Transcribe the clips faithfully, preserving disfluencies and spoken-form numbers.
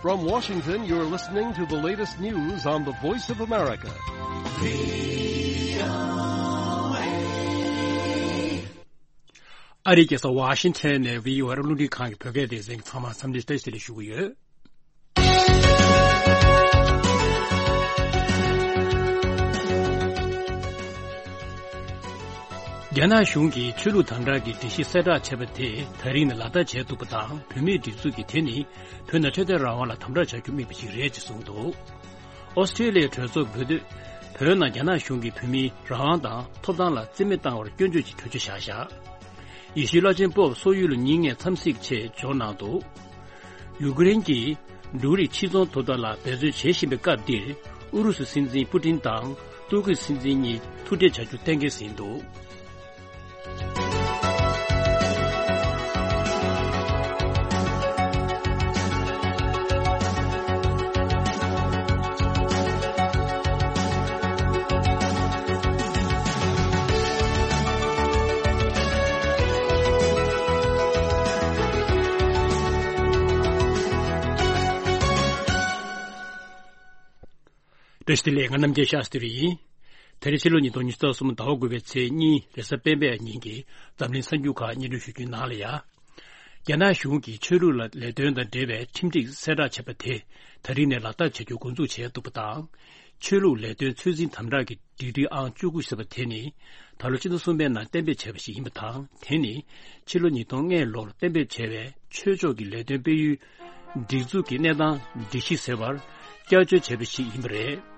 From Washington, you're listening to the latest news on the Voice of America. ཨ་རིའི་རྒྱལ་ས་ཝ་ཤིང་ཊོན་ནས་བྷི་ཨོ་ཨེ་རླུང་འཕྲིན་ཁང་གི་བོད་སྐད་སྡེ་ཚན་གྱི་ཚང་མ་འཚམས་འདྲི་བཀྲ་ཤིས་བདེ་ལེགས་ཞུ་གི་ཡོད། རྒྱ་ནག་གཞུང་གིས་ཆོས་ལུགས་དམ་དྲག་གི་སྒྲིག་གཞི་གསལ་བསྒྲགས་བྱས་པ་དེ་ད་རིང་ནས་ལག་བསྟར་བྱས་འདུག་པ་དང་། བོད་མིའི་སྒྲིག་འཛུགས་ཀྱིས་དེ་ནི་བོད་ནང་འཕྲོད་བསྟེན་རང་དབང་ལ་དམ་དྲག་བྱ་རྒྱུ་དམིགས་པ་ཞིག་རེད་ཅེས་གསུངས་འདུག། ཨོ་སི་ཀྲེ་ལི་ཡའི་གྲོས་ཚོགས་བོད་དོན། བོད་ནང་རྒྱ་ནག་གཞུང་གིས་བོད་མིའི་རང་དབང་དང་ཐོབ་ཐང་ལ་བརྩི་མེད་བཏང་བར་སྐྱོན་བརྗོད་ཀྱི་གྲོས་ཆོད་བཞག་བཞག། ཡེ་ཤུའི་བླ་ཆེན་པོབ་སོག་ཡུལ་ལ་ཉིན་ལྔའི་འཚམས་གཟིགས་ཆེད་འབྱོར་གནང་འདུག། ཡུ་ཀེ་རེན་གྱིས་འབྲུ་རིགས་ཕྱིར་ཚོང་ཐོབ་ཐང་ལ་འབད་བརྩོན་བྱེད་བཞིན་པའི་སྐབས་འདིར། ཨུ་རུ་སུའི་སྲིད་འཛིན་པུ་ཏིན་དང་ཏུར་ཀིའི་སྲིད་འཛིན་གཉིས་ཐུག་འཕྲད་བྱ་རྒྱུ་གཏན་འཁེལ་ཟིན་འདུག། བཀྲ་ཤིས་བདེ་ལེགས། ང་རྣམ་རྒྱལ་ཤཱསྟྲི་ཡིན། དེ་རིང་ཕྱི་ལོ་ཉིས་སྟོང་ཉི་ཤུ་རྩ་གསུམ་ཟླ་བ་དགུ་པའི་ཚེས་གཉིས་རེས་གཟའ་སྤེན་པའི་ཉིན་གྱི་འཛམ་གླིང་གསར་འགྱུར་ཁག་སྙན་སྒྲོན་ཞུ་རྒྱུའི་ནང་ལ་ཡ། རྒྱ་ནག་གཞུང་གིས་ཆོས་ལུགས་ལ་ལས་དོན་དང་འབྲེལ་བའི་ཁྲིམས་སྒྲིག་གསལ་བསྒྲགས་བྱས་པ་དེ་ད་རིང་ནས་ལག་བསྟར་བྱ་རྒྱུ་འགོ་འཛུགས་བྱས་འདུག་པ་དང་། ཆོས་ལུགས་ལས་དོན་ཚོད་འཛིན་དམ་དྲག་གི་སྒྲིག་ཁྲིམས་ཨང་བཅུ་དགུ་ཟེར་བ་དེ་ནི་ད་ལོ་ཕྱི་ཟླ་གསུམ་པའི་ནང་གཏན་འབེབས་བྱས་པ་ཞིག་ཡིན་པ་དང་། དེ་ནི་ཕྱི་ལོ་ཉིས་སྟོང་ལྔ་ལོར་གཏན་འབེབས་བྱས་པའི་ཆོས་ཕྱོགས་ཀྱི་ལས་དོན་སྤེལ་ཡུལ་སྒྲིག་འཛུགས་ཀྱི་གནས་སྟངས་སྒྲིག་གཞི་ཟེར་བར་བསྐྱར་བཅོས་བྱས་པ་ཞིག་ཡིན་པ་རེད།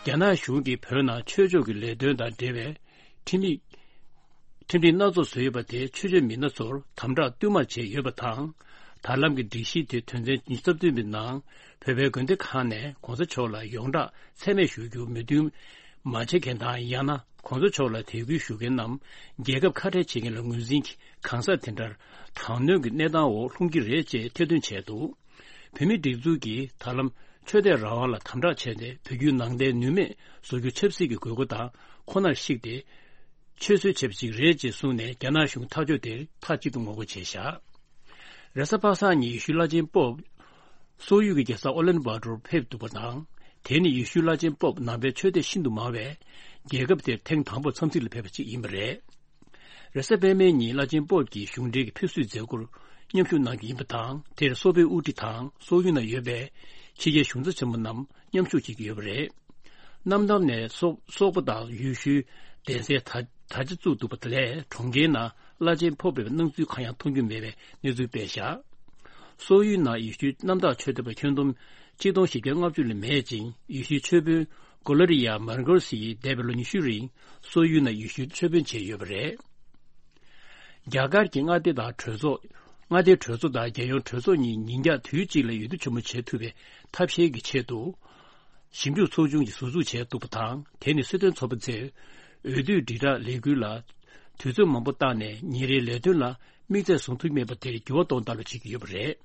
རྒྱ་ནག་གཞུང་གིས་བོད་ནང་ཆོས་ཕྱོགས་ཀྱི་ལས་དོན་དང་འབྲེལ་བའི་ཁྲིམས་ཡིག་ཁྲིམས་སྒྲིག་སྣ་ཚོགས་བཟོས་ཡོད་པ་དེ་ཆོས་བྱེད་མི་སྣ་ཚོར་དམ་དྲག་བསྟུད་མར་བྱས་ཡོད་པ་དང་། ད་ལམ་གྱི་སྒྲིག་གཞི་དེ་དོན་ཚན་ཉི་ཤུ་རྩ་བདུན་པའི་ནང་བོད་པའི་དགོན་སྡེ་ཁག་ནས་གོང་ས་མཆོག་ལ་ཡོངས་གྲགས་མཚན་སྨད་ཞུ་རྒྱུར་མོས་མཐུན་མ་བྱེད་མཁན་དང་། ཡང་ན་གོང་ས་མཆོག་ལ་དད་གུས་ཞུ་མཁན་རྣམས་རྒྱལ་ཁབ་ཁ་བྲལ་བྱེད་མཁན་ལ་ངོས་འཛིན་གྱིས་གང་ཟག་དེ་འདྲར་དྲག་གནོན་གྱི་གནས་སྟངས་འོག་ལྷུང་གི་རེད་ཅེས་ཐེར་འདོན་བྱས་འདུག། བོད་མིའི་སྒྲིག་འཛུགས་ཀྱིས་ད་ལམ་ཆོས་དད་རང་དབང་ལ་དམ་དྲག་བྱས་ཏེ། བོད་བརྒྱུད་ནང་བསྟན་ནུས་མེད་བཟོ་རྒྱུ་ཆབ་སྲིད་ཀྱི་དགོས་མཁོ་དང་ཁོ་ནར་གཞིགས་ཏེ་ཆོད་གསོལ་བྱས་པ་ཞིག་རེད་ཅེས་གསུངས་ནས། རྒྱ་ནག་གཞུང་ཐག་གཅོད་དེར་མཐའ་གཅིག་ཏུ་ངོ་རྒོལ་བྱས་བཞག། རེས་གཟའ་པ་སངས་ཉིན་ཡེ་ཤུའི་བླ་ཆེན་པོབ་སོག་ཡུལ་གྱི་རྒྱལ་ས་ཨོ་ལན་བྷ་ཏོར་ཕེབས་འདུག་པ་དང་། དེ་ནི་ཡེ་ཤུའི་བླ་ཆེན་པོབ་ནང་པའི་ཆོས་དད་ཤིན་ཏུ་མང་བས་རྒྱལ་ཁབ་དེར་ཐེངས་དང་པོ་འཚམས་གཟིགས་ལ་ཕེབས་པ་ཞིག་ཡིན་པ་རེད། རེས་གཟའ་སྤེན་པའི་ཉིན་བླ་ཆེན་པོབ་ཀྱིས་གཞུང་འབྲེལ་གྱི་ཕེབས་བསུའི་མཛད་སྒོར་མཉམ་ཞུགས་གནང་གི་ཡིན་པ་དང་། དེར་སོག་པོའི་དབུ་ཁྲིད་དང་སོག་ཡུལ་ནང་ཡོད་པའི་ཕྱི་རྒྱལ་གཞུང་ཚབ་ཆེན་པོ་རྣམས་མཉམ་ཞུགས་བྱེད་ཀྱི་ཡོད་པ་རེད། གནམ་ཐང་ནས་སོག་སོག་པོ་དང་ཡུལ་ཤུལ་གདན་སའི་དར་དར་ཆ་བཙུགས་འདུག་པ་ལས། གྲོང་ཁྱེར་ནང་བླ་ཆེན་ཕོབ་པའི་སྣང་ཚུལ་གང་ཡང་མཐོང་རྒྱུ་མེད་པའི་གནས་ཚུལ་སྤེལ་བཞག། སོག་ཡུལ་ནང་ཡེ་ཤུའི་གནམ་བདག་ཆོས་དད་པ་ཁྱོན་བསྡོམས་ཆིག་སྟོང་བཞི་བརྒྱ་ལྔ་བཅུ་ལས་མེད་ཅིང་། ཡེ་ཤུའི་ཆོས་དཔོན་གོ་ལ་རི་ཡ་མར་གོ་སི་ཡིས་འདས་པའི་ལོ་ཉི་ཤུ་རིང་སོག་ཡུལ་ནང་ཡེ་ཤུའི་ཆོས་དཔོན་བྱས་ཡོད་པ་རེད། རྒྱ་གར་གྱི་མངའ་སྡེ་དང་གྲོས་ཚོགས། མངའ་སྡེའི་གྲོས་ཚོགས་དང་རྒྱལ་ཡོངས་གྲོས་ཚོགས་གཉིས་ཉིན་རྒྱང་དུས་གཅིག་ལ་འོས་བསྡུ་ཆེན་མོ་བྱེད་ཐུབ་པའི་ཐབས་ཤེས་ཀྱི་ཆེད་དུ། ཞིབ་འཇུག་ཚོགས་ཆུང་ཞིག་ཟུར་འཛུགས་བྱས་འདུག་པ་དང་། དེ་ནི་སྲིད་དོན་ཚོགས་པ་ཚོས་འོས་བསྡུའི་དྲིལ་བསྒྲགས་ལས་འགུལ་ལ་དུས་ཚོད་མང་པོ་བཏང་ནས། ཉིན་རེའི་ལས་དོན་ལ་དམིགས་ཚད་བཟུང་ཐུབ་མེད་པ་དེར་འགྱུར་བ་གཏོང་ཐབས་ལ་བྱེད་ཀྱི་ཡོད་པ་རེད།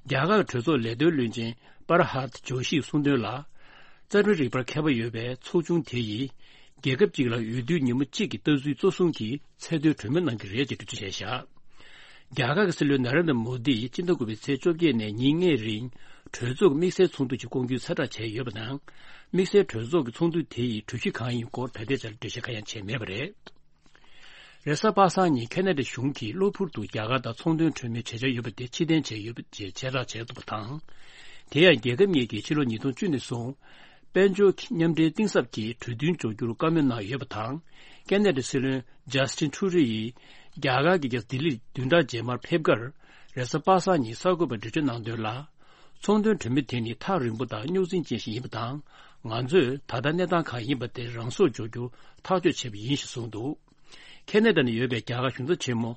རྒྱ་གར་གྲོས་ཚོགས་ལས་དོན་བློན་ཆེན་པར་ཧར་ཇོ་ཤིས་གསུངས་དོན་ལ། རྩ་ཁྲིམས་རིག་པར་མཁས་པ་ཡོད་པའི་ཚོགས་ཆུང་དེ་ཡིས། རྒྱལ་ཁབ་ཅིག་ལ་འོས་བསྡུའི་ཉིན་མོ་གཅིག་གི་ལྟ་ཚུལ་གཙོ་བཟུང་གིས་ཚད་མཐོའི་གྲོས་མོལ་གནང་གི་རེད་ཅེས་འགྲེལ་བརྗོད་བྱས་བཞག། རྒྱ་གར་གྱི་སྲིད་བློན་ན་རེན་དྲ་མོ་དིས་སྤྱི་ཟླ་དགུ་པའི་ཚེས་བཅོ་བརྒྱད་ནས་ཉིན་ལྔའི་རིང་གྲོས་ཚོགས་ཀྱི་དམིགས་བསལ་ཚོགས་འདུ་ཞིག་བསྐོང་རྒྱུའི་གསལ་བསྒྲགས་བྱས་ཡོད་པ་དང་། དམིགས་བསལ་གྲོས་ཚོགས་ཀྱི་ཚོགས་འདུ་དེ་ཡི་གྲོས་གཞི་གང་ཡིན་སྐོར་ད་ལྟའི་ཆར་འགྲེལ་བཤད་གང་ཡང་བྱས་མེད་པ་རེད། རེས་གཟའ་པ་སངས་ཉིན་ཁེ་ན་ཌ་གཞུང་གིས་གློ་བུར་དུ་རྒྱ་གར་དང་ཚོང་དོན་གྲོས་མོལ་བྱེད་འཆར་ཡོད་པ་དེ་ཕྱིར་འཐེན་བྱས་ཡོད་པ་ཅེས་ཁྱབ་བསྒྲགས་བྱས་འདུག་པ་དང་། དེ་ཡང་རྒྱལ་ཁབ་གཉིས་ཀྱིས་ཕྱི་ལོ་ཉིས་སྟོང་བཅུ་ནས་བཟུང་། དཔལ་འབྱོར་མཉམ་འབྲེལ་གཏིང་ཟབ་ཀྱི་གྲོས་མཐུན་འཇོག་རྒྱུར་བཀའ་མོལ་གནང་ཡོད་པ་དང་། ཁེ་ན་ཌའི་སྲིད་བློན་ཇཱ་སི་ཊིན་ཁྲུ་རི་ཡིས་རྒྱ་གར་གྱི་རྒྱལ་ས་ལྡི་ལིར་བདུན་ཕྲག་རྗེས་མར་ཕེབས་ཁར། རེས་གཟའ་པ་སངས་ཉིན་གསར་འགོད་པར་འགྲེལ་བརྗོད་གནང་དོན་ལ། ཚོང་དོན་གྲོས་མོལ་དེ་ནི་ཐག་རིང་པོ་དང་རྙོག་འཛིང་ཅན་ཞིག་ཡིན་པ་དང་། ང་ཚོས་ད་ལྟ་གནས་སྟངས་གང་ཡིན་པ་དེ་རང་སོར་འཇོག་རྒྱུ་ཐག་གཅོད་བྱས་པ་ཡིན་ཞེས་གསུངས་འདུག། ཁེ་ན་ཌ་ནང་ཡོད་པའི་རྒྱ་གར་གཞུང་ཚབ་ཆེན་མོ་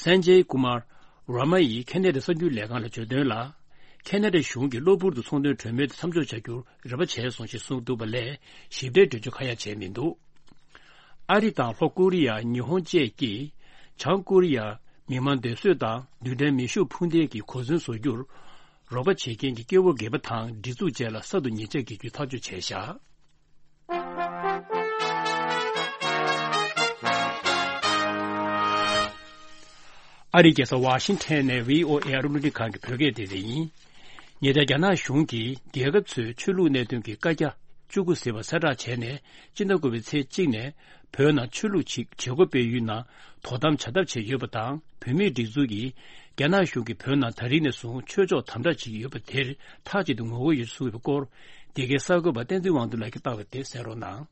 སན་ཇེ་ཀུ་མར་ཝར་མ་ཡིས་ཁེ་ན་ཌའི་གསར་འགྱུར་ལས་ཁང་ལ་བརྗོད་དོན་ལ། ཁེ་ན་ཌ་གཞུང་གིས་གློ་བུར་དུ་ཚོང་དོན་གྲོས་མོལ་དེ་མཚམས་འཇོག་བྱ་རྒྱུར་རེ་བ་བྱས་སོང་ཞེས་གསུངས་འདུག་པ་ལས། ཞིབ་ཕྲའི་འགྲེལ་བརྗོད་གང་ཡང་བྱས་མི་འདུག། ཨ་རི་དང་ལྷོ་ཀོ་རི་ཡ། ཉི་ཧོང་བཅས་ཀྱིས་བྱང་ཀོ་རི་ཡར་མི་མང་སྡེ་གསོད་དང་རྡུལ་ཕྲན་མེ་ཤུགས་འཕུར་མདེལ་གྱི་གོ་མཚོན་བཟོ་རྒྱུར་རོགས་པ་བྱེད་མཁན་གྱི་སྐྱེ་བོ་སྒེར་པ་དང་སྒྲིག་འཛུགས་བཅས་ལ་གསར་དུ་ཉེས་ཆད་འགེལ་རྒྱུའི་ཐག་གཅོད་བྱས་བཞག། ཨ་རིའི་རྒྱལ་ས་ཝཱ་ཤིང་ཐན་ནས་བྷི་ཨོ་ཨེ་ཨ་རི་རླུང་འཕྲིན་ཁང་གི་བོད་སྐད་སྡེ་ཚན་ཡིན། ཉེ་ཆར་རྒྱ་ནག་གཞུང་གིས་རྒྱལ་ཁབ་ཚོའི་ཆོས་ལུགས་གནད་དོན་གྱི་བཀའ་རྒྱ་བཅུ་དགུ་ཟེར་བ་གསལ་བསྒྲགས་བྱས་ནས། སྤྱི་ཟླ་དགུ་པའི་ཚེས་གཅིག་ནས་བོད་ནང་ཆོས་ལུགས་བྱེད་བྱེད་སྒོ་སྤེལ་ཡུལ་ནང་དོ་དམ་བྱ་ཐབས་བྱས་ཡོད་པ་དང་། བོད་མིའི་སྒྲིག་འཛུགས་ཀྱིས་རྒྱ་ནག་གཞུང་གིས་བོད་ནང་ད་རིང་ནས་བཟུང་ཆོས་ཕྱོགས་དམ་དྲག་བྱེད་ཀྱི་ཡོད་པ་དེར་མཐའ་གཅིག་ཏུ་ངོ་རྒོལ་ཡོད་ཚུལ་གྱི་སྐོར། འདི་གའི་གསར་འགོད་པ་བསྟན་འཛིན་དབང་འདུས་ལགས་ཀྱིས་བཏང་བའི་དེབ་གསན་རོགས་གནང་།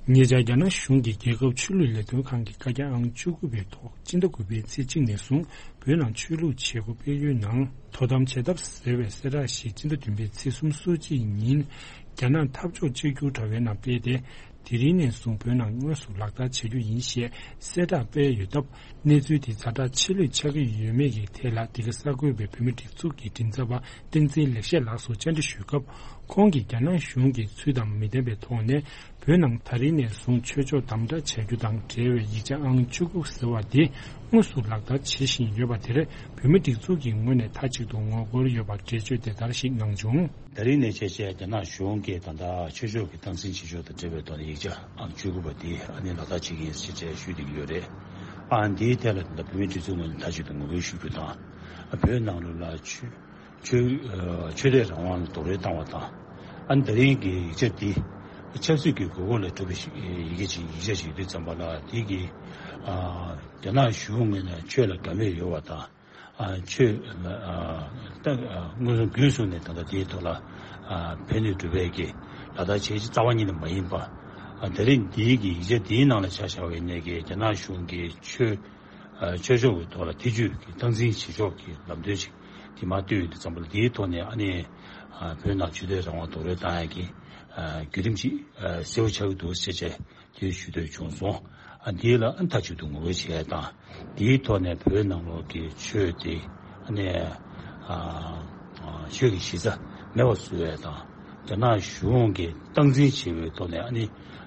ཉེ་ཆར་རྒྱ་ནག་གཞུང་གིས་རྒྱལ་ཁབ་ཆོས་ལུགས་ལས་དོན་ཁང་གི་བཀའ་རྒྱ་ཨང་བཅུ་དགུ་པའི་ཐོག་སྤྱི་ཟླ་དགུ་པའི་ཚེས་གཅིག་ནས་བཟུང་བོད་ནང་ཆོས་ལུགས་བྱེད་སྒོ་སྤེལ་ཡུལ་ནང་དོ་དམ་བྱེད་ཐབས་ཟེར་བའི་གསལ་བསྒྲགས་ཤིག་སྤྱི་ཟླ་བདུན་པའི་ཚེས་སོ་གཅིག་ཉིན་རྒྱ་ནག་འཐབ་ཕྱོགས་གཅིག་གྱུར་དྲ་བའི་ནང་སྤེལ་ཏེ། དེ་རིང་ནས་བཟུང་བོད་ནང་དངོས་སུ་ལག་བསྟར་བྱ་རྒྱུ་ཡིན་ཞེས་གསལ་བསྒྲགས་སྤེལ་ཡོད་སྟབས། གནས་ཚུལ་དེ་ཛ་དྲག་ཆེ་ལོས་ཆགས་ཀྱི་ཡོད་མེད་ཀྱི་ཐད་ལ། འདི་ག་གསར་འགོད་པས་བོད་མིའི་སྒྲིག་འཛུགས་ཀྱི་མགྲིན་ཚབ་པ་བསྟན་འཛིན་ལེགས་བཤད་ལགས་སུ་བཅར་འདྲི་ཞུས་སྐབས། ཁོང་གིས་རྒྱ་ནག་གཞུང་གིས་ཚུལ་དང་མི་ལྡན་པའི་ཐོག་ནས་བོད་ནང་ད་རིང་ནས་བཟུང་ཆོས་ཕྱོགས་དམ་དྲག་བྱ་རྒྱུ་དང་འབྲེལ་བའི་ཡིག་ཆ་ཨང་བཅུ་དགུ་ཟེར་བ་དེ་དངོས་སུ་ལག་བསྟར་བྱེད་བཞིན་ཡོད་པ་དེར། བོད་མིའི་སྒྲིག་འཛུགས་ཀྱི་ངོས་ནས་མཐའ་གཅིག་ཏུ་ངོ་རྒོལ་ཡོད་པར་འགྲེལ་བརྗོད་དེ་ལྟར་ཞིག་གནང་བྱུང་། ད་རིང་ནས་བྱས་བྱས་རྒྱ་ནག་གཞུང་གིས་ད་ལྟ་ཆོས་ཕྱོགས་ཀྱི་སྟངས་འཛིན་བྱེད་ཕྱོགས་དང་འབྲེལ་བའི་ཐོག་ནས་ཡིག་ཆ་ཨང་བཅུ་དགུ་པ་དེ་ཨ་ནི་ལག་བསྟར་བྱེད་ཀྱི་ཡིན་ཞེས་བྱས་ཞུས་བསྡད་ཀྱི་ཡོད་རེད། ཨ་འདིའི་ཐད་ལ་ད་ལྟ་བོད་མིའི་སྒྲིག་འཛུགས་ངོས་ནས་མཐའ་གཅིག་ཏུ་ངོ་རྒོལ་ཞུ་རྒྱུ་དང་། བོད་ནང་ལོགས་ལ་ཆོས་ཆོས་ཨ་ཆོས་དད་རང་དབང་ལ་རྡོག་རོལ་བཏང་བ་དང་། ཨ་ནི་ད་རིང་གི་ཡིག་ཆ་འདི་ཆབ་སྲིད་ཀྱི་དགོས་མཁོ་ལ་གྲུབ་པའི་ཡི་གེ་ཅིག་ཡིག་ཆ་ཞིག་ཡོད་དུས་ཙམ་པ་ལ། དེ་གིས་ཨ་རྒྱ་ནག་གཞུང་ངོས་ནས་ཆོས་ལ་དགའ་མོས་ཡོད་པ་དང་། ཨ་ཆོས་ཨ་ད་ཨ་མངོན་སུམ་རྒྱུན་བཟུང་ནས་ད་ལྟ་དེའི་ཐོག་ལ་ཨ་ཕན་ནུས་སྒྲུབ་པའི་གི་ལག་བསྟར་བྱེད་ཀྱི་རྩ་བ་ཉིད་ནས་མ་ཡིན་པ། ཨ་ད་རེས་འདིའི་གི་ཡིག་ཆ་འདིའི་ནང་ལ་ཆ་བཞག་པ་ཡིན་ནའི་གི་རྒྱ་ནག་གཞུང་གིས་ཆོས་ཨ་ཆོས་ཕྱོགས་ཀྱི་ཐོག་ལ་ཐེ་ཇུས་ཀྱི་སྟངས་འཛིན་བྱེད་ཕྱོགས་ཀྱི་ལམ་སྟོན་ཞིག་དེ་མར་བཏོད་ཡོད་དུས་ཙམ་པ་ལ། དེའི་ཐོག་ནས་ཨ་ནི་ཨ་བོད་ནང་ཆོས་དད་རང་དབང་རྡོག་རོལ་བཏང་ཡག་གི་ཨ་བརྒྱུད་རིམ་ཅིག་ཨ་གསལ་པོ་ཆགས་ཀྱི་འདུག་ཟེར་བྱས། དེ་ཞུ་འདོད་བྱུང་སོང་། ཨ་འདི་ལ་ཨ་མཐའ་གཅིག་ཏུ་ངོ་རྒོལ་བྱས་དང་། དེའི་ཐོག་ནས་བོད་ནང་ལོགས་ཀྱི་ཆོས་དེ་ཨ་ནི་ཨ་ཨ་ཆོས་ཀྱི་གཞི་རྩ་མེད་པ་བཟོ་བའི་དང་། རྒྱ་ནག་གཞུང་གིས་སྟངས་འཛིན་བྱེད་པའི་ཐོག་ནས་ཨ་ནི་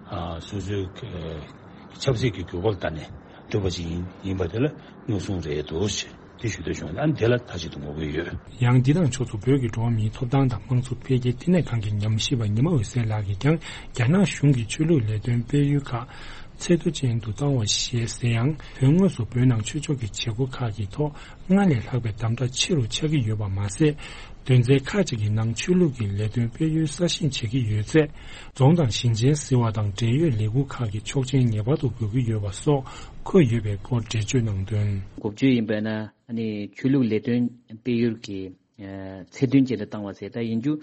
ཨ་སོ་སོའི་ཨ་ཆབ་སྲིད་ཀྱི་དགོས་མཁོ་ལ་བལྟས་ནས་བསྒྲུབས་པ་ཞིག་ཡིན་ཡིན་པ་དེ་ལ་མངོན་སུམ་རེད་འདུག་ཅེས། དེ་ཞུ་འདོད་བྱུང་། ཨ་ནི་དེ་ལ་མཐའ་གཅིག་ཏུ་ངོ་རྒོལ་ཡོད། ཡང་འདི་དང་ཕྱོགས་མཚུངས་བོད་ཀྱི་འགྲོ་བ་མིའི་ཐོབ་ཐང་དང་དམངས་གཙོ་འཕེལ་རྒྱས་ལྟེ་གནས་ཁང་གི་ཉམས་ཞིབ་པ་ཉི་མ་འོད་ཟེར་ལགས་ཀྱིས་ཀྱང་། རྒྱ་ནག་གཞུང་གིས་ཆོས་ལུགས་ལས་དོན་སྤེལ་ཡུལ་ཁག་ཚད་མཐོ་ཅན་དུ་བཏང་བ་ཞེས་ཟེར་ཡང་། དོན་དངོས་སུ་བོད་ནང་ཆོས་ཕྱོགས་ཀྱི་བྱེད་སྒོ་ཁག་གི་ཐོག་སྔར་ལས་ལྷག་པའི་དམ་དྲག་ཆེ་རུ་ཆགས་ཀྱི་ཡོད་པ་མ་ཟད། དོན་ཚན་ཁག་ཅིག་གི་ནང་ཆོས་ལུགས་ཀྱི་ལས་དོན་སྤེལ་ཡུལ་གསར་བཞེངས་བྱེད་ཀྱི་ཡོད་ཚེ། རྫོང་དང་ཞིང་ཆེན་ཟེར་བ་དང་འབྲེལ་ཡོད་ལས་ཁུངས་ཁག་གི་ཆོག་མཆན་ངེས་པར་དུ་དགོས་ཀྱི་ཡོད་པ་སོགས་འཁོད་ཡོད་པའི་སྐོར་འགྲེལ་བརྗོད་གནང་དོན། འགོ་བརྗོད་ཡིན་པས་ན། ཨ་ནི་ཆོས་ལུགས་ལས་དོན་སྤེལ་ཡུལ་གྱི་ཚད་ལྡན་ཅན་དུ་བཏང་བ་ཟེར། ད་ཡིན་རྒྱུ་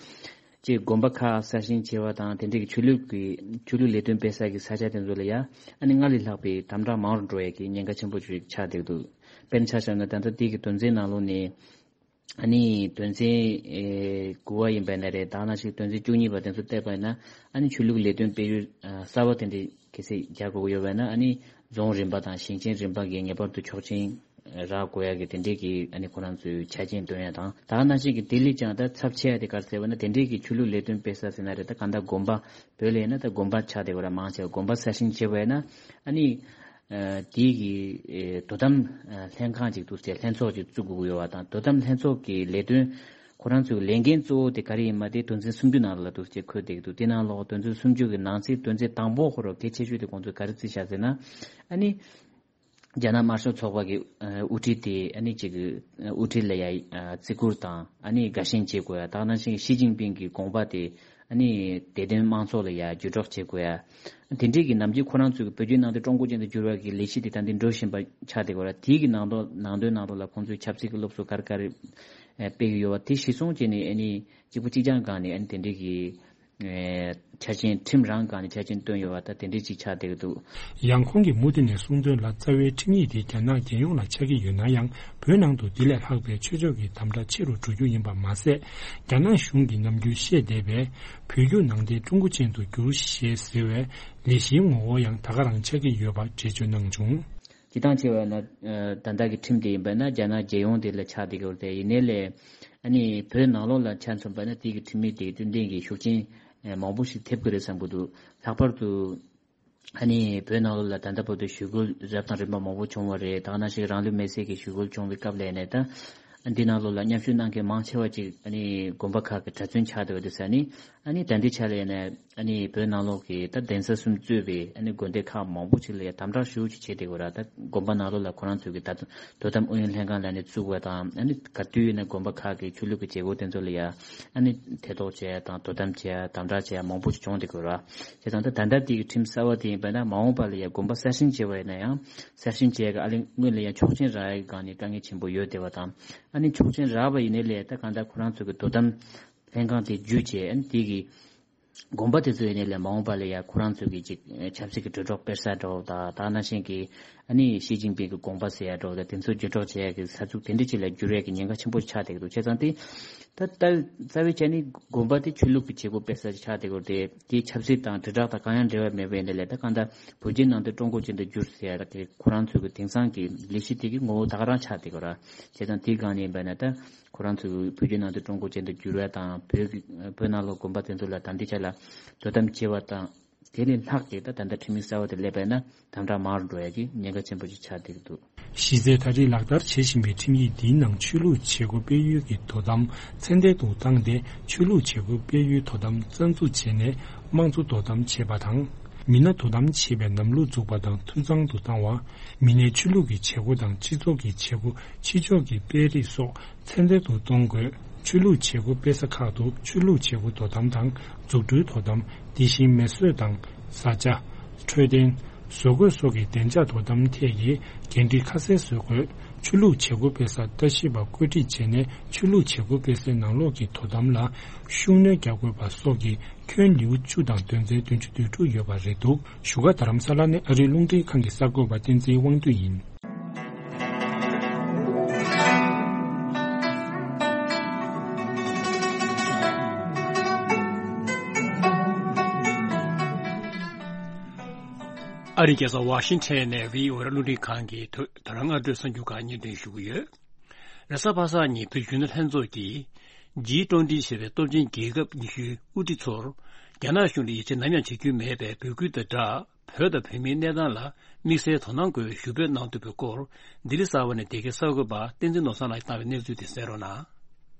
ཅིག་དགོན་པ་ཁག་གསར་བཞེངས་བྱས་པ་དང་། དེ་འདྲའི་གི་ཆོས་ལུགས་ཀྱི་ཆོས་ལུགས་ལས་དོན་སྤེལ་ས་གི་ས་ཆ་དེ་ཚོ་ལ་ཡ་ཨ་ནི་སྔར་ལས་ལྷག་པའི་དམ་དྲག་མང་རུ་འགྲོ་ཡས་ཀྱི་ཉེན་ཁ་ཆེན་པོ་ཅིག་ཆགས་བསྡད་འདུག་དཔེར་ན་ཆ་བཞག་ན། ད་ལྟ་དེ་གི་དོན་ཚན་ནང་ལོགས་ནས། ཨ་ནི་དོན་ཚན་ཨེ་དགུ་པ་ཡིན་པ་ན་རེད། ད་ནང་བཞིན་དོན་ཚན་བཅུ་གཉིས་པ་དེ་ཚོ་བལྟས་པ་ཡིན་ན། ཨ་ནི་ཆོས་ལུགས་ལས་དོན་སྤེལ་ཡུལ་ཨ་གསར་པ་དེ་འདྲ་གལ་སྲིད་རྒྱག་དགོས་ཀྱི་ཡོད་པ་ཡིན་ན། ཨ་ནི་རྫོང་རིམ་པ་དང་ཞིང་ཆེན་རིམ་པ་གིས་ངེས་པར་དུ་ཆོག་མཆན་རག་དགོས་ཡ་གི་དེ་འདྲའི་གི་ཨ་ནི་ཁོ་རང་ཚོའི་ཆ་རྐྱེན་བཏོན་ཡ་དང་། ད་ནང་བཞིན་གི་དེ་ལས་ཀྱང་ད་ཚབས་ཆེ་ཡ་དེ་ག་རེ་ཟེར་བ་ན། དེ་འདྲའི་གི་ཆོས་ལུགས་ལས་དོན་སྤེལ་ས་ཟེར་ན་རེད། ད་གང་ལྟར་དགོན་པ། བོད་ལ་ཡིན་ན་ད་དགོན་པ་ཆགས་བསྡད་ཡོད་ར། མང་ཆེ་བ་དགོན་པ་གསར་བཞེངས་བྱས་པ་ཡིན་ན། ཨ་ནི། ཨ་དེའི་གི་ཨེ་དོ་དམ་ཨ་ལྷན་ཁང་ཅིག་འདུག་ཟེར། ལྷན་ཚོགས་ཅིག་བཙུགས་དགོས་ཀྱི་ཡོད་པ་དང་། དོ་དམ་ལྷན་ཚོགས་ཀྱི་ལས་དོན་ཁོ་རང་ཚོའི་ལས་འགན་གཙོ་བོ་དེ་ག་རེ་ཡིན་མ། དེ་དོན་ཚན་སུམ་ཅུ་ནང་ལ་འདུག་ཟེར་འཁོད་བསྡད་ཀྱི་འདུག་དེ་ནང་ལོགས་དོན་ཚན་སུམ་ཅུ་གི་ནང་གསེས་དོན་ཚན་དང་པོ་ཁོ་རང་གལ་ཆེ་ཤོས་དེ་ཁོང་ཚོས་ག་རེ་བརྩིས་བཞག་ཟེར་ན། ཨ་ནི་རྒྱ་ནག་དམར་ཤོག་ཚོགས་པ་གི་ཨ་དབུ་ཁྲིད་དེ་ཨ་ནི་ཅིག་གི་ཨ་དབུ་ཁྲིད་ལ་ཡ་ཨ་བརྩི་བཀུར་དང་། ཨ་ནི་དགའ་ཞེན་བྱེད་དགོས་ཡ། ད་ནང་བཞིན་ཞི་ཅིན་ཕིང་གི་དགོངས་པ་དེ་ཨ་ནི་བདེ་དོན་དམངས་གཙོ་ལ་ཡ་བརྒྱུད་སྒྲོག་བྱེད་དགོས་ཡ། དེ་འདྲའི་གི་ནམ་རྒྱུན་ཁོ་རང་ཚོའི་བོད་བརྒྱུད་ནང་བསྟན་ཀྲུང་གོ་ཅན་དུ་བསྒྱུར་བ་གི་ལས་གཞི་དེ་ད་འདི་འགྲོ་བཞིན་པ་ཆགས་བསྡད་ཡོད་ར། དེའི་གི་ནང་དོན་ནང་དོན་ནང་དོན་ལ་ཁོང་ཚོའི་ཆབ་སྲིད་ཀྱི་སློབ་གསོ་ག་རེ་ག་རེ་ཨེ་སྤེལ་གྱི་ཡོད་པ་དེ་གཞིར་བཟུང་བྱས་ནས། ཨ་ནི་གཅིག་པུ་གཅིག་རྐྱང་སྒང་ནས་ཨ་ནི་དེ་འདྲའི་གི་ཨེ་ཆ་རྐྱེན། ཁྲིམས་རང་སྒང་ནས་ཆ་རྐྱེན་བཏོན་ཡོད་པ་ད་དེ་འདྲའི་ཅིག་ཆགས་བསྡད་ཀྱི་འདུག་ཡང་ཁོང་གིས་མུ་མཐུད་ནས་གསུངས་དོན་ལ། རྩ་བའི་ཁྲིམས་ཡིག་དེ་རྒྱ་ནག་རྒྱལ་ཡོངས་ལ་ཆགས་ཀྱི་ཡོད་ན་ཡང་། བོད་ནང་དུ་འདི་ལས་ལྷག་པའི་ཆོས་ཕྱོགས་ཀྱི་དམ་དྲག་ཆེ་རུ་འགྲོ་རྒྱུ་ཡིན་པ་མ་ཟད། རྒྱ་ནག་གཞུང་གིས་ནམ་རྒྱུན་བཤད་བསྡད་པའི་བོད་བརྒྱུད་ནང་བསྟན་ཀྲུང་གོ་ཅན་དུ་བསྒྱུར་ཞེས་ཟེར་བའི་ལས་གཞིའི་ངོ་བོ་ཡང་ད་ག་རང་ཆགས་ཀྱི་ཡོད་པ་འགྲེལ་བརྗོད་གནང་བྱུང་། སྤྱིར་བཏང་བྱས་པ་ན། ཨ་ད་ལྟ་གི་ཁྲིམས་དེ་ཡིན་པ་ན་རྒྱ་ནག་རྒྱལ་ཡོངས་དེ་ལ་ཆགས་བསྡད་ཀྱི་ཡོད་རེད། ཡིན་ནའི་ལས་ཨ་ནི་བོད་ནང་ལོགས་ལ་ཆ་མཚོན་པ་ན། དེ་གི་ཁྲིམས་ཡིག་དེ་རྩོད་ལྡན་གྱི་ཤུགས་རྐྱེན་ཨ་མང་པོ་ཞིག་ཐེབས་ཀྱི་རེད་བསམ་གྱི་འདུག་ལྷག་པར་དུ་ཨ་ནི་བོད་ནང་ལོགས་ལ་ད་ལྟ་བར་དུ་ཞི་རྒོལ་རབ་དང་རིམ་པ་མང་པོ་བྱུང་བ་རེད། ད་ག་ནང་བཞིན་རང་ལུས་མེར་སྲེག་གི་ཞི་རྒོལ་བྱུང་བའི་སྐབས་ལ་ཡིན་ནའི་ད། འདི་ནང་ལོགས་ལ་མཉམ་ཞུགས་གནང་མཁན་མང་ཆེ་བ་ཅིག་ཨ་ནི་དགོན་པ་ཁག་གི་གྲྭ་བཙུན་ཆགས་བསྡད་པ་དེ་ས་ནི། ཨ་ནི་ད་ལྟའི་ཆ་ལ་ཡིན་ནའི་ ཨ་ནི་བོད་ནང་ལོགས་ཀྱི་ད་གདན་ས་གསུམ་གཙོས་པའི་ཨ་ནི་དགོན་སྡེ་ཁག་མང་པོ་ཅིག་ལ་ཡང་དམ་དྲག་ཤུགས་ཆེ་བྱས་བསྡད་ཡོད་ར། ད་དགོན་པ་ནང་ལོགས་ལ་ཁོ་རང་ཚོ་གི་ད་དོ་དམ་ཨུ་ཡོན་ལྷན་ཁང་ལབ་ནས་བཙུགས་པ་དང་། ཨ་ནི་ག་དུས་ཡིན་ན་དགོན་པ་ཁག་གི་ཆོས་ལུགས་ཀྱི་བྱེད་སྒོ་དེ་ཚོ་ལ་ཡང་ཨ་ནི་ཐེ་གཏོགས་བྱས་དང་དོ་དམ་བྱས་དམ་དྲག་བྱས་མང་པོ་ཅིག་བྱུང་བསྡད་ཡོད་ར། བྱས་ཙང་ད་ད་ལྟ་དེ་གི་ཁྲིམས་གསར་བ་དེ་ཡིན་པ་ན་མ་འོངས་པ་ལ་ཡང་དགོན་པ་གསར་བཞེངས་བྱས་པ་ཡིན་ན་ཡང་གསར་བཞེངས་བྱས་ཀྱི་ཨ་ལས་སྔོན་ལ་ཡང་ཆོག་མཆན་རག་ཡག་སྒང་ནས་དཀའ་ངལ་ཆེན་པོ་ཡོད་བསྡད་པ་དང་། ཨ་ནི་ཆོག་མཆན་རག་པ་ཡིན་ནའི་ལས་ད་གང་ལྟར་ཁོ་རང་ཚོ་གི་དོ་དམ་ལྷན་ཁང་དེ་བརྒྱུད་བྱས། ཨ་ནི་དེ་གི་དགོན་པ་དེ་ཚོ་ཡིན་ནའི་ལས་མ་འོངས་པ་ལ་ཡང་ཁོ་རང་ཚོ་གི་ཅིག་ཆབ་སྲིད་ཀྱི་གྲོས་ཚོགས་སྤེལ་ས་འདྲ་བོ་དང་། ད་ནང་བཞིན་གྱི་ཨ་ནི་ཞི་ཅིན་ཕིང་གི་དགོངས་པ་ཟེར་ཡ་འདྲ་བོ་དང་། དེ་ཚོ་བརྒྱུད་སྒྲོག་བྱེད་ཡ་གི་ས་ཚུགས་དེ་འདྲ་ཅིག་ལ་འགྱུར་ཡ་གི་ཉེན་ཁ་ཆེན་པོ་ཆགས་བསྡད་ཀྱི་འདུག་བྱས་ཙང་དེ་ད་ལྟ་རྩ་བའི་ཆ་ནས་དགོན་པ་དེ་ཆོས་ལུགས་ཀྱི་བྱེད་སྒོ་སྤེལ་ས་ཆགས་བསྡད་ཀྱི་ཡོད་རེད། དེ་ཆབ་སྲིད་དང་དྲིལ་བསྒྲགས་དང་གང་ཡང་འབྲེལ་བ་མེད་པ་ཡིན་ནའི་ལས། ད་གང་ལྟར་བོད་བརྒྱུད་ནང་བསྟན་ཀྲུང་གོ་ཅན་དུ་བསྒྱུར་ཟེར་ཡ་དེ་ཁོ་རང་ཚོའི་གི་དེང་སང་གི་ལས་གཞི་དེ་གི་ངོ་བོ་ད་ག་རང་ཆགས་བསྡད་ཀྱི་ཡོད་ར། བྱས་ཙང་དེའི་སྒང་ནས་ཡིན་པ་ན་ད་ཁོ་རང་ཚོའི་བོད་བརྒྱུད་ནང་བསྟན་ཀྲུང་གོ་ཅན་དུ་བསྒྱུར་བ་དང་། བོད་ཀྱི་བོད་ནང་ལོགས་དགོན་པ་དེ་ཚོ་ལ་ད་ལྟའི་ཆ་ལ་དོ་དམ་བྱེད་པ་དང་། དེ་ལས་ལྷག་གི་ད་ད་ལྟ་ཁྲིམས་ཡིག་གསར་བ་དེ་སླེབས་པ་ཡིན་ན་དམ་དྲག་མང་རུ་འགྲོ་ཡ་གི་ཉེན་ཁ་ཆེན་པོ་ཅིག་ཆགས་བསྡད་ཀྱི་འདུག་གཞི་རྩའི་ད་རེས་ལག་བསྟར་བྱེད་བཞིན་པའི་ཁྲིམས་ཡིག་འདིའི་ནང་ཆོས་ལུགས་བྱེད་སྒོ་སྤེལ་ཡུལ་གྱི་དོ་དམ་ཚད་ལྡན་དུ་བཏང་སྟེ། ཆོས་ལུགས་བྱེད་སྒོ་སྤེལ་ཡུལ་དོ་དམ་རྩ་འཛུགས་བྱས་ནས་དམངས་གཙོ་དོ་དམ་བྱེད་པ་དང་། མི་སྣ་དོ་དམ་བྱེད་པའི་ལམ་ལུགས་འཛུགས་པ་དང་འཐུས་ཚང་དུ་བཏང་བ། མི་སྣའི་ཆོས་ལུགས་ཀྱི་བྱེད་སྒོ་དང་སྤྱི་ཚོགས་ཀྱི་བྱེད་སྒོ། ཕྱི་ཕྱོགས་ཀྱི་སྤེལ་རེས་སོགས་ཚད་ལྡན་དུ་གཏོང་དགོས། ཆོས་ལུགས་བྱེད་སྒོ་སྤེལ་ས་ཁག་ཏུ་ཆོས་ལུགས་བྱེད་སྒོ་དོ་དམ་དང་། འཛུགས་སྐྲུན་དོ་དམ། དེ་བཞིན་མེ་གསོད་དང་། བཟའ་བཅའ། འཕྲོད་བསྟེན། བཟོ་བཀོད་སོགས་ཀྱི་བདེ་འཇགས་དོ་དམ་ཐད་ཀྱི་འགན་འཁྲི་ཁ་གསལ་བཟོ་དགོས། ཆོས་ལུགས་བྱེད་སྒོ་སྤེལ་སར་ལྟ་ཞིབ་པ་བཀོད་སྒྲིག་བྱས་ནས། ཆོས་ལུགས་བྱེད་སྒོ་སྤེལ་སའི་ནང་ལོགས་ཀྱི་དོ་དམ་ལ་ཤུགས་སྣོན་རྒྱག་དགོས་པ་སོགས་ཀྱི་ཁྱོན་ལེའུ་བཅུ་དང་དོན་ཚན་བདུན་ཅུ་དོན་དྲུག་ཡོད་པ་རེད་འདུག་བཞུགས་སྒར་རྡ་རམ་ས་ལ་ནས་ཨ་རིའི་རླུང་འཕྲིན་ཁང་གི་གསར་འགོད་པ་བསྟན་འཛིན་དབང་འདུས་ཡིན། ཨ་རིའི་རྒྱལ་ས་ཝ་ཤིང་ཊོན་ནས་བྷི་ཨོ་ཨེ་རླུང་འཕྲིན་ཁང་གི་ཐོག་ད་རང་སྔ་དྲོའི་གསར་འགྱུར་ཁག་སྙན་སྒྲོན་ཞུ་གི་ཡོད། རེས་གཟའ་པ་སངས་ཉིན་བོད་གཞོན་ནུ་ལྷན་ཚོགས་ཀྱིས་ཇི་ཊུན་ཊི་ཞེས་པའི་སྟོབས་ཆེན་རྒྱལ་ཁབ་ཉི་ཤུའི་དབུ་ཁྲིད་ཚོར་རྒྱ་ནག་གཞུང་ལ་ཡིད་ཆེས་ནམ་ཡང་བྱེད་རྒྱུ་མེད་པའི་འབོད་སྐུལ་དང་སྦྲགས། བོད་དང་བོད་མིའི་གནས་སྟངས་ལ་དམིགས་བསལ་དོ་སྣང་དགོས་པའི་ཞུ་འབོད་གནང་འདུག་པའི་སྐོར། ལྡི་ལི་གསར་པ་ནས་འདི་གའི་གསར་འགོད་པ་བསྟན་འཛིན་ནོར་བཟང་ལགས་ཀྱིས་བཏང་བའི་གནས་ཚུལ་དེ་གསན་རོགས་གནང་།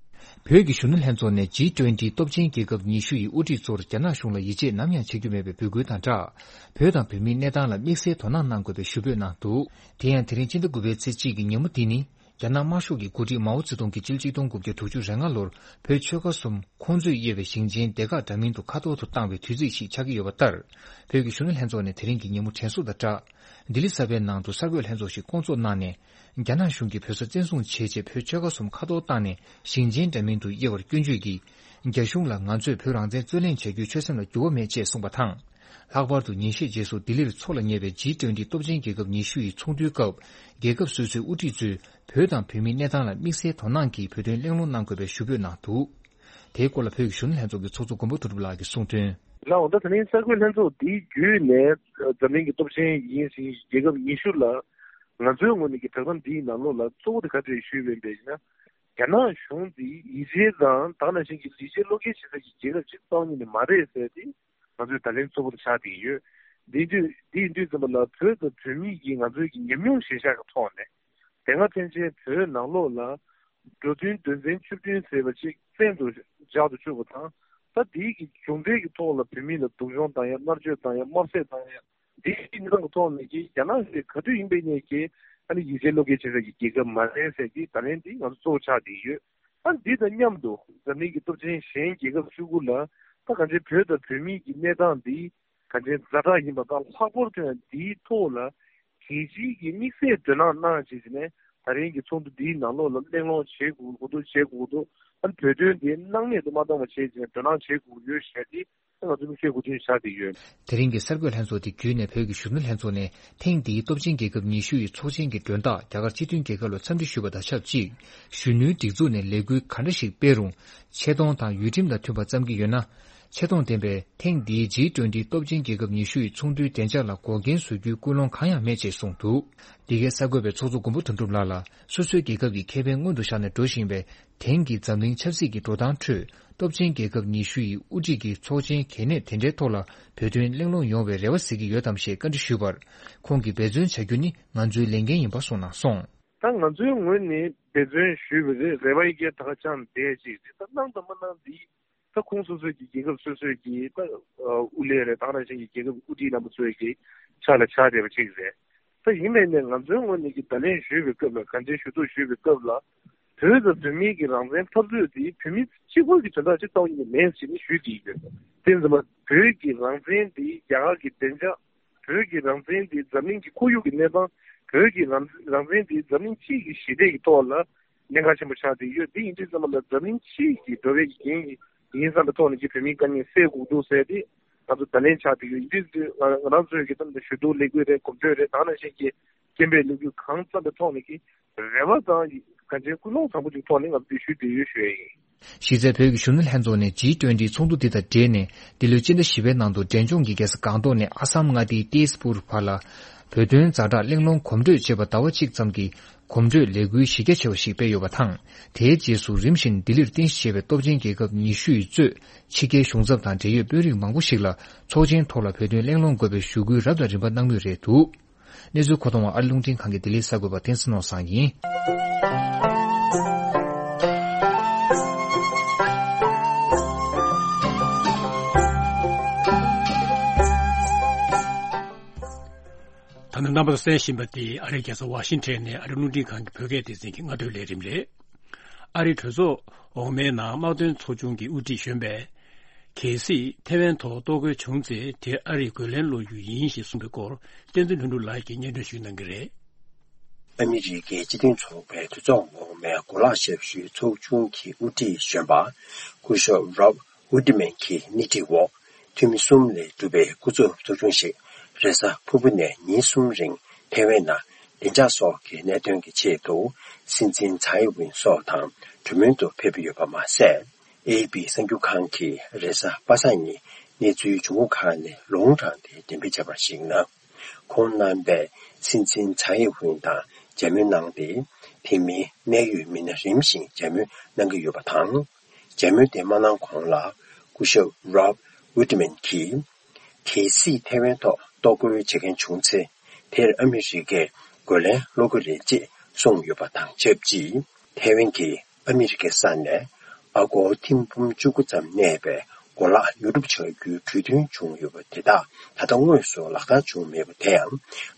བོད་ཀྱི་གཞོན་ནུ་ལྷན་ཚོགས་ནས་ཇི་ཊུན་ཊི་སྟོབས་ཆེན་རྒྱལ་ཁབ་ཉི་ཤུ་ཡི་དབུ་ཁྲིད་ཚོར་རྒྱ་ནག་གཞུང་ལ་ཡིད་ཆེས་ནམ་ཡང་བྱེད་རྒྱུ་མེད་པའི་འབོད་སྐུལ་དང་སྦྲགས། བོད་དང་བོད་མིའི་གནས་སྟངས་ལ་དམིགས་བསལ་དོ་སྣང་གནང་དགོས་པའི་ཞུ་འབོད་གནང་འདུག་དེ་ཡང་དེ་རིང་ཕྱི་ཟླ་དགུ་པའི་ཚེས་གཅིག་གི་ཉིན་མོ་འདི་ནི། རྒྱ་ནག་དམར་ཤོག་གི་འགོ་ཁྲིད་མའོ་ཙེ་ཏུང་གི་སྤྱི་ལོ་ཆིག་སྟོང་དགུ་བརྒྱ་དྲུག་ཅུ་རེ་ལྔ་ལོར་བོད་ཆོལ་ཁ་གསུམ་ཁོང་ཚོས་དབྱེ་བའི་ཞིང་ཆེན་སྡེ་ཁག་འདྲ་མིན་དུ་མཁའ་ཐོར་དུ་བཏང་བའི་དུས་ཚིགས་ཤིག་ཆགས་ཀྱི་ཡོད་པ་ལྟར། བོད་ཀྱི་གཞོན་ནུ་ལྷན་ཚོགས་ནས་དེ་རིང་གི་ཉིན་མོ་དྲན་གསོ་དང་སྦྲགས། ལྡི་ལི་གསར་པའི་ནང་དུ་གསར་འགོད་ལྷན་ཚོགས་ཤིག་བསྐོང་ཚོགས་གནང་ནས། རྒྱ་ནག་གཞུང་གིས་བོད་ས་བཙན་བཟུང་བྱས་རྗེས་བོད་ཆོལ་ཁ་གསུམ་མཁའ་ཐོར་བཏང་ནས་ཞིང་ཆེན་འདྲ་མིན་དུ་དབྱེ་བར་སྐྱོན་བརྗོད་ཀྱིས། རྒྱ་གཞུང་ལ་ང་ཚོས་བོད་རང་བཙན་རྩོད་ལེན་བྱ་རྒྱུའི་ཆོད་སེམས་ལ་འགྱུར་བ་མེད་ཅེས་གསུངས་པ་དང་། ལྷག་པར་དུ་ཉིན་ཤས་རྗེས་སུ་ལྡི་ལིར་འཚོགས་ལ་ཉེ་བའི་ཇི་ཊུན་ཊི་སྟོབས་ཆེན་རྒྱལ་ཁབ་ཉི་ཤུ་ཡི་ཚོགས་འདུའི་སྐབས། རྒྱལ་ཁབ་སོ་སོའི་དབུ་ཁྲིད་ཚོས་བོད་དང་བོད་མིའི་གནས་སྟངས་ལ་དམིགས་བསལ་དོ་སྣང་གིས་བོད་དོན་གླེང་སློང་གནང་དགོས་པའི་ཞུ་འབོད་གནང་འདུག་དེའི་སྐོར་ལ་བོད་ཀྱི་གཞོན་ནུ་ལྷན་ཚོགས་ཀྱི་ཚོགས་གཙོ་མགོན་པོ་དོན་གྲུབ་ལགས་ཀྱིས་གསུངས་དོན། ལགས་འོང་། ད་དེ་རིང་གསར་འགོད་ལྷན་ཚོགས་འདིའི་བརྒྱུད་ནས་འཛམ་གླིང་གི་སྟོབས་ཆེན་ཡིན་ཞིང་རྒྱལ་ཁབ་ཉི་ཤུ་ལ་ང་ཚོའི་ངོས་ནས་ཀྱི་བསྒྲགས་གཏམ་འདིའི་ནང་ལོགས་ལ་གཙོ་བོ་དེ་ག་རེ་ཞུས་ཡོད་པ་ཡིན་ན། རྒྱ་ནག་གཞུང་འདི་ཡིད་ཆེས་དང་ད་ག་ནང་བཞིན་གྱི་ལས་བྱེད་བློ་འགེལ་བྱེད་ས་ཀྱི་རྒྱལ་ཁབ་ཅིག་རྩ་བ་ཉིད་ནས་མ་རེད་ཟེར་ཏེ་ང་ཚོས་ད་ལན་གཙོ་བོ་དེ་ཆགས་བསྡད་ཡོད། འདི་དུས་འདི་ཡིན་དུས་ཙམ་པ་ལ་བོད་དང་བོད་མི་ཡིས་ང་ཚོའི་གི་ཉམས་མྱོང་གཞིར་བཞག་གི་ཐོག་ནས་དེ་སྔ་ཕན་ཆད་བོད་ནང་ལོགས་ལ་འགྲོ་དོན་དོན་ཚན་བཅུ་བདུན་ཟེར་བ་ཅིག་བཙན་དུ་བཞག་ཏུ་བཅུག་པ་དང་། ད་དེའི་གི་མཇུག་འབྲས་ཀྱི་ཐོག་ལ་བོད་མི་ལ་སྡུག་སྦྱོང་བཏང་ཡ། མནར་གཅོད་བཏང་ཡ། དམར་གསོད་བཏང་ཡ། འདིའི་གནས་སྟངས་ཀྱི་ཐོག་ནས་ཀྱི་རྒྱ་ནག་གཞུང་གིས་ག་དུས་ཡིན་པའི་ནས་ཀྱི་ཨ་ནི་ཡིད་ཆེས་བློ་འགེལ་བྱེད་ས་ཀྱི་རྒྱལ་ཁབ་མ་རེད་ཟེར་གྱི་ད་ལན་འདི་ང་ཚོ་གཙོ་བོ་ཆགས་བསྡད་ཡོད། ཨ་ནི་འདི་དང་མཉམ་དུ་འཛམ་གླིང་གི་སྟོབས་ཆེན་གཞན་རྒྱལ་ཁབ་བཅུ་དགུ་ལ་ད་གང་ཅི་བོད་དང་བོད་མིའི་གི་གནས་སྟངས་འདི་གང་ཅི་ཛ་དྲག་ཡིན་པ་དང་། ལྷག་པར་དུ་ཡང་འདིའི་ཐོག་ལ་རྒྱལ་སྤྱིའི་གི་དམིགས་བསལ་དོ་སྣང་གནང་བྱས་ནས་ད་རིང་གི་ཚོགས་འདུ་འདིའི་ནང་ལོགས་ལ་གླེང་སློང་བྱེད་དགོས་དགོས་འདུག་བྱེད་དགོས་འདུག་ཨ་ནི་བོད་དོན་འདི་སྣང་མེད་དུ་མ་བཏང་བ་བྱས་བྱས་དོ་སྣང་བྱེད་དགོས་ཡོད་ཞེས་ཏེ། ང་ཚོ་མིག་ཤེལ་སྒོ་ཐུན་བཞག་བསྡད་ཡོད། དེ་རིང་གི་གསར་འགོད་ལྷན་ཚོགས་དེ་བརྒྱུད་ནས་བོད་ཀྱི་གཞོན་ནུ་ལྷན་ཚོགས་ནས་ཐེངས་འདིའི་སྟོབས་ཆེན་རྒྱལ་ཁབ་ཉི་ཤུ་ཡི་ཚོགས་ཆེན་གྱི་མགྲོན་བདག་རྒྱ་གར་སྤྱི་མཐུན་རྒྱལ་ཁབ་ལ་འཚམས་འདྲི་ཞུས་པ་དང་ཆབས་ཅིག་གཞོན་ནུའི་སྒྲིག་འཛུགས་ནས་ལས་འགུལ་ག་འདྲ་ཞིག་སྤེལ་རུང་ཆེ་མཐོང་དང་ཡུལ་ཁྲིམས་དང་མཐུན་པ་བརྩམས་ཀྱི་ཡོད་ན། ཆེ་མཐོང་ལྡན་པས་ཐེངས་འདིའི་ཇི་ཊུན་ཊི་སྟོབས་ཆེན་རྒྱལ་ཁབ་ཉི་ཤུ་ཡི་ཚོགས་འདུའི་བདེ་འཇགས་ལ་འགོག་རྐྱེན་བཟོ་རྒྱུའི་ཀུན་སློང་གང་ཡང་མེད་ཅེས་གསུངས་འདུག་འདི་གའི་གསར་འགོད་པས་ཚོགས་གཙོ་མགོན་པོ་དོན་གྲུབ་ལགས་ལ་སོ་སོའི་རྒྱལ་ཁབ་ཀྱི་ཁེ་ཕན་སྔོན་དུ་བཞག་ནས་འགྲོ་བཞིན་པའི་དེང་གི་འཛམ་གླིང་ཆབ་སྲིད་ཀྱི་འགྲོ་སྟངས་ཁྲོད། སྟོབས་ཆེན་རྒྱལ་ཁབ་ཉི་ཤུ་ཡི་དབུ་ཁྲིད་ཀྱི་ཚོགས་ཆེན་གལ་གནད་དེ་འདྲའི་ཐོག་ལ་བོད་དོན་གླེང་སློང་ཡོང་བའི་རེ་བ་གཟིགས་ཀྱི་ཡོད་དམ་ཞེས་བཀའ་འདྲི་ཞུས་པར། ཁོང་གིས་འབད་བརྩོན་བྱ་རྒྱུ་ནི་ང་ཚོའི་ལས་འགན་ཡིན་པ་གསུངས་གནང་སོང་། ད་ང་ཚོའི་ངོས་ནས་འབད་བརྩོན་ཞུས་པ་རེད། རེ་བ་ཡི་གེ་ད་ག་ཅང་བསྡད་ཅིག་རེད། ད་གནང་དང་མ་གནང་འདི་ ད་ཁོང་སོ་སོའི་གི་རྒྱལ་ཁབ་སོ་སོའི་གི་ད་ཨ་དབུ་ལས་རེད། ད་ག་ནང་བཞིན་གྱི་རྒྱལ་ཁབ་ཀྱི་དབུ་ཁྲིད་རྣམ་པ་ཚོའི་གི་ཕྱག་ལ་ཕྱག་བསྡད་པ་ཅིག་རེད། ད་ཡིན་ནའི་ནས་ང་ཚོའི་ངོས་ནས་ཀྱི་བརྡ་ལན་ཞུས་པའི་སྐབས་ལ། གང་ཅིའི་ཞུ་གཏུག་ཞུས་པའི་སྐབས་ལ། བོད་དང་བོད་མིའི་གི་རང་བཙན་འཐབ་རྩོད་དེ་བོད་མི་གཅིག་པོའི་གི་དོན་དག་ཅིག་ལྟ་བུ་ཡིན་ནི་མེད་ཟེར་ནས་ཞུས་ཀྱི་ཡོད། དེ་ཙམ་པ་བོད་ཀྱི་རང་བཙན་དེ་རྒྱ་གར་གྱི་བདེ་འཇགས། བོད་ཀྱི་རང་བཙན་དེ་འཛམ་གླིང་གི་ཁོར་ཡུག་གི་གནས་སྟངས། བོད་ཀྱི་རང་རང་བཙན་དེ་འཛམ་གླིང་སྤྱི་ཡི་ཞི་བདེ་ཡི་ཐོག་ལ་གནད་འགག་ཆེན་པོ་ཆགས་བསྡད་ཡོད། དེ་ཡིན་དུས་ཙམ་པ་ལ་འཛམ་གླིང་སྤྱི་ཡི་འགྲོ་བའི་གི་འགན་ཡིན་བསམ་པའི་ཐོག་ནས་ཀྱི་བོད་མིའི་དཀའ་ངལ་སེལ་དགོས་འདུག་ཟེར་ཏེ་ང་ཚོ་བརྡ་ལན་ཆགས་བསྡད་ཡོད། ཡིན་དུས་ང་ང་རང་ཚོའི་གི་ཏང་དང་ཞུ་གཏུག་ལས་འགུལ་རེད། གོམ་བགྲོད་རེད། ད་ག་ནང་བཞིན་གྱི་སྐད་འབོད་ལས་འགུལ་གང་བརྩམས་པའི་ཐོག་ནས་ཀྱི་རེ་བ་དང་གང་ཅིའི་ཀུན་སློང་བཟང་པོ་ཅིག་ཐོག་ནས་ང་ཚོས་ཞུ་བསྡད་ཡོད་ཞུ་ཡ་ཡིན། གཞི་རྩའི་བོད་ཀྱི་གཞོན་ནུ་ལྷན་ཚོགས་ནས་ཇི་ཊུ་ཝེན་ཊི་ཚོགས་འདུ་འདི་དང་འབྲེལ་ནས། འདི་ལོའི་སྤྱི་ཟླ་བཞི་པའི་ནང་དུ་འབྲས་ལྗོངས་ཀྱི་རྒྱལ་ས་སྒང་ཏོག་ནས་ཨ་སམ་མངའ་སྡེའི་ཏེས་པུར་བར་ལ་བོད་དོན་ཛ་དྲག་གླེང་སློང་གོམ་བགྲོད་ཅེས་པ་ཟླ་བ་གཅིག་ཙམ་གྱི་གོམ་བགྲོད་ལས་འགུལ་གཞི་རྒྱ་ཆེ་བ་ཞིག་སྤེལ་ཡོད་པ་དང་། དེའི་རྗེས་སུ་རིམ་བཞིན་ལྡི་ལིར་རྟེན་གཞི་བྱས་པའི་སྟོབས་ཆེན་རྒྱལ་ཁབ་ཉི་ཤུ་ཡིས་གཙོས་ཕྱི་རྒྱལ་གཞུང་ཚབ་དང་འབྲེལ་ཡོད་དཔོན་རིགས་མང་པོ་ཞིག་ལ་ཚོགས་ཆེན་ཐོག་ལ་བོད་དོན་གླེང་སློང་དགོས་པའི་ཞུ་སྐུལ་རབ་དང་རིམ་པ་གནང་མུས་རེད་འདུག། གནས་ཚུལ་མཁོ་གཏོང་བ་ཨ་རི་རླུང་འཕྲིན་ཁང་གི་ལྡི་ལི་གསར་འགོད་པ་བསྟན་འཛིན་ནོར་བཟང་ཡིན། ད་ནི་རྣམ་པ་ཚོ་གསན་བཞིན་པ་དེ་ཨ་རིའི་རྒྱལ་ས་ཝ་ཤིང་ཊོན་ནས་ཨ་རི་རླུང་འཕྲིན་ཁང་གི་བོད་སྐད་སྡེ་ཚན་གྱི་སྔ་དྲོའི་ལས་རིམ་རེད། ཨ་རིའི་གྲོས་ཚོགས་འོག་མའི་ནང་དམག་དོན་ཚོགས་ཆུང་གི་དབུ་ཁྲིད་གཞོན་པས། གལ་སྲིད་ཐེ་ཝན་ཐོག་གཏོར་རྒོལ་བྱུང་ཚེ་དེར་ཨ་རིས་རྒོལ་ལན་སློག་རྒྱུ་ཡིན་ཞེས་གསུངས་པའི་སྐོར། བསྟན་འཛིན་ལྷུན་གྲུབ་ལགས་ཀྱིས་སྙན་སྒྲོན་ཞུ་གནང་གི་རེད། ཨ་མི་རི་ཀའི་སྤྱི་མཐུན་ཚོགས་པའི་གྲོས་ཚོགས་འོག་མའི་གོ་ལག་ཞབས་ཞུའི་ཚོགས་ཆུང་གི་དབུ་ཁྲིད་གཞོན་པ་སྐུ་ཞབས་Rob Woodman གྱི་སྣེ་ཁྲིད་འོག་འཐུས་མི་གསུམ་ལས་གྲུབ་པའི་སྐུ་ཚབ་ཚོགས་ཆུང་ཞིག་རེས་གཟའ་ཕུར་བུ་ནས་ཉིན་གསུམ་རིང་ཐེ་ཝན་ནང་བདེ་འཇགས་སོགས་ཀྱི་གནད་དོན་གྱི་ཆེད་དུ་སྲིད་འཛིན་ཚའེ་ཝིན་སོགས་དང་གྲོས་མོལ་དུ་ཕེབས་ཡོད་པ་མ་ཟད། ཨེ་པི་གསར་འགྱུར་ཁང་གིས་རེས་གཟའ་པ་སངས་ཉིན་གནས་ཚུལ་བྱུང་ཁུངས་ཁག་ནས་ལུང་དྲངས་ཏེ་འགྲེམས་སྤེལ་བྱས་པར་གཞིགས་ན། ཁོང་རྣམ་པས་སྲིད་འཛིན་ཚའེ་ཝིན་དང་མཇལ་མོལ་གནང་སྟེ། དེ་མིན་གནད་ཡོད་མི་སྣ་རིམ་བཞིན་མཇལ་མོལ་གནང་གི་ཡོད་པ་དང་། མཇལ་མོལ་དེ་མ་གནང་གོང་ལ་སྐུ་ཞབས་Rob Woodman གྱིས། གལ་སྲིད་ཐེ་ཝན་ཐོག་གཏོར་རྒོལ་བྱེད་མཁན་བྱུང་ཚེ། དེར་ཨ་མི་རི་ཀས་རྒོལ་ལན་སློག་གི་རེད་ཅེས་གསུངས་ཡོད་པ་དང་ཆབས་ཅིག་ཐེ་ཝན་གྱིས་ཨ་མི་རི་ཀའི་ས་ནས་ཨ་སྒོར་ཐེར་འབུམ་བཅུ་དགུ་ཙམ་གནས་པའི་གོ་ལག་ཉོ་སྒྲུབ་བྱ་རྒྱུའི་གྲོས་མཐུན་བྱུང་ཡོད་པ་དེ་དག་ད་ལྟ་དངོས་སུ་ལག་བསྟར་བྱུང་མེད་པ་དེ་ཡང་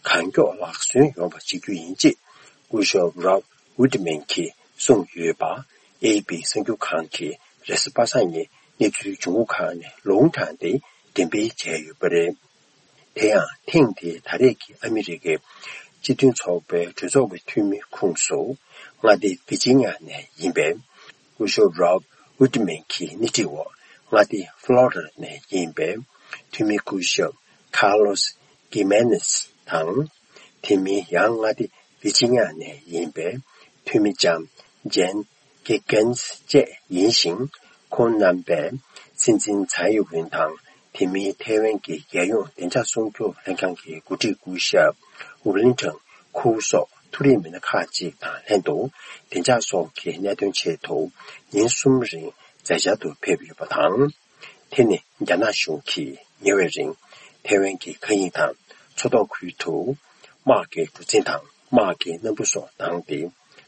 གང་མགྱོགས་ལག་སོན་ཡོང་བ་བྱེད་རྒྱུ་ཡིན་ཅེས་སྐུ་ཞབས་Rob Woodman གྱིས་གསུངས་ཡོད་པ། ཨེ་པི་གསར་འགྱུར་ཁང་གིས་རེས་གཟའ་པ་སངས་ཉིན་གནས་ཚུལ་བྱུང་ཁུངས་ཁག་ནས་ལུང་དྲངས་ཏེ་འགྲེམས་སྤེལ་བྱས་ཡོད་པ་རེད། དེ་ཡང་ཐེངས་འདིའི་ད་རེས་ཀྱི་ཨ་མི་རི་ཀའི་སྤྱི་མཐུན་ཚོགས་པའི་གྲོས་ཚོགས་ཀྱི་འཐུས་མི་ཁོངས་སུ་མངའ་སྡེ་ཝི་ཇི་ཉ་ནས་ཡིན་པའི་སྐུ་ཞབས་Rob Woodman གྱི་སྣེ་ཁྲིད་འོག་མངའ་སྡེ་ཕློ་རི་ཌ་ནས་ཡིན་པའི་འཐུས་མི་སྐུ་ཞབས་Carlos Gimenez དང་། དེ་མིན་ཡང་མངའ་སྡེ་ཝི་ཇི་ཉ་ནས་ཡིན་པའི་འཐུས་མི་ལྕམ་Jen Giggans བཅས་ཡིན་ཞིང་། ཁོང་རྣམ་པས་སྲིད་འཛིན་ཚའེ་ཝིན་དང་དེ་མིན་ཐའེ་ཝན་གྱི་རྒྱལ་ཡོངས་བདེ་འཇགས་སྲུང་སྐྱོབ་ལྷན་ཁང་གི་འགོ་ཁྲིད་སྐུ་ཞབས་ཝུ་ལིན་ཊོན་ཁུའུ་སོགས་མཐོ་རིམ་མི་སྣ་ཁག་ཅིག་དང་ལྷན་དུ་བདེ་འཇགས་སོགས་ཀྱི་གནད་དོན་ཆེད་དུ་ཉིན་གསུམ་རིང་མཛད་འཆར་དུ་ཕེབས་ཡོད་པ་དང་། དེ་ནི་རྒྱ་ནག་གཞུང་གིས་ཉེ་བའི་རིང་ཐའེ་ཝན་གྱི་མཁའ་དབྱིངས་དང་མཚོ་ཐོག་ཁུལ་དུ་དམག་གི་གྲུ་གཟིངས་དང་དམག་གི་སྣམ་བུ་སོགས་བཏང་སྟེ།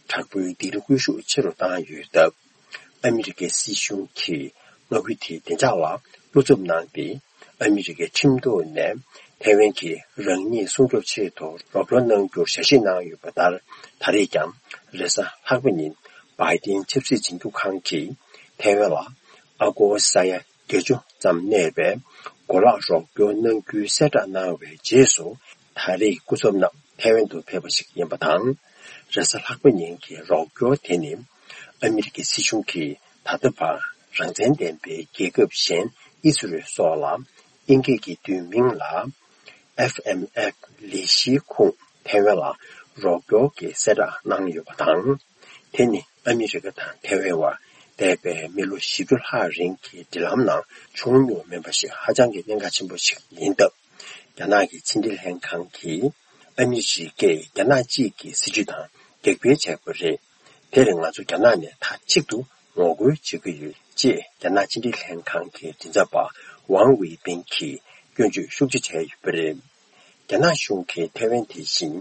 དྲག་པོའི་སྡིགས་ར་སྐུལ་ཤུགས་ཆེ་རུ་བཏང་ཡོད་སྟབས། ཨ་མི་རི་ཀའི་སྲིད་གཞུང་གིས་མངའ་ཁུལ་དེའི་བདེ་འཇགས་ལ་བློ་འཚབ་གནང་སྟེ། ཨ་མི་རི་ཀའི་ཁྲིམས་ཐོག་ནས་ཐའེ་ཝན་གྱིས་རང་ཉིད་སྲུང་སྐྱོབ་ཆེད་དུ་རོགས་སྐྱོར་གནང་རྒྱུར་ཞལ་བཞེས་གནང་ཡོད་པ་ལྟར། ད་རེས་ཀྱང་རེས་གཟའ་ལྷག་པ་ཉིན་བྷའི་ཏིན་ཆབ་སྲིད་འཛིན་སྐྱོང་ཁང་གིས་ཐའེ་ཝན་ལ་ཨ་སྒོར་ས་ཡ་བརྒྱད་ཅུ་ཙམ་གནས་པའི་གོ་ལག་རོགས་སྐྱོར་གནང་རྒྱུའི་གསལ་བསྒྲགས་གནང་བའི་རྗེས་སུ། ད་རེས་སྐུ་ཚབ་རྣམས་ཐའེ་ཝན་དུ་ཕེབས་པ་ཞིག་ཡིན་པ་དང་། རེས་གཟའ་ལྷག་པ་ཉིན་གྱི་རོགས་སྐྱོར་དེ་ནི། ཨ་མི་རི་ཀའི་སྲིད་གཞུང་གིས་ད་ལྟ་བར་རང་བཙན་ལྡན་པའི་རྒྱལ་ཁབ་གཞན་ཨི་སི་རེལ་སོགས་ལ་དབྱིན་སྐད་ཀྱི་བསྡུས་མིང་ལ་ཨེཕ་ཨེམ་ཨེཕ་ལས་གཞིའི་ཁོངས་ཐའེ་ཝན་ལ་རོགས་སྐྱོར་གྱི་གསལ་བསྒྲགས་གནང་ཡོད་པ་དང་། དེ་ནི་ཨ་མི་རི་ཀ་དང་ཐའེ་ཝན་བར་འདས་པའི་མི་ལོ་བཞི་བཅུ་ལྷག་རིང་གི་འབྲེལ་ལམ་ནང་བྱུང་མྱོང་མེད་པ་ཞིག་ཧ་ཅང་གི་གནད་འགག་ཆེན་པོ་ཞིག་ཡིན་སྟབས། རྒྱ་ནག་གི་ཕྱི་འབྲེལ་ལྷན་ཁང་གིས་ཨ་མི་རི་ཀས་རྒྱ་ནག་གཅིག་གི་སྲིད་བྱུས་དང་འགལ་འབེལ་བྱས་པ་རེད། དེར་ང་ཚོ་རྒྱ་ནག་ནས་མཐའ་གཅིག་ཏུ་ངོ་རྒོལ་བྱེད་ཀྱི་ཡོད་ཅེས་རྒྱ་ནག་ཕྱི་འབྲེལ་ལྷན་ཁང་གི་མགྲིན་ཚབ་པ་ཝང་ཝེ་པིན་གྱིས་སྐྱོན་བརྗོད་ཤུགས་ཆེ་བྱས་ཡོད་པ་རེད། རྒྱ་ནག་གཞུང་གིས་ཐའེ་ཝན་དེ་བཞིན་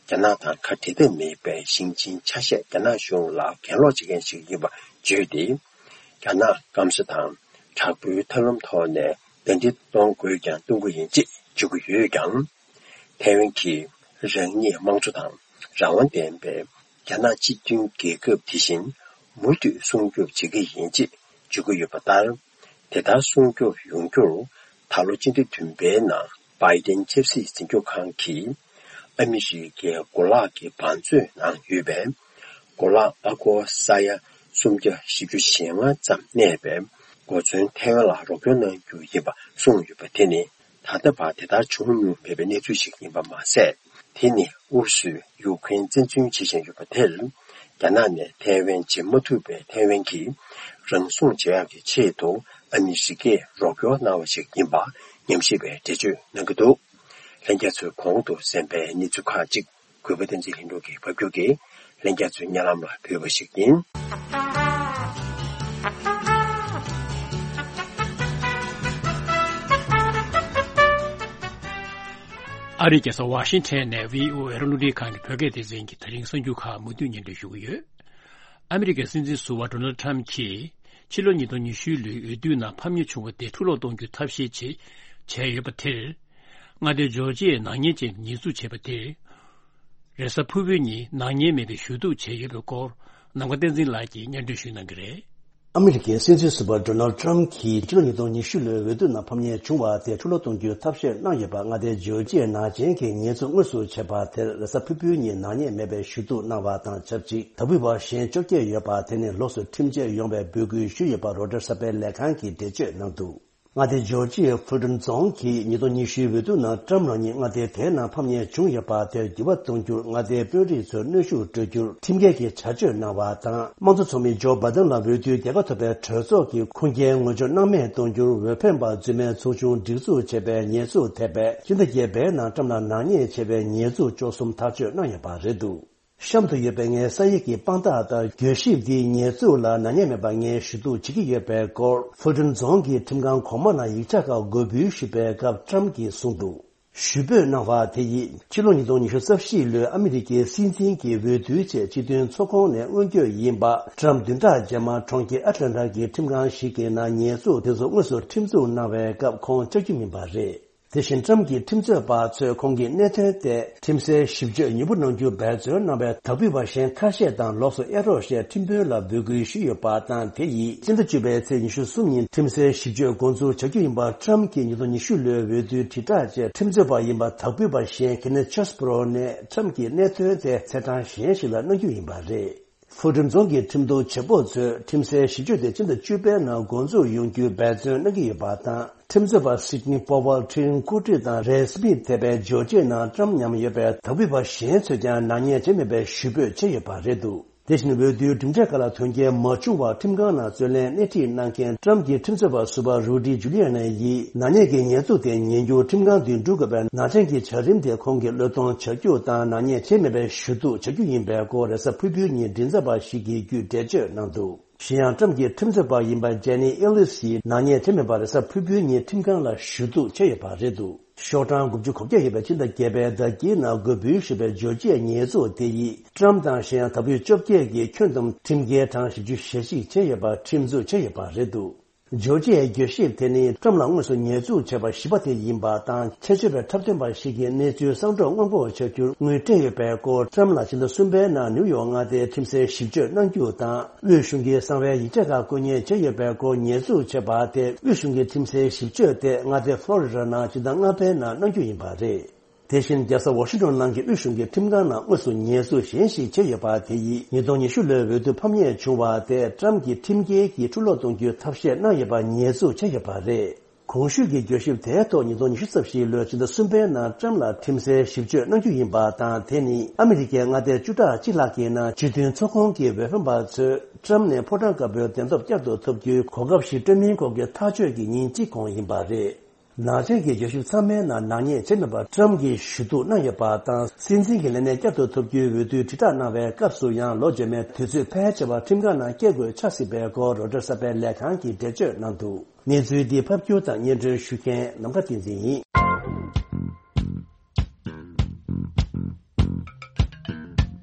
རྒྱ་ནག་དང་ཁ་འབྲལ་ཐབས་མེད་པའི་ཞིང་ཆེན་ཆ་ཤས་རྒྱ་ནག་གཞུང་ལ་གྱེན་ལོག་བྱེད་མཁན་ཞིག་ཡིན་པ་བརྗོད་དེ། རྒྱ་ནག་སྐམ་ས་དང་ དྲག་པོའི་ཐབས་ལམ་ཐོག་ནས་བདའ་འདེད་གཏོང་དགོས་ཀྱང་གཏོང་གི་ཡིན་ཅེས་བརྗོད་ཀྱི་ཡོད་ཀྱང་། ཐའེ་ཝན་གྱིས་རང་ཉིད་དམངས་གཙོ་དང་རང་དབང་ལྡན་པའི་རྒྱ་ནག་གཅིག་མཐུན་རྒྱལ་ཁབ་དེ་བཞིན་མུ་མཐུད་སྲུང་སྐྱོབ་བྱེད་ཀྱི་ཡིན་ཅེས་བརྗོད་ཀྱི་ཡོད་པ་ལྟར། དེ་ལྟར་སྲུང་སྐྱོབ་ཡོང་རྒྱུར་ད་ལོ་སྤྱི་ཟླ་བདུན་པའི་ནང་བྷའི་ཏན་ཆབ་སྲིད་འཛིན་སྐྱོང་ཁང་གིས་ཨ་མི་རི་ཀའི་གོ་ལག་གི་བང་མཛོད་ནང་ཡོད་པའི་གོ་ལག་ཨ་སྒོར་ས་ཡ་སུམ་བརྒྱ་བཞི་བཅུ་ཞེ་ལྔ་ཙམ་གནས་པའི་གོ་མཚོན་ཐའེ་ཝན་ལ་རོགས་སྐྱོར་གནང་རྒྱུ་ཡིན་པ་གསུངས་ཡོད་པ་དེ་ནི། ད་ལྟ་བར་དེ་ལྟར་བྱུང་མྱོང་མེད་པའི་གནས་ཚུལ་ཞིག་ཡིན་པ་མ་ཟད། དེ་ནི་ཨུ་རུ་སུས་ཡུཀ་རེན་བཙན་འཛུལ་བྱེད་བཞིན་ཡོད་པ་དེར། རྒྱ་ནག་ནས་ཐའེ་ཝན་བརྗེ་མ་ཐུབ་པའི་ཐའེ་ཝན་གྱིས་རང་སྲུང་བྱེད་ཡག་གི་ཆེད་དུ་ཨ་མི་རི་ཀས་རོགས་སྐྱོར་གནང་བ་ཞིག་ཡིན་པ་ཉམས་ཞིབ་པས་འགྲེལ་བརྗོད་གནང་གི་འདུག། ལྷན་རྒྱས་ཚོས་གོང་དུ་གསན་པའི་གནས་ཚུལ་ཁག་ཅིག་གུས་པ་བསྟན་འཛིན་ལྷུན་གྲུབ་ཀྱིས་ཕབ་སྒྱུར་གྱིས་ལྷན་རྒྱས་ཚོའི་སྙན་ལམ་ལ་ཕུལ་བ་ཞིག་ཡིན། ཨ་རིའི་རྒྱལ་ས་ཝ་ཤིང་ཊོན་ནས་བྷི་ཨོ་ཨེ་རླུང་འཕྲིན་ཁང་གི་བོད་སྐད་སྡེ་ཚན་གྱི་དེ་རིང་གསར་འགྱུར་ཁག་མུ་མཐུད་སྙན་སྒྲོན་ཞུ་གི་ཡོད། ཨ་མི་རི་ཀའི་སྲིད་འཛིན་ཟུར་པ་ཌོ་ནལ་ཊམ་གྱིས་ཕྱི་ལོ་ཉིས་སྟོང་ཉི་ཤུ་ལོའི་འོས་བསྡུ་ནང་ཕམ་ཉེས་བྱུང་བ་དེ་འཁྲུ་སློག་གཏོང་རྒྱུའི་ཐབས་ཤེས་བྱེད་བྱས་ཡོད་པ་དེར། མངའ་སྡེ་ཇོར་ཇི་ཡའི་ནག་ཉེས་ཅན་ཉེས་འཛུགས་བྱས་པ་དེར། རེས་གཟའ་ཕུར་བུའི་ཉིན་ནག་ཉེས་མེད་པའི་ཞུ་གཏུག་བྱས་ཡོད་པའི་སྐོར། ནམ་མཁའ་བསྟན་འཛིན་ལགས་ཀྱིས་སྙན་སྒྲོན་ཞུ་གནང་གི་རེད། ཨ་མི་རི་ཀའི་སྲིད་འཛིན་ཟུར་པ་ཌོ་ནལ་ཊམ་གྱིས་ཕྱི་ལོ་ཉིས་སྟོང་ཉི་ཤུ་ལོའི་འོས་བསྡུ་ནང་ཕམ་ཉེས་བྱུང་བ་དེ་འཁྲུ་སློག་གཏོང་རྒྱུའི་ཐབས་ཤེས་གནང་ཡོད་པ། མངའ་སྡེ་ཇོར་ཇི་ཡའི་ནག་ཅན་གྱི་ཉེས་འཛུགས་དངོས་སུ་བྱས་པ་དེར་རེས་གཟའ་ཕུར་བུའི་ཉིན་ནག་ཉེས་མེད་པའི་ཞུ་གཏུག་གནང་བ་དང་ཆབས་ཅིག་དག་པ་གཞན་བཅོ་བརྒྱད་ཡོད་པ་དེ་ནི་ལོགས་སུ་ཁྲིམས་ཆད་ཡོང་བའི་འབོད་སྐུལ་ཞུས་ཡོད་པ་རོའི་ཊར་གསར་པའི་ལས་ཁང་གིས་འགྲེལ་བརྗོད་གནང་འདུག། མངའ་སྡེ་ཇོར་ཇི་ཡའི་ཕུལ་ཊོན་རྫོང་གིས་ཉིས་སྟོང་ཉི་ཤུའི་འོས་བསྡུ་ནང་ཊམ་རང་ཉིད་མངའ་སྡེ་དེའི་ནང་ཕམ་ཉེས་བྱུང་ཡོད་པ་དེར་འགྱུར་བ་གཏོང་རྒྱུར་མངའ་སྡེའི་དཔོན་རིགས་ཚོར་གནོན་ཤུགས་སྤྲོད་རྒྱུར་ཁྲིམས་འགལ་གྱི་བྱ་སྤྱོད་གནང་བ་དང་། དམངས་གཙོ་ཚོགས་མི་ཇོ་བྷའི་ཏན་ལ་འོས་བསྡུའི་རྒྱལ་ཁ་ཐོབ་པའི་གྲོས་ཚོགས་ཀྱིས་ཁུངས་སྐྱེལ་ངོ་སྤྲོད་གནང་མེད་གཏོང་རྒྱུར་འོས་འཕེན་པ་རྫུན་མའི་ཚོགས་ཆུང་སྒྲིག་འཛུགས་བྱས་པའི་ཉེས་འཛུགས་ཐེབས་པའི་ཕྱི་ཟླ་བརྒྱད་པའི་ནང་ཊམ་ལ་ནག་ཉེས་བྱས་པའི་ཉེས་འཛུགས་བཅུ་གསུམ་ཐག་གཅོད་གནང་ཡོད་པ་རེད་འདུག། གཤམ་དུ་ཡོད་པའི་ངའི་ས་ཡིག་གི་དཔང་རྟགས་ལྟར། གྱོད་ཞིབ་འདིའི་ཉེས་འཛུགས་ལ་ནག་ཉེས་མེད་པ་ངས་ཞུ་གཏུག་བྱེད་ཀྱི་ཡོད་པའི་སྐོར། ཕུལ་ཊོན་རྫོང་གི་ཁྲིམས་ཁང་གོང་མ་ནང་ཡིག་ཆ་ཁག་འགོད་འབུལ་ཞུས་པའི་སྐབས་ཊམ་གྱིས་གསུངས་འདུག། ཞུ་འབོད་གནང་བ་དེ་ཡིས་ཕྱི་ལོ་ཉིས་སྟོང་ཉི་ཤུ་རྩ་བཞི་ལོའི་ཨ་མི་རི་ཀའི་སྲིད་འཛིན་གྱི་འོས་བསྡུའི་ཆེད་སྤྱི་མཐུན་ཚོགས་ཁོངས་ནས་མངོན་བསྐྱོད་ཡིན་པ། ཊམ་བདུན་ཕྲག་རྗེས་མར་གྲོང་ཁྱེར་ཨེ་ཊ་ལན་ཊ་གི་ཁྲིམས་ཁང་ཞིག་གི་ནང་ཉེས་འཛུགས་དེ་ཚོ་དངོས་སུ་ཁྲིམས་འཛུགས་གནང་བའི་སྐབས་ཁོང་བཅར་རྒྱུ་ཡིན་པ་རེད། དེ་བཞིན་ཊམ་གྱི་ཁྲིམས་རྩོད་པ་ཚོས་ཁོང་གི་གནད་དོན་ཐད་ཁྲིམས་སའི་ཞིབ་དཔྱོད་ཉུང་པོ་གནང་རྒྱུ་འབད་བརྩོན་གནང་བའི་དག་ཕུད་པ་གཞན་ཁ་ཤས་དང་ལོགས་སུ་གཡར་རོགས་ཞེས་ཁྲིམས་དཔོན་ལ་འབོད་སྐུལ་ཞུས་ཡོད་པ་དང་། དེ་ཡིས་སྤྱི་ཟླ་བཅུ་པའི་ཚེས་ཉི་ཤུ་གསུམ་ཉིན་ཁྲིམས་སའི་ཞིབ་དཔྱོད་འགོ་འཛུགས་བྱ་རྒྱུ་ཡིན་པ། ཊམ་གྱིས་ཉིས་སྟོང་ཉི་ཤུ་ལོའི་འོས་བསྡུའི་དྲིལ་བསྒྲགས་ཆེད་ཁྲིམས་རྩོད་པ་ཡིན་པ་དག་ཕུད་པ་གཞན་ཁེ་ནེ་ཆེས་པོ་རོ་ནས་ཁྲིམས་ཀྱི་གནད་དོན་དེ་ཚེས་གྲངས་གཞན་ཞིག་ལ་གནང་རྒྱུ་ཡིན་པ་རེད། ཧྥུ་ཀྲུང་རྫོང་གི་ཁྲིམས་རྟོགས་བྱེད་པོ་ཚོས་ཁྲིམས་སའི་ཞིབ་དཔྱོད་དེ་སྤྱི་ཟླ་བཅུ་པའི་ནང་འགོ་འཛུགས་ཡོང་རྒྱུའི་འབད་བརྩོན་གནང་གི་ཡོད་པ་དང་། ཁྲིམས་རྩོད་པ་སིད་ནི་པོ་ཝལ། ཁྲིན་ཀུ་ཀྲི་དང་རེ་སི་མིད་ཐེ་པའི་ཇོ་ཅེ་ནང་ཀྲམ་མཉམ་ཡོད་པའི་དག་པའི་བ་གཞན་ཚོས་ཀྱང་ནག་ཉེས་བྱས་མེད་པའི་ཞུ་འབོད་བྱས་ཡོད་པ་རེད་འདུག། དེ་བཞིན་འོས་བསྡུའི་གྲུབ་འབྲས་ཁག་ལ་དོན་རྐྱེན་མ་བྱུང་བར་ཁྲིམས་ཁང་ནང་རྩོད་ལེན་སྣེ་ཁྲིད་གནང་མཁན་ཀྲམ་གྱི་ཁྲིམས་རྩོད་པ་ཟུར་པ་རུ་ཌི་ཇུ་ལི་ཨ་ནི་ཡིས་ནག་ཉེས་ཀྱི་ཉེས་འཛུགས་དེ་ཉན་རྒྱུར་ཁྲིམས་ཁང་དུ་འགྲོ་དགོས་པའི་ནག་ཅན་གྱི་བྱ་རིམ་དེ་ཁོང་གིས་བློས་གཏོང་བྱ་རྒྱུ་དང་ནག་ཉེས་བྱས་མེད་པའི་ཞུ་གཏུག་བྱ་རྒྱུ་ཡིན་པའི་སྐོར་རེས་གཟའ་ཕུར་བུའི་ཉིན་མགྲིན་ཚབ་པ་ཞིག་གིས་བརྒྱུད་འགྲེལ་བརྗོད་གནང་འདུག། གཞན་ཡང་ཀྲམ་གྱི་ཁྲིམས་རྩོད་པ་ཡིན་པ་ཇེ་ནི་ཨེ་ལིས་ཡིས་ནག་ཉེས་བྱས་མེད་པར་རེས་གཟའ་ཕུར་བུའི་ཉིན་ཁྲིམས་ཁང་ལ་ཞུ་གཏུག་བྱས་ཡོད་པ་རེད་འདུག། ཤོག་གྲངས་དགུ་བཅུ་གོ་བརྒྱད་ཡོད་པའི་ཕྱི་ཟླ་བརྒྱད་པའི་ཟླ་དཀྱིལ་ནང་འགོད་འབུལ་ཞུས་པའི་ཇོ་ཇི་ཡའི་ཉེས་འཛུགས་དེ་ཡིས་ཀྲམ་དང་གཞན་ཡང་དག་པའི་བཅོ་བརྒྱད་ཀྱིས་ཁྱོན་བསྡོམས་ཁྲིམས་འགལ་གྲངས་བཞི་བཅུ་ཞེ་གཅིག་བྱས་ཡོད་པར་ཁྲིམས་འཛུགས་བྱས་ཡོད་པ་རེད་འདུག། ཇོ་ཇི་ཡའི་གྱོད་ཞིབ་དེ་ནི་ཀྲམ་ལ་དངོས་སུ་ཉེས་འཛུགས་བྱས་པ་བཞི་པ་དེ་ཡིན་པ་དང་། ཆེད་སྤྱོད་པའི་འཁྲབ་སྟོན་པ་ཞིག་གིས་གནས་ཚུལ་གསང་སྒྲོག་སྔོན་འགོག་བྱ་རྒྱུར་དངུལ་སྤྲད་ཡོད་པའི་སྐོར། ཀྲམ་ལ་ཕྱི་ཟླ་གསུམ་པའི་ནང་ནིའུ་ཡོག་མངའ་སྡེའི་ཁྲིམས་སའི་ཞིབ་དཔྱོད་གནང་རྒྱུ་དང་། དབུས་གཞུང་གི་གསང་བའི་ཡིག་ཆ་ཁག་བཀོད་གཉེར་བྱས་ཡོད་པའི་སྐོར། ཉེས་འཛུགས་བྱས་པ་དེ་དབུས་གཞུང་གི་ཁྲིམས་སའི་ཞིབ་དཔྱོད་དེ་མངའ་སྡེ་ཕློ་རི་ཌ་ནང་སྤྱི་ཟླ་ལྔ་པའི་ནང་གནང་རྒྱུ་ཡིན་པ་རེད། དེ་བཞིན་རྒྱལ་ས་ཝ་ཤིང་ཊོན་ནང་གི་དབུས་གཞུང་གི་ཁྲིམས་ཁང་ནང་དངོས་སུ་ཉེས་འཛུགས་གཞན་ཞིག་བྱས་ཡོད་པ་དེ་ཡིས་ཉིས་སྟོང་ཉི་ཤུ་ལོའི་འོས་བསྡུ་ཕམ་ཉེས་བྱུང་བ་དེ་ཀྲམ་གྱིས་ཁྲིམས་འགལ་གྱིས་འཁྲུ་སློག་གཏོང་རྒྱུའི་ཐབས་ཤེས་གནང་ཡོད་པར་ཉེས་འཛུགས་བྱས་ཡོད་པ་རེད། གོང་ཞུས་ཀྱི་གྱོད་ཞིབ་དེའི་ཐོག་ཉིས་སྟོང་ཉི་ཤུ་རྩ་བཞི་ལོའི་ཕྱི་ཟླ་གསུམ་པའི་ནང་ཀྲམ་ལ་ཁྲིམས་སའི་ཞིབ་དཔྱོད་གནང་རྒྱུ་ཡིན་པ་དང་། དེ་ནི་ཨ་མི་རི་ཀའི་མངའ་སྡེ་བཅུ་ཕྲག་གཅིག་ལྷག་གི་ནང་སྤྱི་མཐུན་ཚོགས་ཁོངས་ཀྱི་འོས་འཕེན་པ་ཚོས་ཀྲམ་ནས་ཕོ་བྲང་དཀར་པོའི་གདན་ཐོབ་བསྐྱར་དུ་ཐོབ་རྒྱུའི་གོ་སྐབས་ཤིག་སྤྲོད་མིན་སྐོར་གྱི་ཐག་གཅོད་ཀྱི་ཉིན་གཅིག་གོང་ཡིན་པ་རེད། ནག་ཅན་གྱི་གྱོད་ཞིབ་ཚང་མའི་ནང་ནག་ཉེས་བྱས་མེད་པར་ཀྲམ་གྱིས་ཞུ་གཏུག་གནང་ཡོད་པ་དང་། སྲིད་འཛིན་གྱི་ལས་གནས་བསྐྱར་དུ་ཐོབ་རྒྱུའི་འོས་བསྡུའི་དྲིལ་བསྒྲགས་གནང་བའི་སྐབས་སུ་ཡང་ལོ་རྗེས་མའི་དུས་ཚོད་ཕལ་ཆེ་བ་ཁྲིམས་ཁང་ནང་སྐྱེལ་དགོས་ཆགས་སྲིད་པའི་སྐོར་རོའི་ཊར་གསར་པའི་ལས་ཁང་གིས་འགྲེལ་བརྗོད་གནང་འདུག། གནས་ཚུལ་འདི་ཕབ་སྒྱུར་དང་སྙན་སྒྲོན་ཞུ་མཁན་ནམ་མཁའ་བསྟན་འཛིན་ཡིན།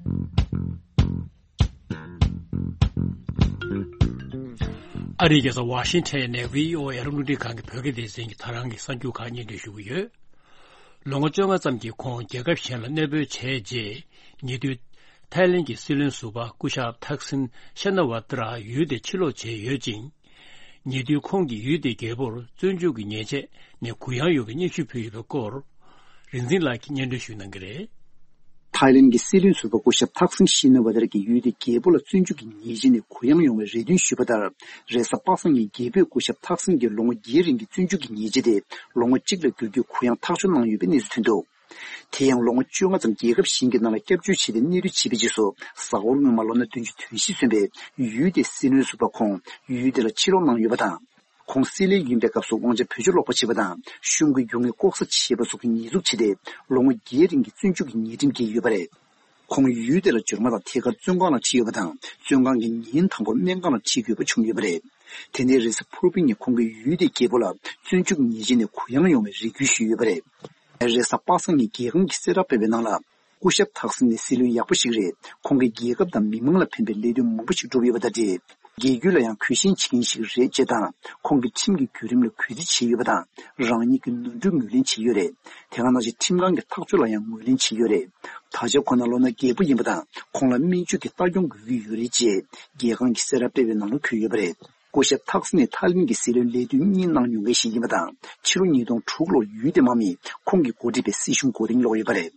ཨ་རིའི་རྒྱལ་ས་ཝ་ཤིང་ཊོན་ནས་བྷི་ཨོ་ཨེ་རླུང་འཕྲིན་ཁང་གི་བོད་སྐད་སྡེ་ཚན་གྱིས་ད་རང་གི་གསར་འགྱུར་ཁག་སྙན་སྒྲོན་ཞུ་གི་ཡོད། ལོ་ངོ་བཅོ་ལྔ་ཙམ་གྱི་གོང་རྒྱལ་ཁབ་གཞན་ལ་གནས་སྤོས་བྱས་རྗེས། ཉེ་དུས་ཐའི་ལེན་གྱི་སྲིད་བློན་ཟུར་པ་སྐུ་ཞབས་ཐག་སིན་ཤ་ན་ཝ་ཏྲ་ཡུལ་དེ་ཕྱིར་ལོག་བྱས་ཡོད་ཅིང་། ཉེ་དུས་ཁོང་གིས་ཡུལ་དེའི་རྒྱལ་པོར་བཙོན་འཇུག་གི་ཉེས་ཆད་ནས་གུ་ཡངས་ཡོང་བའི་སྙན་ཞུ་ཕུལ་ཡོད་པའི་སྐོར། རིག་འཛིན་ལགས་ཀྱིས་སྙན་སྒྲོན་ཞུ་གནང་གི་རེད། ཐའི་ལེན་གྱི་སྲིད་བློན་ཟུར་པ་སྐུ་ཞབས་ཐག་སིན་ཤི་ན་ཝ་ཏར་གྱིས་ཡུལ་དེའི་རྒྱལ་པོ་ལ་བཙོན་འཇུག་གི་ཉེས་ཆད་ནས་གུ་ཡངས་ཡོང་བའི་རེ་འདུན་ཞུས་པ་ལྟར། རེས་གཟའ་པ་སངས་ཉིན་རྒྱལ་པོས་སྐུ་ཞབས་ཐག་སིན་གྱི་ལོ་ངོ་བརྒྱད་རིང་གི་བཙོན་འཇུག་གི་ཉེས་ཆད་དེ་ལོ་ངོ་གཅིག་ལ་བསྒྱུར་རྒྱུའི་གུ་ཡངས་ཐག་གཅོད་གནང་ཡོད་པའི་གནས་ཚུལ་ཐོན་འདུག་དེ་ཡང་ལོ་ངོ་བཅོ་ལྔ་ཙམ་རྒྱལ་ཁབ་གཞན་གྱི་ནང་ལ་སྐྱབས་བཅོལ་བྱས་ཏེ་གནས་སྡོད་བྱས་པའི་རྗེས་སུ། གཟའ་འཁོར་སྔོན་མ་ལོ་ན་བདུན་ཅུ་དོན་བཞི་སོན་པའི་ཡུལ་དེའི་སྲིད་བློན་ཟུར་པ་ཁོང་ཡུལ་དེ་ལ་ཕྱིར་ལོག་གནང་ཡོད་པ་དང་། ཁོང་སྲིད་བློན་ཡིན་པའི་སྐབས་སུ་དབང་ཆ་བེད་སྤྱོད་ལོག་པ་བྱས་པ་དང་། གཞུང་གི་རྒྱུ་དངུལ་ལྐོག་ཟ་བྱས་པ་སོགས་ཀྱི་ཉེས་འཛུགས་བྱས་ཏེ། ལོ་ངོ་བརྒྱད་རིང་གི་བཙོན་འཇུག་གི་ཉེས་ཁྲིམས་འགེལ་ཡོད་པ་རེད། ཁོང་ཡུལ་དེ་ལ་འབྱོར་མ་ཐག་ཐད་ཀར་བཙོན་ཁང་ལ་ཁྲིད་ཡོད་པ་དང་། བཙོན་ཁང་གི་ཉིན་དང་པོར་སྨན་ཁང་ལ་ཁྲིད་དགོས་པ་བྱུང་ཡོད་པ་རེད། དེ་ནས་རེས་གཟའ་ཕུར་བུ་ཉིན་ཁོང་གིས་ཡུལ་དེའི་རྒྱལ་པོ་ལ་བཙོན་འཇུག་ཉེས་ཆད་ནས་གུ་ཡངས་ཡོང་བའི་རེ་སྐུལ་ཞུས་ཡོད་པ་རེད། རེས་གཟའ་པ་སངས་ཉིན་རྒྱལ་ཁང་གིས་གསལ་བསྒྲགས་སྤེལ་བའི་ནང་ལ། སྐུ་ཞབས་ཐག་སིན་ནི་སྲིད་བློན་ཡག་པོ་ཞིག་རེད། ཁོང་གིས་རྒྱལ་ཁབ་དང་མི་མང་ལ་ཕན་པའི་ལས་དོན་མང་པོ་ཞིག་བསྒྲུབས་ཡོད་པ་དང་འབྲེལ། རྒྱལ་རྒྱུད་ལ་ཡང་གུས་ཞེན་བྱེད་མཁན་ཞིག་རེད་ཅེས་དང་། ཁོང་གིས་ཁྲིམས་ཀྱི་བརྒྱུད་རིམ་ལ་གུས་བརྩི་བྱས་ཡོད་པ་དང་། རང་ཉིད་ཀྱི་ནོར་འཁྲུལ་ངོས་ལེན་བྱས་ཡོད་རེད། དེ་ག་ནང་བཞིན་ཁྲིམས་ཁང་གི་ཐག་གཅོད་ལ་ཡང་ངོས་ལེན་བྱས་ཡོད་རེད། ད་ཆ་ཁོ་ན་ལོ་ན་རྒས་པོ་ཡིན་པ་དང་། ཁོང་ལ་སྨན་བཅོས་ཀྱི་ལྟ་སྐྱོང་དགོས་ཀྱི་ཡོད་རེད་ཅེས་རྒྱལ་ཁང་གིས་གསལ་བསྒྲགས་སྤེལ་བའི་ནང་ལ་འཁོད་ཡོད་པ་རེད། སྐུ་ཞབས་ཐག་སི་ནི་ཐའི་ལེན་གྱི་སྲིད་བློན་ལས་དུས་གཉིས་གནང་མྱོང་མཁན་ཞིག་ཡིན་པ་དང་། ཕྱི་ལོ་ཉིས་སྟོང་དྲུག་ལོར་ཡུལ་དེའི་དམག་མིས་ཁོང་གི་འགོ་ཁྲིད་པའི་སྲིད་གཞུང་མགོ་རྟིང་སློག་ཡོད་པ་རེད།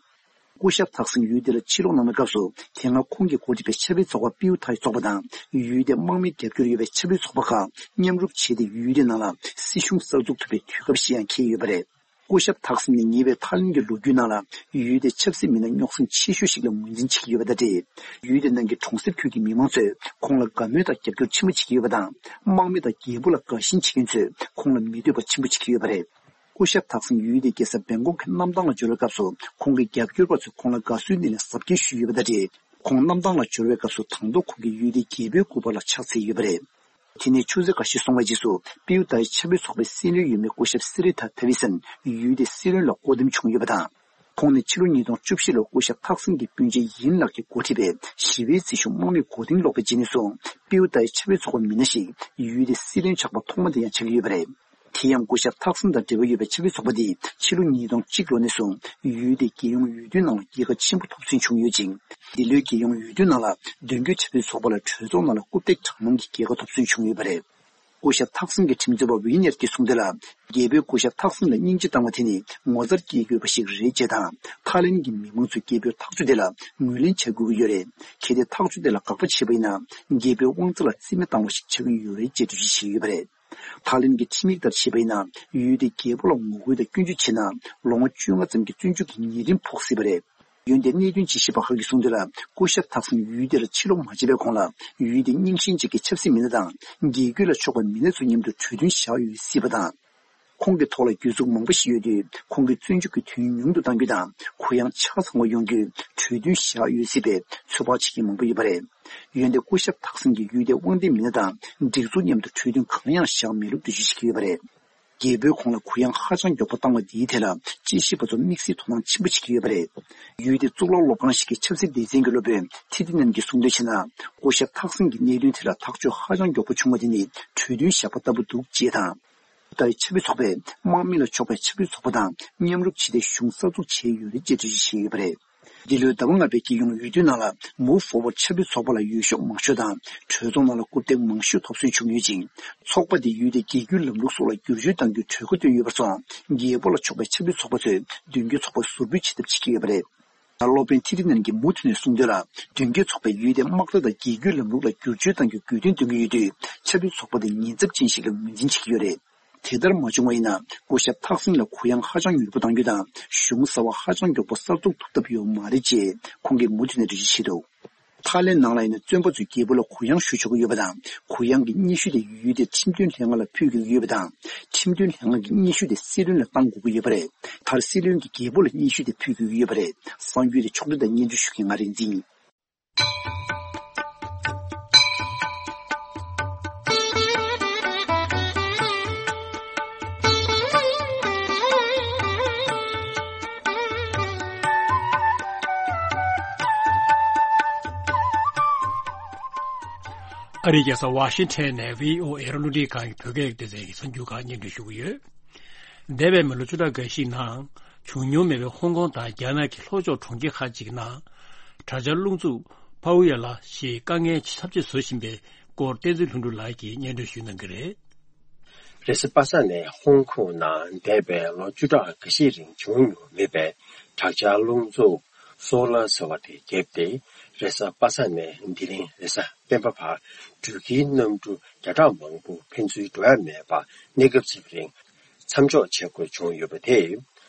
སྐུ་ཞབས་ཐག་སིན་ཡུལ་དེ་ལ་ཕྱིར་ལོག་གནང་བའི་སྐབས་སུ། དེ་སྔ་ཁོང་གིས་འགོ་ཁྲིད་པའི་ཆབ་སྲིད་ཚོགས་པ་པིའུ་ཐའི་ཚོགས་པ་དང་། ཡུལ་དེའི་དམག་མིའི་རྒྱབ་སྐྱོར་ཡོད་པའི་ཆབ་སྲིད་ཚོགས་པ་ཁག་མཉམ་རུབ་བྱས་ཏེ། ཡུལ་དེའི་ནང་ལ་སྲིད་གཞུང་གསར་འཛུགས་ཐུབ་པའི་དུས་སྐབས་ཤིག་ཡང་འཁེལ་ཡོད་པ་རེད། སྐུ་ཞབས་ཐག་སིན་ནི་ཉེ་བའི་ཐའི་ལེན་གྱི་ལོ་རྒྱུས་ནང་ལ། ཡུལ་དེའི་ཆབ་སྲིད་མི་སྣ་རྙོག་ཟིང་ཆེ་ཤོས་ཤིག་ལ་ངོས་འཛིན་བྱེད་ཀྱི་ཡོད་པ་དང་འབྲེལ། ཡུལ་དེ་ནང་གི་གྲོང་གསེབ་ཁུལ་གྱི་མི་མང་ཚོས་ཁོང་ལ་དགའ་མོས་དང་རྒྱབ་སྐྱོར་ཆེན་པོ་བྱེད་ཀྱི་ཡོད་པ་དང་། དམག་མི་དང་རྒྱལ་པོ་ལ་དགའ་ཞེན་བྱེད་མཁན་ཚོས་ཁོང་ལ་མི་འདོད་པ་ཆེན་པོ་བྱེད་ཀྱི་ཡོད་པ་རེད། སྐུ་ཞབས་ཐག་སིན་ཡུལ་དེའི་རྒྱལ་ས་བེང་ཀོག་གི་གནམ་ཐང་ལ་འབྱོར་བའི་སྐབས་སུ། ཁོང་གི་རྒྱབ་སྐྱོར་པ་ཚོས་ཁོང་ལ་དགའ་བསུའི་སྣེ་ལེན་གཟབ་རྒྱས་ཞུས་ཡོད་པ་དང་འབྲེལ། ཁོང་གནམ་ཐང་ལ་འབྱོར་བའི་སྐབས་སུ། དང་ཐོག་ཁོང་གིས་ཡུལ་དེའི་རྒྱལ་པོའི་སྐུ་པར་ལ་ཕྱག་འཚལ་ཡོད་པ་རེད། དེ་ནས་ཆུ་ཚོད་འགའ་ཤས་སོང་བའི་རྗེས་སུ། པིའུ་ཏའི་ཆབ་སྲིད་ཚོགས་པའི་སྲིད་བློན་ཡོད་མེད་སྐུ་ཞབས་སི་རི་ཐ་ཐ་ཝི་སན་ཡུལ་དེའི་སྲིད་བློན་ལ་བསྐོ་འདེམས་བྱུང་ཡོད་པ་དང་། ཁོང་ནི་ཕྱི་ལོ་ཉིས་སྟོང་བཅུ་བཞི་ལོར་སྐུ་ཞབས་ཐག་སིན་གྱི་སྤུན་མཆེད་ཡིན་ལགས་ཀྱིས་འགོ་ཁྲིད་པའི་ཞི་བའི་སྲིད་གཞུང་དམག་མིས་མགོ་རྟིང་སློག་པའི་རྗེས་ནས་བཟུང་། པིའུ་ཏའི་ཆབ་སྲིད་ཚོགས་པའི་མི་སྣ་ཞིག་ཡུལ་དེའི་སྲིད་བློན་ཆགས་པ་ཐོག་མ་དེ་ཡང་ཆགས་ཀྱི་ཡོད་པ་རེད། དེ་ཡང་སྐུ་ཞབས་ཐག་སིན་དང་འབྲེལ་བ་ཡོད་པའི་ཆབ་སྲིད་ཚོགས་པ་འདིས་ཕྱི་ལོ་ཉིས་སྟོང་གཅིག་ལོ་ནས་བཟུང་ཡུལ་དེའི་རྒྱལ་ཡོངས་འོས་བསྡུའི་ནང་ལ་རྒྱལ་ཁ་ཆེན་པོ་ཐོབ་ཚུལ་བྱུང་ཡོད་ཅིང་། འདི་ལོའི་རྒྱལ་ཡོངས་འོས་བསྡུའི་ནང་ལ་མདུན་སྐྱོད་ཆབ་སྲིད་ཚོགས་པ་ལ་གྲོས་ཚོགས་ནང་ལ་རྐུབ་སྟེགས་གྲངས་མང་གི་རྒྱལ་ཁ་ཐོབ་ཚུལ་བྱུང་ཡོད་པ་རེད། སྐུ་ཞབས་ཐག་སིན་གྱི་ཁྲིམས་རྩོད་པ་ཝི་ནེར་གྱིས་གསུངས་དོན་ལ། རྒྱལ་པོས་སྐུ་ཞབས་ཐག་སིན་ལ་སྙིང་རྗེ་བཏང་བ་དེ་ནི་ངོ་མཚར་སྐྱེ་དགོས་པ་ཞིག་རེད་ཅེས་དང་། ཐའི་ལེན་གྱི་མི་མང་ཚོས་རྒྱལ་པོའི་ཐག་གཅོད་དེ་ལ་ངོས་ལེན་བྱ་དགོས་ཀྱི་ཡོད་རེད། གལ་ཏེ་ཐག་གཅོད་དེ་ལ་དགག་པ་བྱས་པ་ཡིན་ན། རྒྱལ་པོའི་དབང་ཚད་ལ་རྩིས་མེད་བཏང་བ་ཞིག་ཆགས་ཀྱི་ཡོད་རེད་ཅེས་འགྲེལ་བརྗོད་བྱས་ཡོད་པ་རེད། ཐའི་ལེན་གྱི་ཁྲིམས་ཡིག་ལྟར་བྱས་པ་ཡིན་ན། ཡུལ་དེའི་རྒྱལ་པོ་ལ་ངོ་རྒོལ་དང་སྐྱོན་བརྗོད་བྱས་ན། ལོ་ངོ་བཅོ་ལྔ་ཙམ་གྱི་བཙོན་འཇུག་གི་ཉེས་ཁྲིམས་ཕོག་སྲིད་པ་རེད། འོན་ཏེ་གནད་དོན་དཔྱད་ཞིབ་པ་ཁག་གིས་གསུངས་དོན་ལ། སྐུ་ཞབས་ཐག་སིན་ཡུལ་དེ་ལ་ཕྱིར་ལོག་མ་བྱས་པའི་གོང་ལ། ཡུལ་དེའི་རྙིང་ཞེན་ཅན་གྱི་ཆབ་སྲིད་མི་སྣ་དང་། རྒྱལ་རྒྱུད་ལ་ཕྱོགས་པའི་མི་སྣ་ཚོའི་མཉམ་དུ་གྲོས་མཐུན་བཞག་ཡོད་སྲིད་པ་དང་། ཁོང་གི་ཐོག་ལ་གྱོད་འཛུགས་མང་པོ་ཞིག་ཡོད་དུས། ཁོང་གིས་བཙོན་འཇུག་གི་དུས་ཡུན་ཉུང་དུ་གཏང་རྒྱུ་དང་། གུ་ཡངས་ཆ་ཚང་བ་ཡོང་རྒྱུའི་གྲོས་མཐུན་བཞག་ཡོད་སྲིད་པའི་ཚོད་དཔག་བྱེད་མཁན་མང་པོ་ཡོད་པ་རེད། འོན་ཏེ་སྐུ་ཞབས་ཐག་སིན་གྱིས་ཡུལ་དེའི་དབང་ལྡན་མི་སྣ་དང་སྒྲིག་འཛུགས་མཉམ་དུ་གྲོས་མཐུན་གང་ཡང་བཞག་མེད་ལུགས་འགྲེལ་བརྗོད་བྱེད་ཀྱི་ཡོད་པ་རེད། རྒྱལ་པོས་ཁོང་ལ་གུ་ཡངས་ཧ་ཅང་མགྱོགས་པོ་བཏང་བ་འདིའི་ཐད་ལ་དཔྱད་ཞིབ་པ་ཚོ་དམིགས་བསལ་དོ་སྣང་ཆེན་པོ་བྱེད་ཀྱི་ཡོད་པ་རེད། ཡུལ་དེའི་གཙུག་ལག་སློབ་ཁང་ཞིག་གི་ཆབ་སྲིད་སྡེ་ཚན་གྱི་སློབ་དཔོན་ཐི་ཏི་ནན་གྱིས་གསུངས་དོན་བྱས་ན། སྐུ་ཞབས་ཐག་སིན་གྱི་གནད་དོན་དེ་ལ་ཐག་གཅོད་ཧ་ཅང་མགྱོགས་པོ་བྱུང་བ་དེ་ནི་གྲོས་མཐུན་བཞག་པ་ལྟ་བུ་འདུག་ཅེས་དང་། ཏའི་ཆབ་སྲིད་ཚོགས་པས་དམག་མི་ལ་ཕྱོགས་པའི་ཆབ་སྲིད་ཚོགས་པ་དང་མཉམ་རུབ་བྱས་ཏེ་གཞུང་གསར་འཛུགས་བྱས་ཡོད་རེད་ཅེས་འགྲེལ་བརྗོད་བྱས་ཡོད་པ་རེད། འདི་ལོའི་ཟླ་བ་ལྔ་པའི་རྒྱལ་ཡོངས་འོས་བསྡུའི་ནང་ལ་Move Forward ཆབ་སྲིད་ཚོགས་པ་ལ་འོས་ཤོག་མང་ཤོས་དང་གྲོས་ཚོགས་ནང་ལ་རྐུབ་སྟེགས་མང་ཤོས་ཐོབ་སོན་བྱུང་ཡོད་ཅིང་། ཚོགས་པ་འདིས་ཡུལ་དེའི་རྒྱལ་རྒྱུད་ལམ་ལུགས་སོགས་ལ་བསྒྱུར་བཅོས་གཏང་རྒྱུའི་གྲོས་འགོ་བཏོན་ཡོད་པར་སོང་། རྒྱལ་པོ་ལ་ཕྱོགས་པའི་ཆབ་སྲིད་ཚོགས་པ་ཚོས་མདུན་སྐྱོད་ཚོགས་པ་ཟུར་འབུད་བྱེད་ཐབས་བྱེད་ཀྱི་ཡོད་པ་རེད། སློབ་དཔོན་ཐི་ཏི་ནན་གྱིས་མུ་མཐུད་ནས་གསུངས་དོན་ལ། མདུན་སྐྱོད་ཚོགས་པས་ཡུལ་དེའི་དམག་རྩལ་དང་རྒྱལ་རྒྱུད་ལམ་ལུགས་ལ་བསྒྱུར་བཅོས་གཏང་རྒྱུའི་དགོས་འདུན་འདོན་གྱི་ཡོད་དུས། ཆབ་སྲིད་ཚོགས་པ་དེ་ཉེན་ཚབས་ཅན་ཞིག་ལ་ངོས་འཛིན་བྱེད་ཀྱི་ཡོད་རེད། དེ་ལྟར་མ་བྱུང་བ་ཡིན་ན། སྐུ་ཞབས་ཐག་སིན་ལ་གུ་ཡངས་ཧ་ཅང་མྱུར་པོ་གཏང་རྒྱུ་དང་། གཞུང་གསར་བ་ཧ་ཅང་མགྱོགས་པོ་གསར་འཛུགས་ཐུབ་ཐབས་ཡོད་མ་རེད་ཅེས་ཁོང་གིས་མུ་མཐུད་ནས་འགྲེལ་བརྗོད་བྱས་འདུག་ཐའི་ལེན་ནང་ལ་ཡིན་ན། བཙོན་པ་ཚོས་རྒྱལ་པོ་ལ་གུ་ཡངས་ཞུ་ཆོག་གི་ཡོད་པ་དང་། གུ་ཡངས་ཀྱི་སྙན་ཞུ་དེ་ཡུལ་དེའི་ཁྲིམས་དོན་ལྷན་ཁང་ལ་ཕུལ་དགོས་ཀྱི་ཡོད་པ་དང་། ཁྲིམས་དོན་ལྷན་ཁང་གིས་སྙན་ཞུ་དེ་སྲིད་བློན་ལ་གཏང་དགོས་ཀྱི་ཡོད་པ་རེད། མཐར་སྲིད་བློན་གྱིས་རྒྱལ་པོ་ལ་སྙན་ཞུ་དེ་ཕུལ་དགོས་ཀྱི་ཡོད་པ་རེད། གསར་འགྱུར་དེ་ཕྱོགས་བསྒྲིགས་དང་སྙན་སྒྲོན་ཞུ་མཁན་ང་རིག་འཛིན་ཡིན། ཨ་རིའི་རྒྱལ་ས་ཝ་ཤིང་ཊོན་ནས་བྷི་ཨོ་ཨེ་རླུང་འཕྲིན་ཁང་གི་བོད་སྐད་སྡེ་ཚན་གྱི་གསར་འགྱུར་ཁག་སྙན་སྒྲོན་ཞུ་གི་ཡོད། འདས་པའི་མི་ལོ་བཅུ་ཕྲག་འགའ་ཞིག་ནང་བྱུང་མྱོང་མེད་པའི་ཧོང་ཀོང་དང་རྒྱ་ནག་གི་ལྷོ་ཕྱོགས་གྲོང་ཁྱེར་ཁག་ཅིག་ནང་དྲག་ཆར་རླུང་འཚུབ་པའུ་ཡ་ལ་ཞེས་དཀའ་ངལ་ཚབས་ཆེ་བཟོ་བཞིན་པའི་སྐོར་བསྟན་འཛིན་ལྷུན་གྲུབ་ལགས་ཀྱིས་སྙན་སྒྲོན་ཞུ་གནང་གི་རེད། རེས་གཟའ་པ་སངས་ནས་ཧོང་ཀོང་ནང་འདས་པའི་ལོ་བཅུ་ཕྲག་འགའ་ཤས་རིང་བྱུང་མྱོང་མེད་པའི་དྲག་ཆར་རླུང་འཚུབ་སོ་ལར་ཟེར་བ་དེ་བརྒྱབ་སྟེ། རེས་གཟའ་པ་སངས་ནས་འདི་རིང་རེས་གཟའ་སྤེན་པ་བར་འགྲུལ་སྐྱེལ་གནམ་གྲུ་བརྒྱ་ཕྲག་མང་པོ་ཕན་ཚུན་འགྲོ་ཡ་མེད་པར་གནས་སྐབས་ཕྱེད་ཀ་རིང་མཚམས་འཇོག་བྱེད་དགོས་བྱུང་ཡོད་པ་དེས།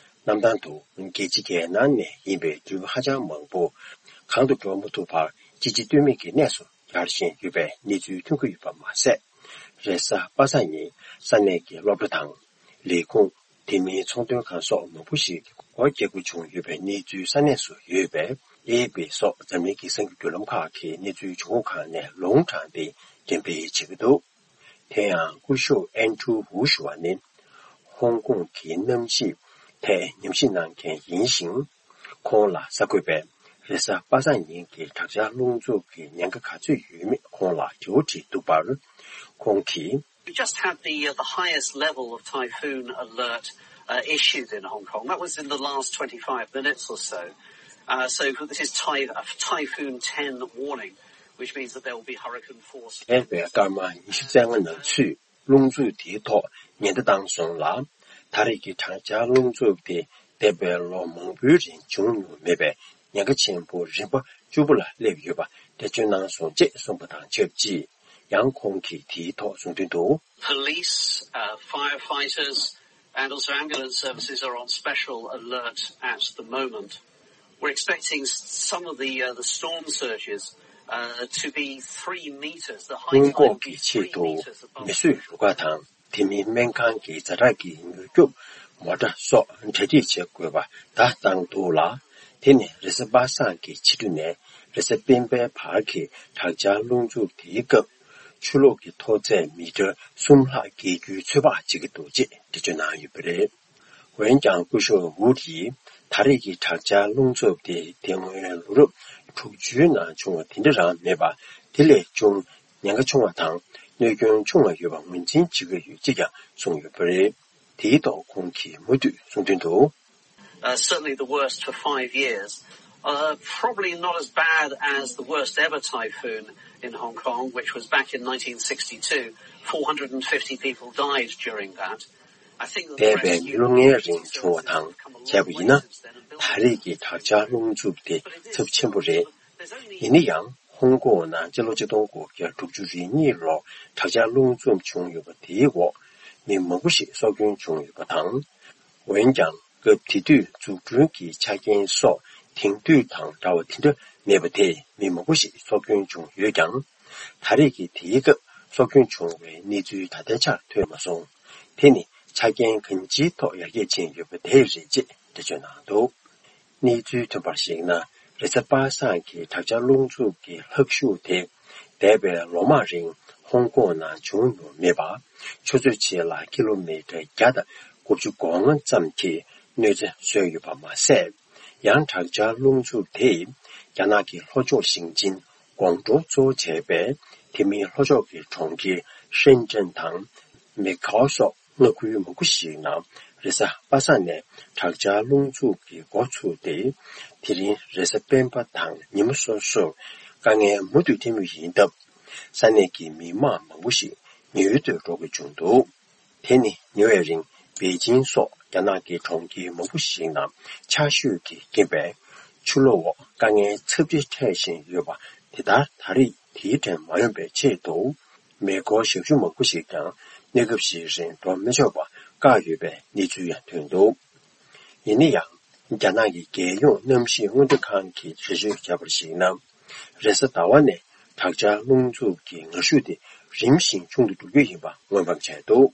གནམ་ཐང་དུ་རྒྱལ་སྤྱི་རྒྱལ་ནང་ནས་ཡིན་པའི་འགྲུལ་པ་ཧ་ཅང་མང་པོ་གང་དུ་འགྲོ་མ་ཐུབ་པར་གཅིག་རྗེས་ལྟོས་མེད་ཀྱི་གནས་སུ་གྱར་བཞིན་ཡོད་པའི་གནས་ཚུལ་ཐོན་གྱི་ཡོད་པ་མ་ཟད། རེས་གཟའ་པ་སངས་ཉིན་ས་གནས་ཀྱི་སློབ་གྲྭ་དང་ལས་ཁུངས། དེ་མིན་ཚོང་དོན་ཁང་སོགས་མང་པོ་ཞིག་གི་སྒོ་བརྒྱབ་དགོས་བྱུང་ཡོད་པའི་གནས་ཚུལ་ས་གནས་སུ་ཡོད་པས། ཨེ་ཨེ་པི་སོགས་འཛམ་གླིང་གི་གསར་འགྱུར་བརྒྱུད་ལམ་ཁག་གིས་གནས་ཚུལ་བྱུང་ཁུངས་ཁག་ནས་ལུང་དྲངས་ཏེ་འགྲེམས་སྤེལ་བྱེད་ཀྱི་འདུག་དེ་ཡང་སྐུ་ཞབས་ཨན་ཀྲུའུ་ཝུ་ཞུ་བ་ནི་ཧོང་ཀོང་གི་གནམ་གཤིས་ཐད་ཉམས་ཞིབ་གནང་མཁན་ཡིན་ཞིང་། ཁོང་ལ་གསར་འགོད་པས་རེས་གཟའ་པ་སངས་ཉིན་གྱི་དྲག་ཆར་རླུང་འཚུབ་ཀྱི་ཉེན་ཁ་ག་ཚོད་ཡོད་མེད་ཁོང་ལ་དྲི་བ་དྲིས་འདུག་པར། ཁོང་གིས། We just had the, uh, the highest level of typhoon alert, uh, issued in Hong Kong. That was in the last twenty-five minutes or so. Uh, so this is ty- a typhoon ten warning, which means that there will be hurricane force. འདས་པའི་སྐར་མ་ཉི་ཤུ་རྩ་ལྔ་ནང་ཚུད། རླུང་འཚུབ་དེའི་ཐོག་ཉེན་བརྡ་བཏང་སོང་ལ། ད་རེས་ཀྱི་དྲག་ཆར་རླུང་འཚུབ་དེ་འདས་པའི་ལོ་མང་པོའི་རིང་བྱུང་མྱོང་མེད་པའི་ཉེན་ཁ་ཆེན་པོ་རིམ་པ་བཅུ་པོ་ལ་སླེབས་ཡོད་པ་འགྲེལ་བརྗོད་གནང་སོང་ཅེས་གསུངས་པ་དང་ཆབས་ཅིག་ཡང་ཁོང་གིས་དེའི་ཐོག་གསུངས་དོན་དུ། Police, uh, firefighters, and also ambulance services are on special alert at the moment. We're expecting s- some of the, uh, the storm surges, uh, to be three meters. The height ཧོང་ཀོང་གི་ཆེད་དུ་མེ་གསོད་རུ་ཁག་དང་། དེ་མིན་སྨན་ཁང་གི་ཛ་དྲག་གི་མྱུར་སྐྱོབ་མོ་ཊ་སོགས་གྲ་སྒྲིག་བྱེད་དགོས་པ་བརྡ་བཏང་འདུག་ལ། དེ་ནི་རེས་གཟའ་པ་སངས་ཀྱི་ཕྱི་དྲོ་ནས་རེས་གཟའ་སྤེན་པའི་བར་གྱི་དྲག་ཆར་རླུང་འཚུབ་དེའི་སྐབས་ཆུ་ལོག་གི་མཐོ་ཚད་མི་ཊར་གསུམ་ལྷག་བརྒལ་རྒྱུའི་ཚོད་དཔག་བྱེད་ཀྱི་འདུག་ཅེས་འགྲེལ་བརྗོད་གནང་ཡོད་པ་རེད། འོན་ཀྱང་སྐུ་ཞབས་ཝུ་ཌི་ཡིས་ད་རེས་ཀྱི་དྲག་ཆར་རླུང་འཚུབ་དེ་དེ་སྔོན་ལོ་རབས་དྲུག་ཅུའི་ནང་བྱུང་བ་དེ་འདྲ་རང་མེད་པར་དེ་ལས་ཅུང་ཉེན་ཁ་ཆུང་བ་དང་གནོད་སྐྱོན་ཆུང་བ་ཡོད་པ་ངོས་འཛིན་བྱེད་ཀྱི་ཡོད་ཅེས་ཀྱང་གསུངས་ཡོད་པ་རེད། དེའི་ཐོག་ཁོང་གིས་མུ་མཐུད་གསུངས་དོན་དུ། Uh, certainly the worst for five years. Uh, probably not as bad as the worst ever typhoon in Hong Kong, which was back in nineteen sixty-two. Four hundred and fifty people died during that. འདས་པའི་མི་ལོ་ལྔའི་རིང་བྱུང་བ་དང་བྱས་པ་ཡིན་ན། ད་རེས་ཀྱི་དྲག་ཆར་རླུང་འཚུབ་དེ་ཚབས་ཆེན་པོ་རེད། ཡིན་ན་ཡང་ཧོང་ཀོང་ནང་སྤྱི་ལོ་ཆིག་སྟོང་དགུ་བརྒྱ་དྲུག་ཅུ་རེ་གཉིས་ལོར་དྲག་ཆར་རླུང་འཚུབ་བྱུང་ཡོད་པ་དེའི་འོག་མི་མང་པོ་ཞིག་སྲོག་སྐྱོན་བྱུང་ཡོད་པ་དང་། འོན་ཀྱང་སྐབས་དེ་དུས་འཛུགས་སྐྲུན་གྱི་ཆ་རྐྱེན་སོགས་དེང་དུས་དང་འདྲ་བ་དེ་འདྲ་མེད་པ་དེས་མི་མང་པོ་ཞིག་སྲོག་སྐྱོན་བྱུང་ཡོད་ཀྱང་། ད་རེས་ཀྱི་དེའི་སྐབས་སྲོག་སྐྱོན་བྱུང་བའི་གནས་ཚུལ་ད་ལྟའི་ཆར་ཐོན་མ་སོང་། དེ་ནི་ཆ་རྐྱེན་གང་ཅིའི་ཐོག་ཡར་རྒྱས་ཕྱིན་ཡོད་པ་དེ་རེད་ཅེས་འགྲེལ་བརྗོད་གནང་འདུག་གནས་ཚུལ་ཐོན་པར་གཞིགས་ན། རེས་གཟའ་པ་སངས་ཀྱི་དྲག་ཆར་རླུང་འཚུབ་ཀྱི་ལྷག་ཤུགས་དེ་འདས་པའི་ལོ་མང་རིང་ཧོང་ཀོང་ནང་བྱུང་མྱོང་མེད་པ། ཆུ་ཚོད་གཅིག་ལ་ཀི་ལོ་མི་ཊར་བརྒྱ་དང་དགུ་བཅུ་གོ་ལྔ་ཙམ་གྱི་གནོད་འཚེ་བཟོས་ཡོད་པ་མ་ཟད། ཡང་དྲག་ཆར་རླུང་འཚུབ་དེས་རྒྱ་ནག་གི་ལྷོ་ཕྱོགས་ཞིང་ཆེན་ཀོང་ཀྲོའུ་གཙོ་བོ་བྱས་པའི་དེ་མིན་ལྷོ་ཕྱོགས་ཀྱི་གྲོང་ཁྱེར་ཧྲེན་ཀྲེན་དང་མེ་ཁའོ་སོགས་མངའ་ཁུལ་མང་པོ་ཞིག་ནང་རེས་གཟའ་པ་སངས་ནས་དྲག་ཆར་རླུང་འཚུབ་ཀྱི་འགོ་ཚུགས་ཏེ། དེ་རིང་རེས་གཟའ་སྤེན་པ་དང་ཉིན་མོ་སོ་སོར་དཀའ་ངལ་མུ་མཐུད་འཕྲད་མུས་ཡིན་སྟབས། ས་གནས་ཀྱི་མི་མང་མང་པོ་ཞིག་ཉེ་ཡུལ་དུ་འགྲོ་དགོས་བྱུང་འདུག་དེ་ནི་ཉེ་བའི་རིང་པེ་ཅིང་སོགས་རྒྱ་ནག་གི་གྲོང་ཁྱེར་མང་པོ་ཞིག་ནང་ཆར་ཞོད་ཀྱི་རྐྱེན་པས་ཆུ་ལོག་དཀའ་ངལ་ཚབས་ཆེ་འཕྲད་བཞིན་ཡོད་པ་དེ་ལྟར་ད་རེས་དེའི་གྲས་མ་ཡོང་པའི་ཆེད་དུ། མེ་འཁོར་ཞབས་ཞུ་མང་པོ་ཞིག་ཀྱང་གནས་སྐབས་ཤིག་རིང་འགྲོ་མི་ཆོག་པ་བཀག་ཡོད་པའི་གནས་ཚུལ་ཡང་ཐོན་འདུག་ཡིན་ན་ཡང་། རྒྱ་ནག་གི་རྒྱལ་ཡོངས་གནམ་གཤིས་སྔོན་བརྡ་ཁང་གིས་འགྲེལ་བརྗོད་བྱས་པར་གཞིགས་ན། རེས་གཟའ་ཟླ་བ་ནས་དྲག་ཆར་རླུང་འཚུབ་ཀྱི་ངར་ཤུགས་དེ་རིམ་བཞིན་ཆུང་དུ་འགྲོ་རྒྱུ་ཡིན་པ་སྔོན་དཔག་བྱས་འདུག་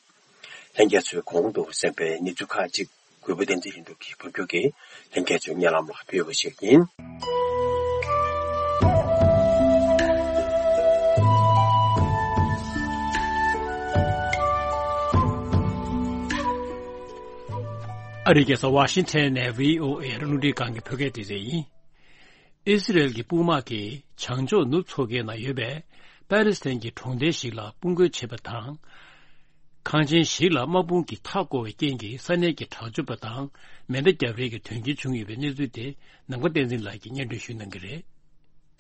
ལྷན་རྒྱས་ཚོས་གོང་དུ་གསན་པའི་གནས་ཚུལ་ཁག་ཅིག་གུས་པ་བསྟན་འཛིན་ལྷུན་གྲུབ་ཀྱིས་ཕབ་སྒྱུར་གྱིས་ལྷན་རྒྱས་ཚོའི་སྙན་ལམ་ལ་ཕུལ་བ་ཞིག་ཡིན། ཨ་རིའི་རྒྱལ་ས་ཝ་ཤིང་ཊོན་ནས་བྷི་ཨོ་ཨེ་རླུང་འཕྲིན་ཁང་གི་བོད་སྐད་སྡེ་ཚན་ཡིན། ཨི་སི་རེལ་གྱི་དཔུང་དམག་གིས་བྱང་ཕྱོགས་ནུབ་མཚོ་ཁའི་ནང་ཡོད་པའི་ པ་ལི་སི་ཐན་གྱི་གྲོང་རྡལ་ཞིག་ལ་དཔུང་རྒོལ་བྱས་པ་དང་། ཁང་ཆེན་ཞིག་ལ་དམག་དཔུང་གིས་མཐའ་བསྐོར་བའི་རྐྱེན་གྱིས་ས་གནས་ཀྱི་དྲག་སྤྱོད་པ་དང་མེ་མདའ་བརྒྱབ་རེས་ཀྱི་དོན་རྐྱེན་བྱུང་ཡོད་པའི་གནས་ཚུལ་དེ་ནམ་མཁའ་བསྟན་འཛིན་ལགས་ཀྱིས་སྙན་སྒྲོན་ཞུ་གནང་གི་རེད།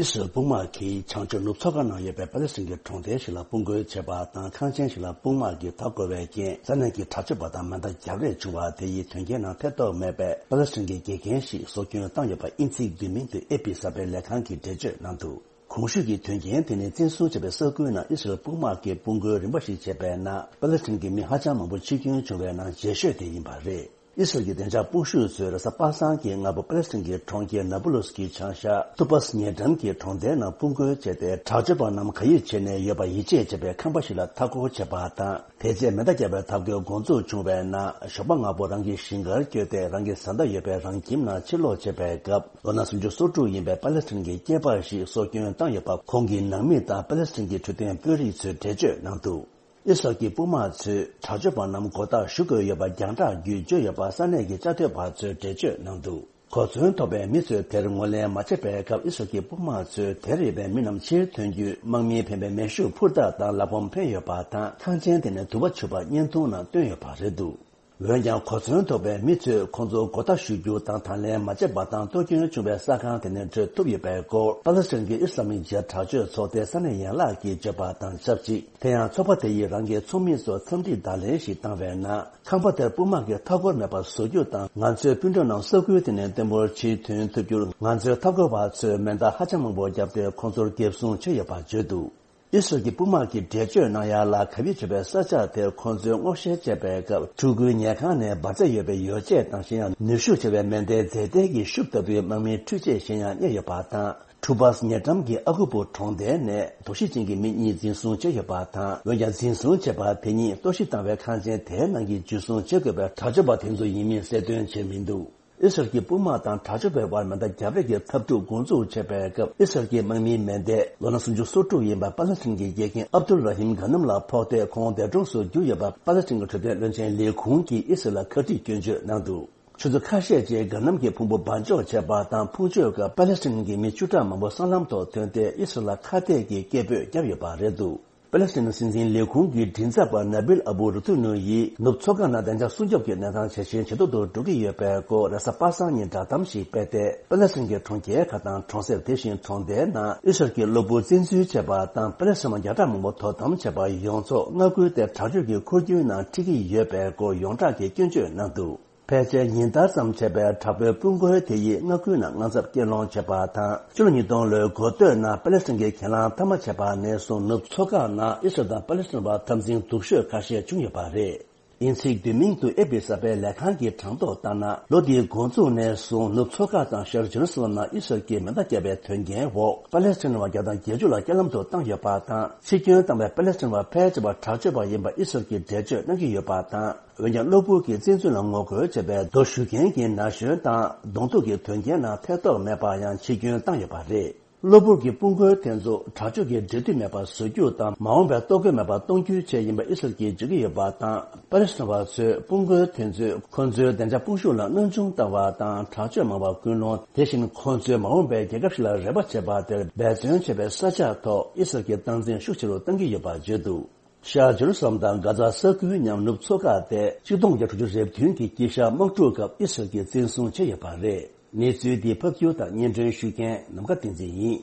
ཨི་སི་རལ་དཔུང་དམག་གིས་བྱང་ཕྱོགས་ནུབ་མཚོ་ཁ་ནང་ཡོད་པའི་པ་ལི་སི་ཐན་གྱི་གྲོང་རྡལ་ཞིག་ལ་དཔུང་རྒོལ་བྱས་པ་དང་། ཁང་ཆེན་ཞིག་ལ་དཔུང་དམག་གིས་མཐའ་བསྐོར་བའི་རྐྱེན། ས་གནས་ཀྱི་དྲག་སྤྱོད་པ་དང་མེ་མདའ་རྒྱག་རེས་བྱུང་བ་དེ་ཡི་དོན་རྐྱེན་ནང་ཐེ་གཏོགས་མེད་པའི་པ་ལི་སི་ཐན་གྱི་དགེ་རྒན་ཞིག་སྲོག་སྐྱོན་བཏང་ཡོད་པ། དབྱིན་ཚིག་བསྡུས་མིང་དུ་ཨེ་པི་གསར་པའི་ལས་ཁང་གིས་འགྲེལ་བརྗོད་གནང་འདུག་གོང་ཞུས་ཀྱི་དོན་རྐྱེན་དེ་ནི་བཙན་བཟུང་བྱས་པའི་ས་ཁུལ་ནང་ཨི་སི་རལ་དཔུང་དམག་གིས་དཔུང་རྒོལ་རིམ་པ་ཞིག་བྱས་པའི་ནང་པ་ལི་སི་ཐན་གྱི་མི་ཧ་ཅང་མང་པོ་འཆི་སྐྱོན་བྱུང་བའི་ནང་ལྗིད་ཤོས་དེ་ཡིན་པ་རེད། ཨི་སི་རལ་གྱི་བདེ་འཇགས་དཔུང་ཤུགས་ཚོས་རེས་གཟའ་པ་སངས་ཀྱི་སྔ་པོ་པ་ལི་སི་ཐན་གྱི་གྲོང་ཁྱེར་ནཱ་པུ་ལུས་ཀྱི་བྱང་ཤར་ཐུ་པཱས་ཉེ་འགྲམ་གྱི་གྲོང་རྡལ་ནང་དཔུང་རྒོལ་བྱས་ཏེ། དྲག་སྤྱོད་པ་རྣམས་ག་ཡོད་བྱས་ནས་ཡོད་པ་ཡིད་ཆེས་བྱེད་པའི་ཁང་པ་ཞིག་ལ་མཐའ་སྐོར་བྱས་པ་དང་། དེ་རྗེས་མེ་མདའ་བརྒྱབ་པའི་ཐབས་བཀོད་འགོ་འཛུགས་བྱུང་བའི་ནང་ཞོགས་པ་སྔ་པོ་རང་གི་ཞིང་ཁར་བསྐྱོད་དེ། རང་གི་བཟའ་ཟླ་ཡོད་པའི་རང་ཁྱིམ་ནང་ཕྱིར་ལོག་བྱེད་པའི་སྐབས། ལོ་ན་སུམ་ཅུ་སོ་དྲུག་ཡིན་པའི་པ་ལི་སི་ཐན་གྱི་སྐྱེས་པ་ཞིག་སྲོག་སྐྱོན་བཏང་ཡོད་པ། ཁོང་གི་ནང་མི་དང་པ་ལི་སི་ཐན་གྱི་འཕྲོད་བསྟེན་དཔོན་རིགས་ཚོས་འགྲེལ་བརྗོད་གནང་འདུག་ཨི་སི་རལ་གྱི་དཔུང་དམག་ཚོས་དྲག་སྤྱོད་པ་རྣམས་མགོ་བཏགས་གཞུ་དགོས་ཡོད་པ་རྒྱང་བསྒྲགས་བརྒྱུད་བརྗོད་ཡོད་པ་ས་གནས་ཀྱི་བཅའ་སྡོད་པ་ཚོས་འགྲེལ་བརྗོད་གནང་འདུག་གོ་མཚོན་ཐོབ་པའི་མི་ཚོས་དེར་ངོས་ལེན་མ་བྱས་པའི་སྐབས། ཨི་སི་རལ་གྱི་དཔུང་དམག་ཚོས་དེར་ཡོད་པའི་མི་རྣམས་ཕྱིར་ཐོན་རྒྱུའི་དམག་མིའི་འཕེན་པའི་མེ་ཤུགས་འཕུར་མདའ་དང་ལག་བམ་འཕེན་ཡོད་པ་དང་། ཁང་ཆེན་དེ་ནས་དུ་བ་འཕྱུར་བ་བརྙན་ཐུང་ནང་བཏོན་ཡོད་པ་རེད་འདུག་འོན་ཀྱང་། གོ་མཚོན་ཐོབ་པའི་མི་ཚོས་ཁོང་ཚོ་མགོ་བཏགས་གཞུ་རྒྱུ་དང་། དང་ལེན་མ་བྱས་པ་དང་གཏོར་སྐྱོན་བྱུང་བའི་ས་ཁང་དེ་ནས་བྲོས་ཐུབ་ཡོད་པའི་སྐོར། པ་ལི་སི་ཐན་གྱི་ཨི་སི་ལམ་མིག་ཇིཧཱད་དྲག་སྤྱོད་ཚོགས་སྡེའི་ས་གནས་ཡན་ལག་གིས་བརྗོད་པ་དང་ཆབས་ཅིག་དེ་ཡང་ཚོགས་པ་དེ་ཡིས་རང་གི་ཚོགས་མི་ཚོར་འཚམས་འདྲི་བརྡ་ལན་ཞིག་བཏང་བའི་ནང་། ཁང་པ་དེར་དཔུང་དམག་གིས་མཐའ་འཁོར་མེད་པར་བཟོ་རྒྱུ་དང་། ང་ཚོའི་སྤུན་ཀྲོག་རྣམས་ས་ཁུལ་དེ་ནས་བརྟན་པོར་ཕྱིར་ཐོན་ཐུབ་རྒྱུར། ང་ཚོའི་མཐའ་འཁོར་བ་ཚོས་མེ་མདའ་ཧ་ཅང་མང་པོ་བརྒྱབ་སྟེ། ཁོང་ཚོར་འགེབས་སྲུང་བྱས་ཡོད་པར་བརྗོད་འདུག་ཨི་སི་རལ་གྱི་དཔུང་དམག་གིས་འགྲེལ་བརྗོད་གནང་ཡ་ལ། ག་བེད་བྱེད་པའི་ས་ཆ་དེར་ཁོང་ཚོས་སྔོག་བཤེར་བྱས་པའི་སྐབས། འཕྲུལ་སྒུལ་ཉལ་ཁང་ནས་འབར་རྫས་ཡོད་པའི་ཡོ་བྱད་དང་། གཞན་ཡང་ནུས་ཤུགས་ཆེ་བའི་མེ་མདའི་རྫས་མཐའི་གི་ཤུབས་ལྟ་བུའི་དམག་མིའི་འཕྲུལ་ཆས་གཞན་ཡང་རྙེད་ཡོད་པ་དང་། ཁྲུ་པཱས་ཉེ་འགྲམ་གྱི་ཨ་ཁུ་པུ་གྲོང་རྡལ་ནས་དོགས་གཞི་ཅན་གྱི་མི་གཉིས་འཛིན་བཟུང་བྱས་ཡོད་པ་དང་། འོན་ཀྱང་། འཛིན་བཟུང་བྱས་པ་དེ་གཉིས་གཏོར་བཤིག་བཏང་བའི་ཁང་ཆེན་དེའི་ནང་གི་འཇུ་བཟུང་བྱེད་དགོས་པའི་དྲག་སྤྱོད་པ་དེ་ཚོ་ཡིན་མིན་གསལ་སྟོན་བྱས་མི་འདུག་ཨི་སི་རལ་གྱི་དཔུང་དམག་དང་དྲག་སྤྱོད་པའི་དབར་མེ་མདའ་རྒྱག་རེས་ཀྱི་འཐབ་འཁྲུག་འགོ་འཛུགས་བྱས་པའི་སྐབས། ཨི་སི་རལ་གྱི་དམག་མིའི་མེ་མདས་ལོ་ན་སུམ་ཅུ་སོ་དྲུག་ཡིན་པ་པ་ལི་སི་ཐན་གྱི་དགེ་རྒན་ཨབ་དུལ་ར་ཧིམ་གྷ་ནམ་ལ་ཕོག་སྟེ། ཁོང་འདས་གྲོངས་སུ་གྱུར་ཡོད་པ། པ་ལི་སི་ཐན་གྱི་འཕྲོད་བསྟེན་བློན་ཆེན་ལས་ཁུངས་ཀྱིས་ཨི་སི་རལ་ལ་ཁ་དཀྲིས་སྐྱོན་བརྗོད་གནང་འདུག་ཆུ་ཚོད་ཁ་ཤས་རྗེས་གྷ་ནམ་གྱི་ཕུང་པོ་འབར་འཇོག་བྱས་པ་དང་། ཕུང་མཆོད་སྐབས་པ་ལི་སི་ཐན་གྱི་མི་བཅུ་ཕྲག་མང་པོ་སྲང་ལམ་ཐོག་ཐོན་ཏེ། ཨི་སི་རལ་ལ་ཁ་གཏད་ཀྱི་སྐད་འབོད་བརྒྱབ་ཡོད་པ་རེད་འདུག་པ་ལི་སི་ཐན་སྲིད་འཛིན་ལས་ཁུངས་ཀྱི་མགྲིན་ཚབ་པ་ན་བིལ་ཨ་བུ་རུ་ཐུ་ནུ་ཡིས། ནུབ་མཚོ་ཁ་ནང་བདེ་འཇགས་སྲུང་སྐྱོབ་ཀྱི་གནས་སྟངས་ཇེ་ཞན་ཇེ་སྡུག་ཏུ་འགྲོ་གི་ཡོད་པའི་སྐོར། རེས་གཟའ་པ་སངས་ཉིན་བསྒྲགས་གཏམ་ཞིག་སྤེལ་ཏེ། པ་ལི་སི་ཐན་གྱི་གྲོང་ཁྱེར་ཁག་དང་གྲོང་གསེབ། དེ་བཞིན་གྲོང་རྡལ་ནང་ཨི་སི་རལ་གྱི་གློ་བུར་བཙན་འཛུལ་བྱས་པ་དང་། པ་ལི་སི་ཐན་བརྒྱ་ཕྲག་མང་པོ་དོ་དམ་བྱས་པ་ཡོངས་རྫོགས་མངའ་ཁུལ་དེ་དྲག་སྤྱོད་ཀྱི་འཁོར་རྒྱུག་ནང་ཁྲིད་ཀྱི་ཡོད་པའི་སྐོར་ཡོངས་གྲགས་ཀྱིས་སྐྱོན་བརྗོད་གནང་འདུག་ཕལ་ཆེར་ཉིན་ལྟར་ཙམ་བྱས་པའི་དྲག་པོའི་དཔུང་རྒོལ་དེ་ཡིས་མངའ་ཁུལ་ནང་དངངས་འཚབ་སྐྱེད་སློང་བྱས་པ་དང་། ཕྱི་ལོ་ཉིས་སྟོང་ལོའི་འགོ་སྟོད་ནང་པ་ལི་སི་ཐན་གྱིས་གྱེན་ལངས་མཐའ་མ་བྱས་པ་ནས་བཟུང་། ནུབ་མཚོ་ཁ་ནང་ཨི་སི་རལ་དང་པ་ལི་སི་ཐན་བར་འཐབ་འཛིང་སྡུག་ཤོས་ཁ་ཤས་བྱུང་ཡོད་པ་རེད། དབྱིན་ཚིག་བསྡུས་མིང་དུ་ཨེ་པི་གསར་པའི་ལས་ཁང་གིས་གྲངས་ཐོ་ལྟར་ན། ལོ་འདིའི་འགོ་འཛུགས་ནས་བཟུང་ནུབ་མཚོ་ཁ་དང་ཤར་ཇེ་རུ་སི་ལམ་ནང་ཨི་སི་རལ་གྱིས་མེ་མདའ་བརྒྱབ་པའི་དོན་རྐྱེན་འོག་པ་ལི་སི་ཐན་བ་བརྒྱ་དང་བརྒྱད་ཅུ་ལ་རྐྱེན་ལམ་དུ་བཏང་ཡོད་པ་དང་། འཆི་སྐྱོན་བཏང་བའི་པ་ལི་སི་ཐན་བ་ཕལ་ཆེ་བ་དྲག་སྤྱོད་པ་ཡིན་པ་ཨི་སི་རལ་གྱིས་འགྲེལ་བརྗོད་གནང་གི་ཡོད་པ་དང་། འོན་ཀྱང་། གློ་བུར་གྱི་བཙན་འཛུལ་ལ་ངོ་རྒོལ་བྱས་པའི་རྡོ་གཞུ་མཁན་གྱི་ན་གཞོན་དང་གདོང་ཐུག་གི་དོན་རྐྱེན་ནང་ཐེ་གཏོགས་མེད་པར་ཡང་འཆི་སྐྱོན་བཏང་ཡོད་པ་རེད། གློ་བུར་གྱི་དཔུང་རྒོལ་དེ་ཚོ་དྲག་སྤྱོད་ཀྱི་འབྲེལ་མཐུད་མེད་པར་བཟོ་རྒྱུ་དང་། མ་འོངས་པའི་ལྟོ་གོས་མེད་པར་གཏོང་རྒྱུའི་ཆེད་ཡིན་པ་ཨི་སི་རལ་གྱིས་བརྗོད་ཀྱི་ཡོད་པ་དང་། པ་ལི་སི་ཐན་བ་ཚོས་དཔུང་རྒོལ་དེ་ཚོས་ཁོ་ཚོའི་བདེ་འཇགས་དཔུང་ཤུགས་ལ་གནོན་སྦྱོང་བཏང་བ་དང་། དྲག་སྤྱོད་མང་བ་སྐུལ་སློང་། དེ་བཞིན་ཁོ་ཚོས་མ་འོངས་པའི་རྒྱལ་ཁབ་ཞིག་ལ་རེ་བ་བྱེད་པ་དེར་འབད་བརྩོན་བྱེད་པའི་ས་ཆ་ཐོག་ཨི་སི་རལ་གྱི་སྟངས་འཛིན་ཤུགས་ཆེ་རུ་གཏང་གི་ཡོད་པ་བརྗོད་འདུག་ཤར་ཇེ་རུ་སི་ལམ་དང་གྷ་ཛ་ས་ཁུལ་མཉམ་ནུབ་མཚོ་ཁ་དེ་ཆིག་སྟོང་བརྒྱ་དྲུག་ཅུ་རེ་བདུན་གྱི་དཀྱིལ་ཤར་དམག་འཁྲུག་སྐབས་ཨི་སི་རལ་གྱིས་བཙན་བཟུང་བྱས་ཡོད་པ་རེད། གནས་ཚུལ་འདི་ཕབ་སྒྱུར་དང་སྙན་སྒྲོན་ཞུ་མཁན་ནམ་མཁའ་བསྟན་འཛིན་ཡིན།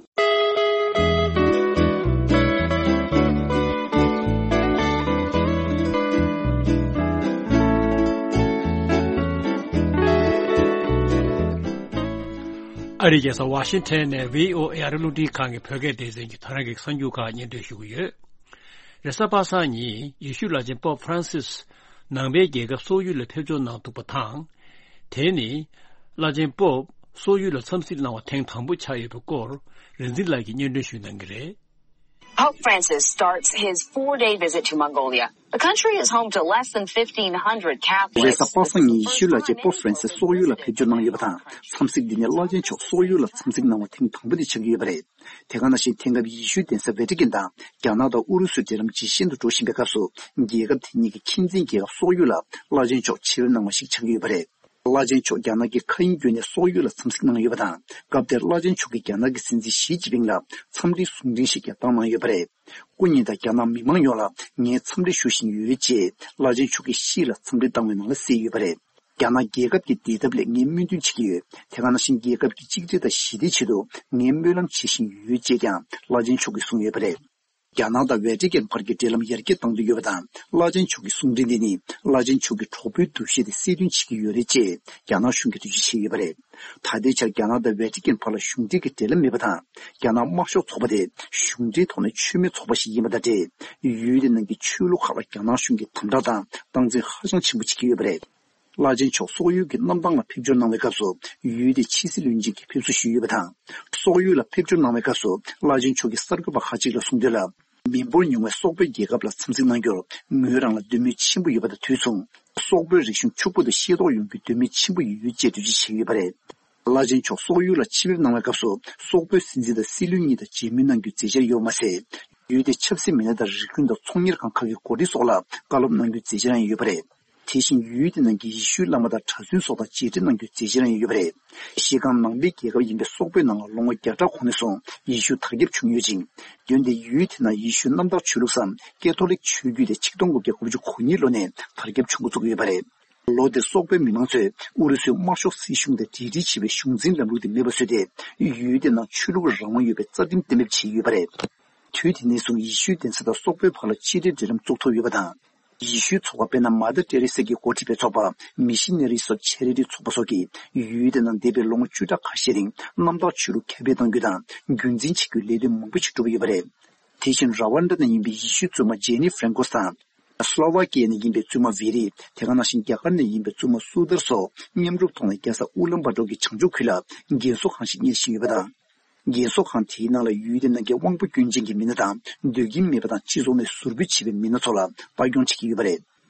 ཨ་རིའི་རྒྱལ་ས་ཝ་ཤིང་ཊོན་ནས་བྷི་ཨོ་ཨེ་ཨ་རི་རླུང་འཕྲིན་ཁང་གི་བོད་སྐད་སྡེ་ཚན་གྱིས་ད་རང་གི་གསར་འགྱུར་ཁག་སྙན་སྒྲོན་ཞུ་གི་ཡོད། རེས་གཟའ་པ་སངས་ཉིན་ཡེ་ཤུ་བླ་ཆེན་པོབ་ཧྥ་རན་སིས་ནང་པའི་རྒྱལ་ཁབ་སོག་ཡུལ་ལ་ཕེབས་འབྱོར་གནང་འདུག་པ་དང་། དེ་ནི་བླ་ཆེན་པོབ་སོག་ཡུལ་ལ་འཚམས་གཟིགས་གནང་བ་ཐེངས་དང་པོ་ཆགས་ཡོད་པའི་སྐོར། རིག་འཛིན་ལགས་ཀྱིས་སྙན་སྒྲོན་ཞུ་གནང་གི་རེད། Pope Francis starts his four-day visit to Mongolia. The country is home to less than fifteen hundred Catholics. རེས་གཟའ་པ་སངས་ཉིན་ཡེ་ཤུ་བླ་ཆེན་པོབ་ཧྥ་རན་སིས་སོག་ཡུལ་ལ་ཕེབས་འབྱོར་གནང་ཡོད་པ་དང་། འཚམས་གཟིགས་འདི་ནི་བླ་ཆེན་མཆོག་སོག་ཡུལ་ལ་འཚམས་གཟིགས་གནང་བ་ཐེངས་དང་པོ་དེ་ཆགས་ཀྱི་ཡོད་པ་རེད། དེ་ག་ནང་བཞིན་དེང་སྐབས་ཡེ་ཤུའི་གདན་ས་ཝེ་ཏི་ཀན་དང་རྒྱ་ནག་དང་ཨུ་རུ་སུའི་འབྲེལ་ལམ་ཇེ་ཞན་དུ་འགྲོ་བཞིན་པའི་སྐབས་སུ། རྒྱལ་ཁབ་དེ་གཉིས་ཀྱི་ཁྱིམ་མཚེས་རྒྱལ་ཁབ་སོག་ཡུལ་ལ་བླ་ཆེན་མཆོག་ཕྱིར་འབྱོར་གནང་བ་ཞིག་ཆགས་ཀྱི་ཡོད་པ་རེད། བླ་ཆེན་མཆོག་རྒྱ་ནག་གི་མཁའ་དབྱིངས་བརྒྱུད་ནས་སོག་ཡུལ་ལ་འཚམས་གཟིགས་གནང་ཡོད་པ་དང་། སྐབས་དེར་བླ་ཆེན་མཆོག་གིས་རྒྱ་ནག་གི་སྲིད་འཛིན་ཞི་ཅིན་ཕིང་ལ་འཚམས་འདྲིའི་གསུང་འཕྲིན་ཞིག་ཀྱང་བཏང་གནང་ཡོད་པ་རེད། སྐུ་ཉིད་དང་རྒྱ་ནག་མི་མང་ཡོངས་ལ་ངས་འཚམས་འདྲི་ཞུ་བཞིན་ཡོད་ཅེས་བླ་ཆེན་མཆོག་གིས་ཤིས་ལ་འཚམས་འདྲི་བཏང་བའི་ནང་ལ་གསལ་ཡོད་པ་རེད། རྒྱ་ནག་རྒྱལ་ཁབ་ཀྱི་བདེ་ཐབས་སླད་ངས་སྨོན་འདུན་བྱེད་ཀྱི་ཡོད། དེ་ག་ནང་བཞིན་རྒྱལ་ཁབ་ཀྱི་གཅིག་སྒྲིལ་དང་ཞི་བདེའི་ཆེད་དུ་ངས་སྨོན་ལམ་བྱེད་བཞིན་ཡོད་ཅེས་ཀྱང་བླ་ཆེན་མཆོག་གིས་གསུངས་ཡོད་པ་རེད། རྒྱ་ནག་དང་ཝེ་ཏི་ཀན་བར་གྱི་འབྲེལ་ལམ་ཡར་རྒྱས་གཏང་འདོད་ཡོད་པ་དང་། བླ་ཆེན་མཆོག་གི་གསུང་འཕྲིན་འདི་ནི་བླ་ཆེན་མཆོག་གི་གྲོགས་པོའི་འདུ་ཤེས་དེ་གསལ་སྟོན་བྱེད་ཀྱི་ཡོད་རེད་ཅེས་རྒྱ་ནག་གཞུང་གིས་འགྲེལ་བརྗོད་བྱས་ཡོད་པ་རེད། ད་ལྟའི་ཆར་རྒྱ་ནག་དང་ཝེ་ཏི་ཀན་བར་ལ་གཞུང་འབྲེལ་གྱི་འབྲེལ་ལམ་མེད་པ་དང་། རྒྱ་ནག་དམར་ཤོག་ཚོགས་པ་དེ་གཞུང་འབྲེལ་ཐོག་ནས་ཆོས་མེད་ཚོགས་པ་ཞིག་ཡིན་པ་དང་འབྲེལ། ཡུལ་དེ་ནང་གི་ཆོས་ལུགས་ཁག་ལ་རྒྱ་ནག་གཞུང་གིས་དམ་དྲག་དང་སྟངས་འཛིན་ཧ་ཅང་ཆེན་པོ་བྱེད་ཀྱི་ཡོད་པ་རེད། བླ་ཆེན་མཆོག་སོག་ཡུལ་གྱི་གནམ་ཐང་ལ་ཕེབས་འབྱོར་གནང་བའི་སྐབས་སུ། ཡུལ་དེའི་ཕྱི་སྲིད་བློན་ཆེན་གྱིས་ཕེབས་བསུ་ཞུས་ཡོད་པ་དང་། སོག་ཡུལ་ལ་ཕེབས་འབྱོར་གནང་བའི་སྐབས་སུ། བླ་ཆེན་མཆོག་གིས་གསར་འགོད་པ་ཁག་ཅིག་ལ་གསུངས་དོན་ལ། མི་འབོར་ཉུང་བའི་སོག་པོའི་རྒྱལ་ཁབ་ལ་འཚམས་གཟིགས་གནང་རྒྱུར་ངོས་རང་ལ་འདོད་མོས་ཆེན་པོ་ཡོད་པ་དང་དུས་མཚུངས། སོག་པོའི་རིག་གཞུང་ཕྱུག་པོ་དང་ཤེས་རྟོགས་ཡོང་རྒྱུའི་འདོད་མོས་ཆེན་པོ་ཡོད་ཅེས་འགྲེལ་བརྗོད་བྱས་ཡོད་པ་རེད། བླ་ཆེན་མཆོག་སོག་ཡུལ་ལ་ཕྱི་པར་གནང་བའི་སྐབས་སུ། སོག་པོའི་སྲིད་འཛིན་དང་སྲིད་བློན་གཉིས་དང་མཇལ་མོལ་གནང་རྒྱུའི་མཛད་འཆར་ཡོད་པ་མ་ཟད། ཡུལ་དེའི་ཆབ་སྲིད་མི་སྣ་དང་རིགས་ཁྱོན་དང་ཚོང་གཉེར་ཁང་ཁག་གི་འགོ་ཁྲིད་སོགས་ལ་བཀའ་སློབ་གནང་རྒྱུའི་མཛད་འཆར་ཡང་ཡོད་པ་རེད། དེ་བཞིན་ཡུལ་དེ་ནང་གི་ཡེ་ཤུའི་བླ་མ་དང་གྲྭ་བཙུན་སོགས་དང་མཇལ་འཕྲད་གནང་རྒྱུའི་མཛད་འཆར་ཡང་ཡོད་པ་རེད། ཤེལ་དཀར་ནང་པའི་རྒྱལ་ཁབ་ཡིན་པའི་སོག་པོའི་ནང་ལ་ལོ་ངོ་བརྒྱ་ཕྲག་གོང་ནས་བཟུང་ཡེ་ཤུ་དར་ཁྱབ་བྱུང་ཡོད་ཅིང་། འོན་ཏེ་ཡུལ་དེ་ནང་ཡེ་ཤུའི་གནམ་བདག་ཆོས་ལུགས་སམ་ཀེ་ཐོ་ལིག་ཆོས་བརྒྱུད་དེ་ཆིག་སྟོང་དགུ་བརྒྱ་དགུ་བཅུ་གོ་གཉིས་ལོ་ནས་དར་ཁྱབ་བྱུང་འགོ་བཙུགས་ཡོད་པ་རེད། ལོ་འདིར་སོག་པོའི་མི་མང་ཚོས་ཨུ་རུ་སུའི་དམར་ཤོག་སྲིད་གཞུང་དང་འབྲེལ་འདྲིས་བྱེད་པའི་གཞུང་འཛིན་ལམ་ལུགས་དེ་མེད་པ་བཟོས་ཏེ། ཡུལ་དེ་ནང་ཆོས་ལུགས་རང་དབང་ཡོད་པའི་རྩ་ཁྲིམས་གཏན་འབེབས་བྱས་ཡོད་པ་རེད། དུས་དེ་ནས་བཟུང་ཡེ་ཤུའི་གདན་ས་དང་སོག་པོའི་བར་ལ་ཕྱི་འབྲེལ་འབྲེལ་ལམ་བཙུགས་ཐུབ་ཡོད་པ་དང་། ཡེ་ཤུའི་ཚོགས་པ་དཔེར་ན་མ་དར་ཏེ་རེ་སི་གིས་འགོ་ཁྲིད་པའི་ཚོགས་པ་མི་ཤི་ནེ་རི་སོ་ཆེ་རི་ཊི་ཚོགས་པ་སོགས་ཀྱིས་ཡུལ་དེ་ནང་འདས་པའི་ལོ་ངོ་བཅུ་ཕྲག་ཁ་ཤས་རིང་གནམ་བདག་ཆོས་ལུགས་ཁྱབ་སྤེལ་གཏང་རྒྱུ་དང་རྒྱུན་འཛིན་བྱེད་རྒྱུའི་ལས་དོན་མང་པོ་ཞིག་བསྒྲུབས་ཡོད་པ་རེད། དེ་བཞིན་ར་ཝན་ཌ་ནས་ཡིན་པའི་ཡེ་ཤུའི་བཙུན་མ་ཇེ་ནི་ཧྥ་རན་ཀོས་དང་། སློ་ཝ་ཀི་ཡ་ནས་ཡིན་པའི་བཙུན་མ་ཝེ་རི། དེ་ག་ནང་བཞིན་རྒྱ་གར་ནས་ཡིན་པའི་བཙུན་མ་སུ་དར་སོགས་མཉམ་རུབ་ཐོག་ནས་རྒྱལ་ས་ཨུ་ལན་བྷ་ཏོར་གྱི་བྱང་ཕྱོགས་ཁུལ་ལ་རྒན་གསོ་ཁང་ཞིག་གཉེར་བཞིན་ཡོད་པ་དང་། རྒན་གསོ་ཁང་དེའི་ནང་ལ་ཡུལ་དེ་ནང་གི་དབང་པོ་སྐྱོན་ཅན་གྱི་མི་སྣ་དང་། སྡོད་ཁྱིམ་མེད་པ་དང་། སྤྱི་ཚོགས་ནས་ཟུར་ཕུད་བྱས་པའི་མི་སྣ་ཚོ་ལ་ལྟ་སྐྱོང་བྱེད་ཀྱི་ཡོད་པ་རེད།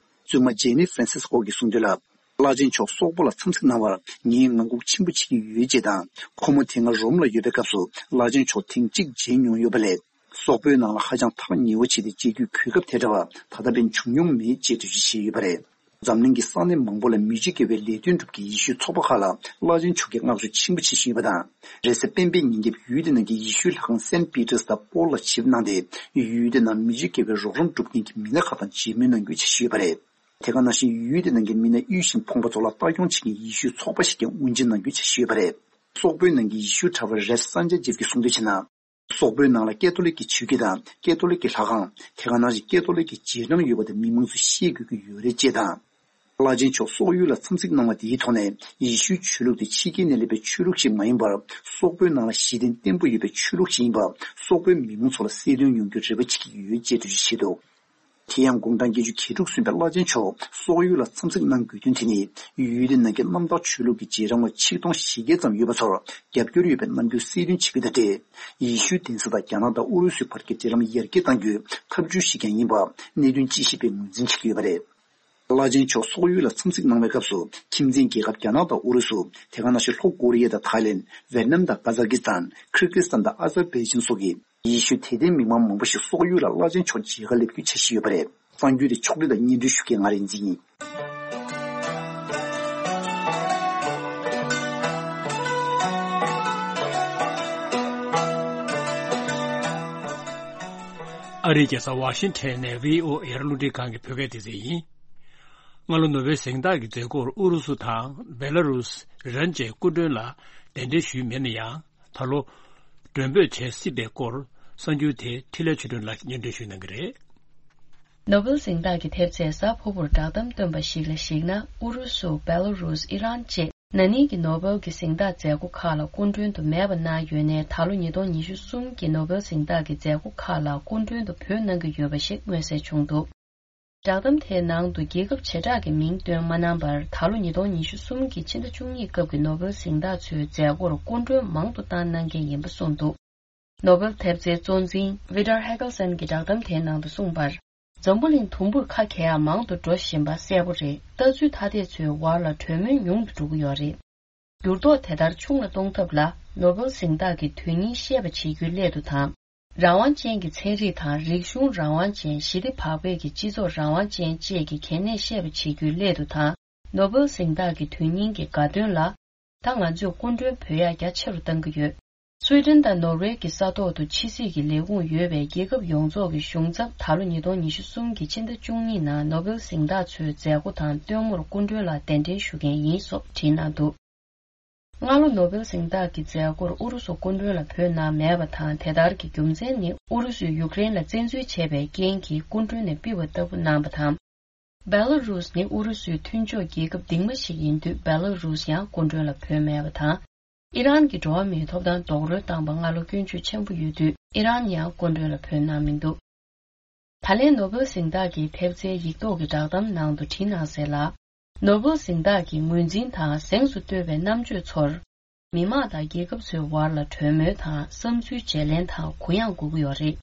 བཙུན་མ་ཇེ་ནི་ཧྥ་རན་སིས་ཀོ་གིས་གསུངས་དོན་ལ། བླ་ཆེན་མཆོག་སོག་པོ་ལ་འཚམས་གཟིགས་གནང་བར་ངས་ངང་སྒུག་ཆེན་པོ་བྱེད་ཀྱི་ཡོད་ཅེས་དང་། ཁོ་མོ་དེ་སྔ་རོམ་ལ་ཡོད་པའི་སྐབས་སུ་བླ་ཆེན་མཆོག་ཐེངས་གཅིག་མཇལ་མྱོང་ཡོད་པ་ལས། སོག་པོའི་ནང་ལ་ཧ་ཅང་ཐག་ཉེ་བོ་བྱས་ཏེ་མཇལ་རྒྱུའི་གོ་སྐབས་དེ་འདྲ་བ་ད་ལྟ་བར་བྱུང་མྱོང་མེད་ཅེས་འགྲེལ་བརྗོད་བྱས་ཡོད་པ་རེད། འཛམ་གླིང་གི་ས་གནས་མང་པོ་ལ་མི་རྗེ་དགེ་བའི་ལས་དོན་སྒྲུབ་མཁན་ཡེ་ཤུའི་ཚོགས་པ་ཁག་ལ་བླ་ཆེན་མཆོག་གིས་བསྔགས་བརྗོད་ཆེན་པོ་བྱེད་བཞིན་ཡོད་པ་དང་། རེས་གཟའ་སྤེན་པའི་ཉིན་རྒྱབ་ཡུལ་དེ་ནང་གི་ཡེ་ཤུའི་ལྷ་ཁང་སེན་པི་ཏྲས་དང་པོལ་ལ་ཆིབས་གནང་སྟེ། ཡུལ་དེ་ནང་མི་རྗེ་དགེ་བའི་རོགས་རམ་སྒྲུབ་མཁན་གྱི་མི་སྣ་ཁག་དང་མཇལ་མོལ་གནང་རྒྱུའི་འཆར་གཞི་ཡོད་པ་རེད། དེ་ག་ནང་བཞིན་ཡུལ་དེ་ནང་གི་མི་སྣ་དབུལ་ཞིང་ཕོངས་པ་ཚོ་ལ་ལྟ་སྐྱོང་བྱེད་མཁན་ཡེ་ཤུའི་ཚོགས་པ་ཞིག་ཀྱང་དབུ་འབྱེད་གནང་རྒྱུའི་འཆར་གཞི་ཡོད་པ་རེད། སོག་པོའི་ནང་གི་ཡེ་ཤུའི་གྲྭ་པ་རེབ་སན་ཇ་ཇེབ་ཀྱིས་གསུངས་དོན་བྱས་ན། སོག་པོའི་ནང་ལ་ཀེ་ཐོ་ལིག་གི་ཆོས་བརྒྱུད་དང་ཀེ་ཐོ་ལིག་གི་ལྷ་ཁང་། དེ་ག་ནང་བཞིན་ཀེ་ཐོ་ལིག་གི་རྗེས་འབྲང་ཡོད་པ་དེ་མི་མང་ཚོས་ཤེས་དགོས་ཀྱི་ཡོད་རེད་ཅེས་དང་། བླ་ཆེན་མཆོག་སོག་ཡུལ་ལ་འཚམས་གཟིགས་གནང་བ་དེའི་ཐོག་ནས་ཡེ་ཤུའི་ཆོས་ལུགས་དེ་ཕྱི་རྒྱལ་ནས་སླེབས་པའི་ཆོས་ལུགས་ཤིག་མ་ཡིན་པར། སོག་པོའི་ནང་ལ་གཞི་རྟེན་བརྟན་པོ་ཡོད་པའི་ཆོས་ལུགས་ཤིག་ཡིན་པ་སོག་པོའི་མི་མང་ཚོ་ལ་གསལ་སྟོན་ཡོང་རྒྱུའི་རེ་བ་བྱེད་ཀྱི་ཡོད་ཅེས་འགྲེལ་བརྗོད་བྱས་འདུག་དེ་ཡང་དགུང་གྲངས་བརྒྱད་ཅུ་གྱ་དྲུག་སོན་པའི་བླ་ཆེན་མཆོག་སོག་ཡུལ་ལ་འཚམས་གཟིགས་གནང་དགོས་དོན་དེ་ནི། ཡུལ་དེ་ནང་གི་གནམ་བདག་ཆོས་ལུགས་ཀྱི་རྗེས་འབྲང་བ་ཆིག་སྟོང་བཞི་བརྒྱ་ཙམ་ཡོད་པ་ཚོར་རྒྱབ་སྐྱོར་ཡོད་པའི་རྣམ་འགྱུར་གསལ་སྟོན་བྱེད་རྒྱུ་དང་འབྲེལ། ཡེ་ཤུའི་གདན་ས་དང་རྒྱ་ནག་དང་ཨུ་རུ་སུའི་བར་གྱི་འབྲེལ་ལམ་ཡར་རྒྱས་གཏང་རྒྱུའི་ཐབས་ཇུས་ཤིག་ཀྱང་ཡིན་པ་གནད་དོན་དཔྱད་ཞིབ་པས་ངོས་འཛིན་བྱེད་ཀྱི་ཡོད་པ་རེད། བླ་ཆེན་མཆོག་སོག་ཡུལ་ལ་འཚམས་གཟིགས་གནང་བའི་སྐབས་སུ། ཁྱིམ་མཚེས་རྒྱལ་ཁབ་རྒྱ་ནག་དང་ཨུ་རུ་སུ། དེ་ག་ནང་བཞིན་ལྷོ་ཀོ་རི་ཡ་དང་ཐའི་ལེན། ཝེ་ཏི་ནམ་དང་ཀ་ཛག་སི་ཐན། ཁིར་གྷི་སི་ཐན་དང་ཨ་ཛར་བྷའི་ཇན་སོགས་ཀྱི་ཡེ་ཤུའི་དད་ལྡན་མི་མང་མང་པོ་ཞིག་སོག་ཡུལ་ལ་བླ་ཆེན་མཆོག་མཇལ་ཁ་སླེབས་རྒྱུའི་འཆར་གཞི་ཡོད་པ་རེད། གསར་འགྱུར་དེ་ཕྱོགས་སྒྲིག་དང་སྙན་སྒྲོན་ཞུ་མཁན་ང་རིག་འཛིན་ཡིན། ཨ་རིའི་རྒྱལ་ས་ཝ་ཤིང་ཊོན་ནས་བྷི་ཨོ་ཨེ་རླུང་འཕྲིན་ཁང་གི་བོད་སྐད་སྡེ་ཚན་ཡིན། སྔ་ལོ་ནོ་བེལ་གཟེངས་རྟགས་ཀྱི་མཛད་སྒོར་ཨུ་རུ་སུ་དང་བེ་ལ་རུས། ཨི་རན་བཅས་སྐུ་མགྲོན་ལ་གདན་འདྲེན་ཞུས་མེད་ན་ཡང་། ད་ལོ་མགྲོན་འབོད་བྱེད་སྲིད་པའི་སྐོར་གསར་འགྱུར་དེ་འཕྲིན་ལས་ཆོས་སྒྲོན་ལགས་ཀྱིས་སྙན་སྒྲོན་ཞུ་གནང་གི་རེད། ནོ་བེལ་གཟེངས་རྟགས་ཀྱི་ཐེབས་རྩས་གཟའ་ཕུར་བུར་བསྒྲགས་གཏམ་བཏོན་པ་ཞིག་ལ་གཞིགས་ན། ཨུ་རུ་སུ། བེ་ལ་རུས། ཨི་རན་བཅས་ན་ནིང་གི་ནོ་བེལ་གྱི་གཟེངས་རྟགས་མཛད་སྒོ་ཁག་ལ་སྐུ་མགྲོན་དུ་མེད་པ་གནང་ཡོད་ནའི། ད་ལོ་ཉིས་སྟོང་ཉི་ཤུ་གསུམ་གྱི་ནོ་བེལ་གཟེངས་རྟགས་ཀྱི་མཛད་སྒོ་ཁག་ལ་སྐུ་མགྲོན་དུ་བོད་གནང་གི་ཡོད་པ་ཞིག་མངོན་གསལ་བྱུང་འདུག་བསྒྲགས་གཏམ་དེའི་ནང་དུ་རྒྱལ་ཁབ་བྱེ་བྲག་གི་མིང་བཏོན་མ་གནང་བར། ད་ལོ་ཉིས་སྟོང་ཉི་ཤུ་གསུམ་གྱི་ཕྱི་ཟླ་བཅུ་གཉིས་སྐབས་ཀྱི་ནོ་བེལ་གཟེངས་རྟགས་ཚོའི་མཛད་སྒོར་སྐུ་མགྲོན་མང་དུ་བཏང་གནང་མཁན་ཡིན་པ་གསུངས་འདུག་ནོ་བེལ་ཐེབས་རྩའི་གཙོ་འཛིན་ཝི་ཏར་ཧེ་གལ་སན་གྱིས་བསྒྲགས་གཏམ་དེའི་ནང་དུ་གསུངས་པར། འཛམ་བུ་གླིང་དུམ་བུར་ཁ་གྱེས་ཡ་མང་དུ་འགྲོ་བཞིན་པ་གསལ་པོ་རེད། ལྟ་ཚུལ་ཐ་དད་ཚོའི་བར་ལ་གྲོས་མོལ་ཉུང་དུ་འགྲོ་གི་ཡོད་རེད། འགྱུར་ལྡོག་དེ་ལྟར་ཆུང་ལ་གཏོང་ཐབས་ལ། ནོ་བེལ་གཟེངས་རྟགས་ཀྱི་དོན་སྙིང་ཤེས་པ་བྱེད་རྒྱུའི་སླད་དུ་དང་། རང་དབང་ཅན་གྱི་ཚན་རིག་དང་། རིག་གཞུང་རང་དབང་ཅན། ཞི་བདེ་བག་ཕེབས་ཀྱི་སྤྱི་ཚོགས་རང་དབང་ཅན་བཅས་ཀྱི་གལ་གནད་ཤེས་པ་བྱེད་རྒྱུའི་སླད་དུ་དང་། ནོ་བེལ་གཟེངས་རྟགས་ཀྱི་དོན་སྙིང་གི་དགའ་སྟོན་ལ། ད་ང་ཚོས་སྐུ་མགྲོན་བོད་ཡར་རྒྱ་ཆེ་རུ་གཏང་གི་ཡོད། སུའེ་ཏེན་དང་ནོར་ཝེ་གི་ས་ཐོག་ཏུ་ཕྱི་སྲིད་ཀྱི་ལས་ཁུངས་ཡོད་པའི་རྒྱལ་ཁབ་ཡོངས་རྫོགས་ཀྱི་གཞུང་ཚབ་ད་ལོ་ཉིས་སྟོང་ཉི་ཤུ་གསུམ་གྱི་ཕྱི་ཟླ་བཅུ་གཉིས་ནང་ནོ་བེལ་གཟེངས་རྟགས་ཚོའི་མཛད་སྒོ་དང་སྟོན་མོར་སྐུ་མགྲོན་ལ་གདན་འདྲེན་ཞུ་མཁན་ཡིན་སོགས་བྲིས་གནང་འདུག། སྔ་ལོ་ནོ་བེལ་གཟེངས་རྟགས་ཀྱི་མཛད་སྒོར་ཨུ་རུ་སུ་སྐུ་མགྲོན་ལ་བོད་ནང་མེད་པ་དང་། དེ་ལྟར་གྱི་རྒྱུ་མཚན་ནི་ཨུ་རུ་སུས་ཡུཀ་རེན་ལ་བཙན་འཛུལ་བྱས་པའི་རྐྱེན་གྱིས་སྐུ་མགྲོན་ནས་ཕུད་པ་ལྟ་བུ་གནང་བ་དང་། བེ་ལ་རུས་ནི་ཨུ་རུ་སུའི་མཐུན་ཕྱོགས་རྒྱལ་ཁབ་རྡིང་མ་ཞིག་ཡིན་དུས། བེ་ལ་རུས་ཡང་སྐུ་མགྲོན་ལ་བོད་མེད་པ་དང་། ཨི་རན་གྱི་འགྲོ་བ་མིའི་ཐོབ་ཐང་རྡོག་རོལ་བཏང་པ་སྔ་ལོ་སྐྱོན་བརྗོད་ཆེན་པོ་ཡོད་དུས། ཨི་རན་ཡང་སྐུ་མགྲོན་ལ་བོད་གནང་མི་འདུག། ད་ལན་ནོ་བེལ་གཟེངས་རྟགས་ཀྱི་ཐེབས་རྩའི་ཡིག་ཐོག་གི་བསྒྲགས་གཏམ་ནང་དུ་བྲིས་གནང་གསལ་ལ། ནོ་བེལ་གཟེངས་རྟགས་ཀྱི་ངོས་འཛིན་དང་གཟེངས་སུ་བསྟོད་པའི་རྣམ་དཔྱོད་ཚོར། མི་དམངས་དང་རྒྱལ་ཁབ་ཚོའི་བར་ལ་གྲོས་མོལ་དང་བསམ་ཚུལ་བརྗེ་ལེན་དང་གུ་ཡངས་དགོས་ཀྱི་ཡོད་རེད།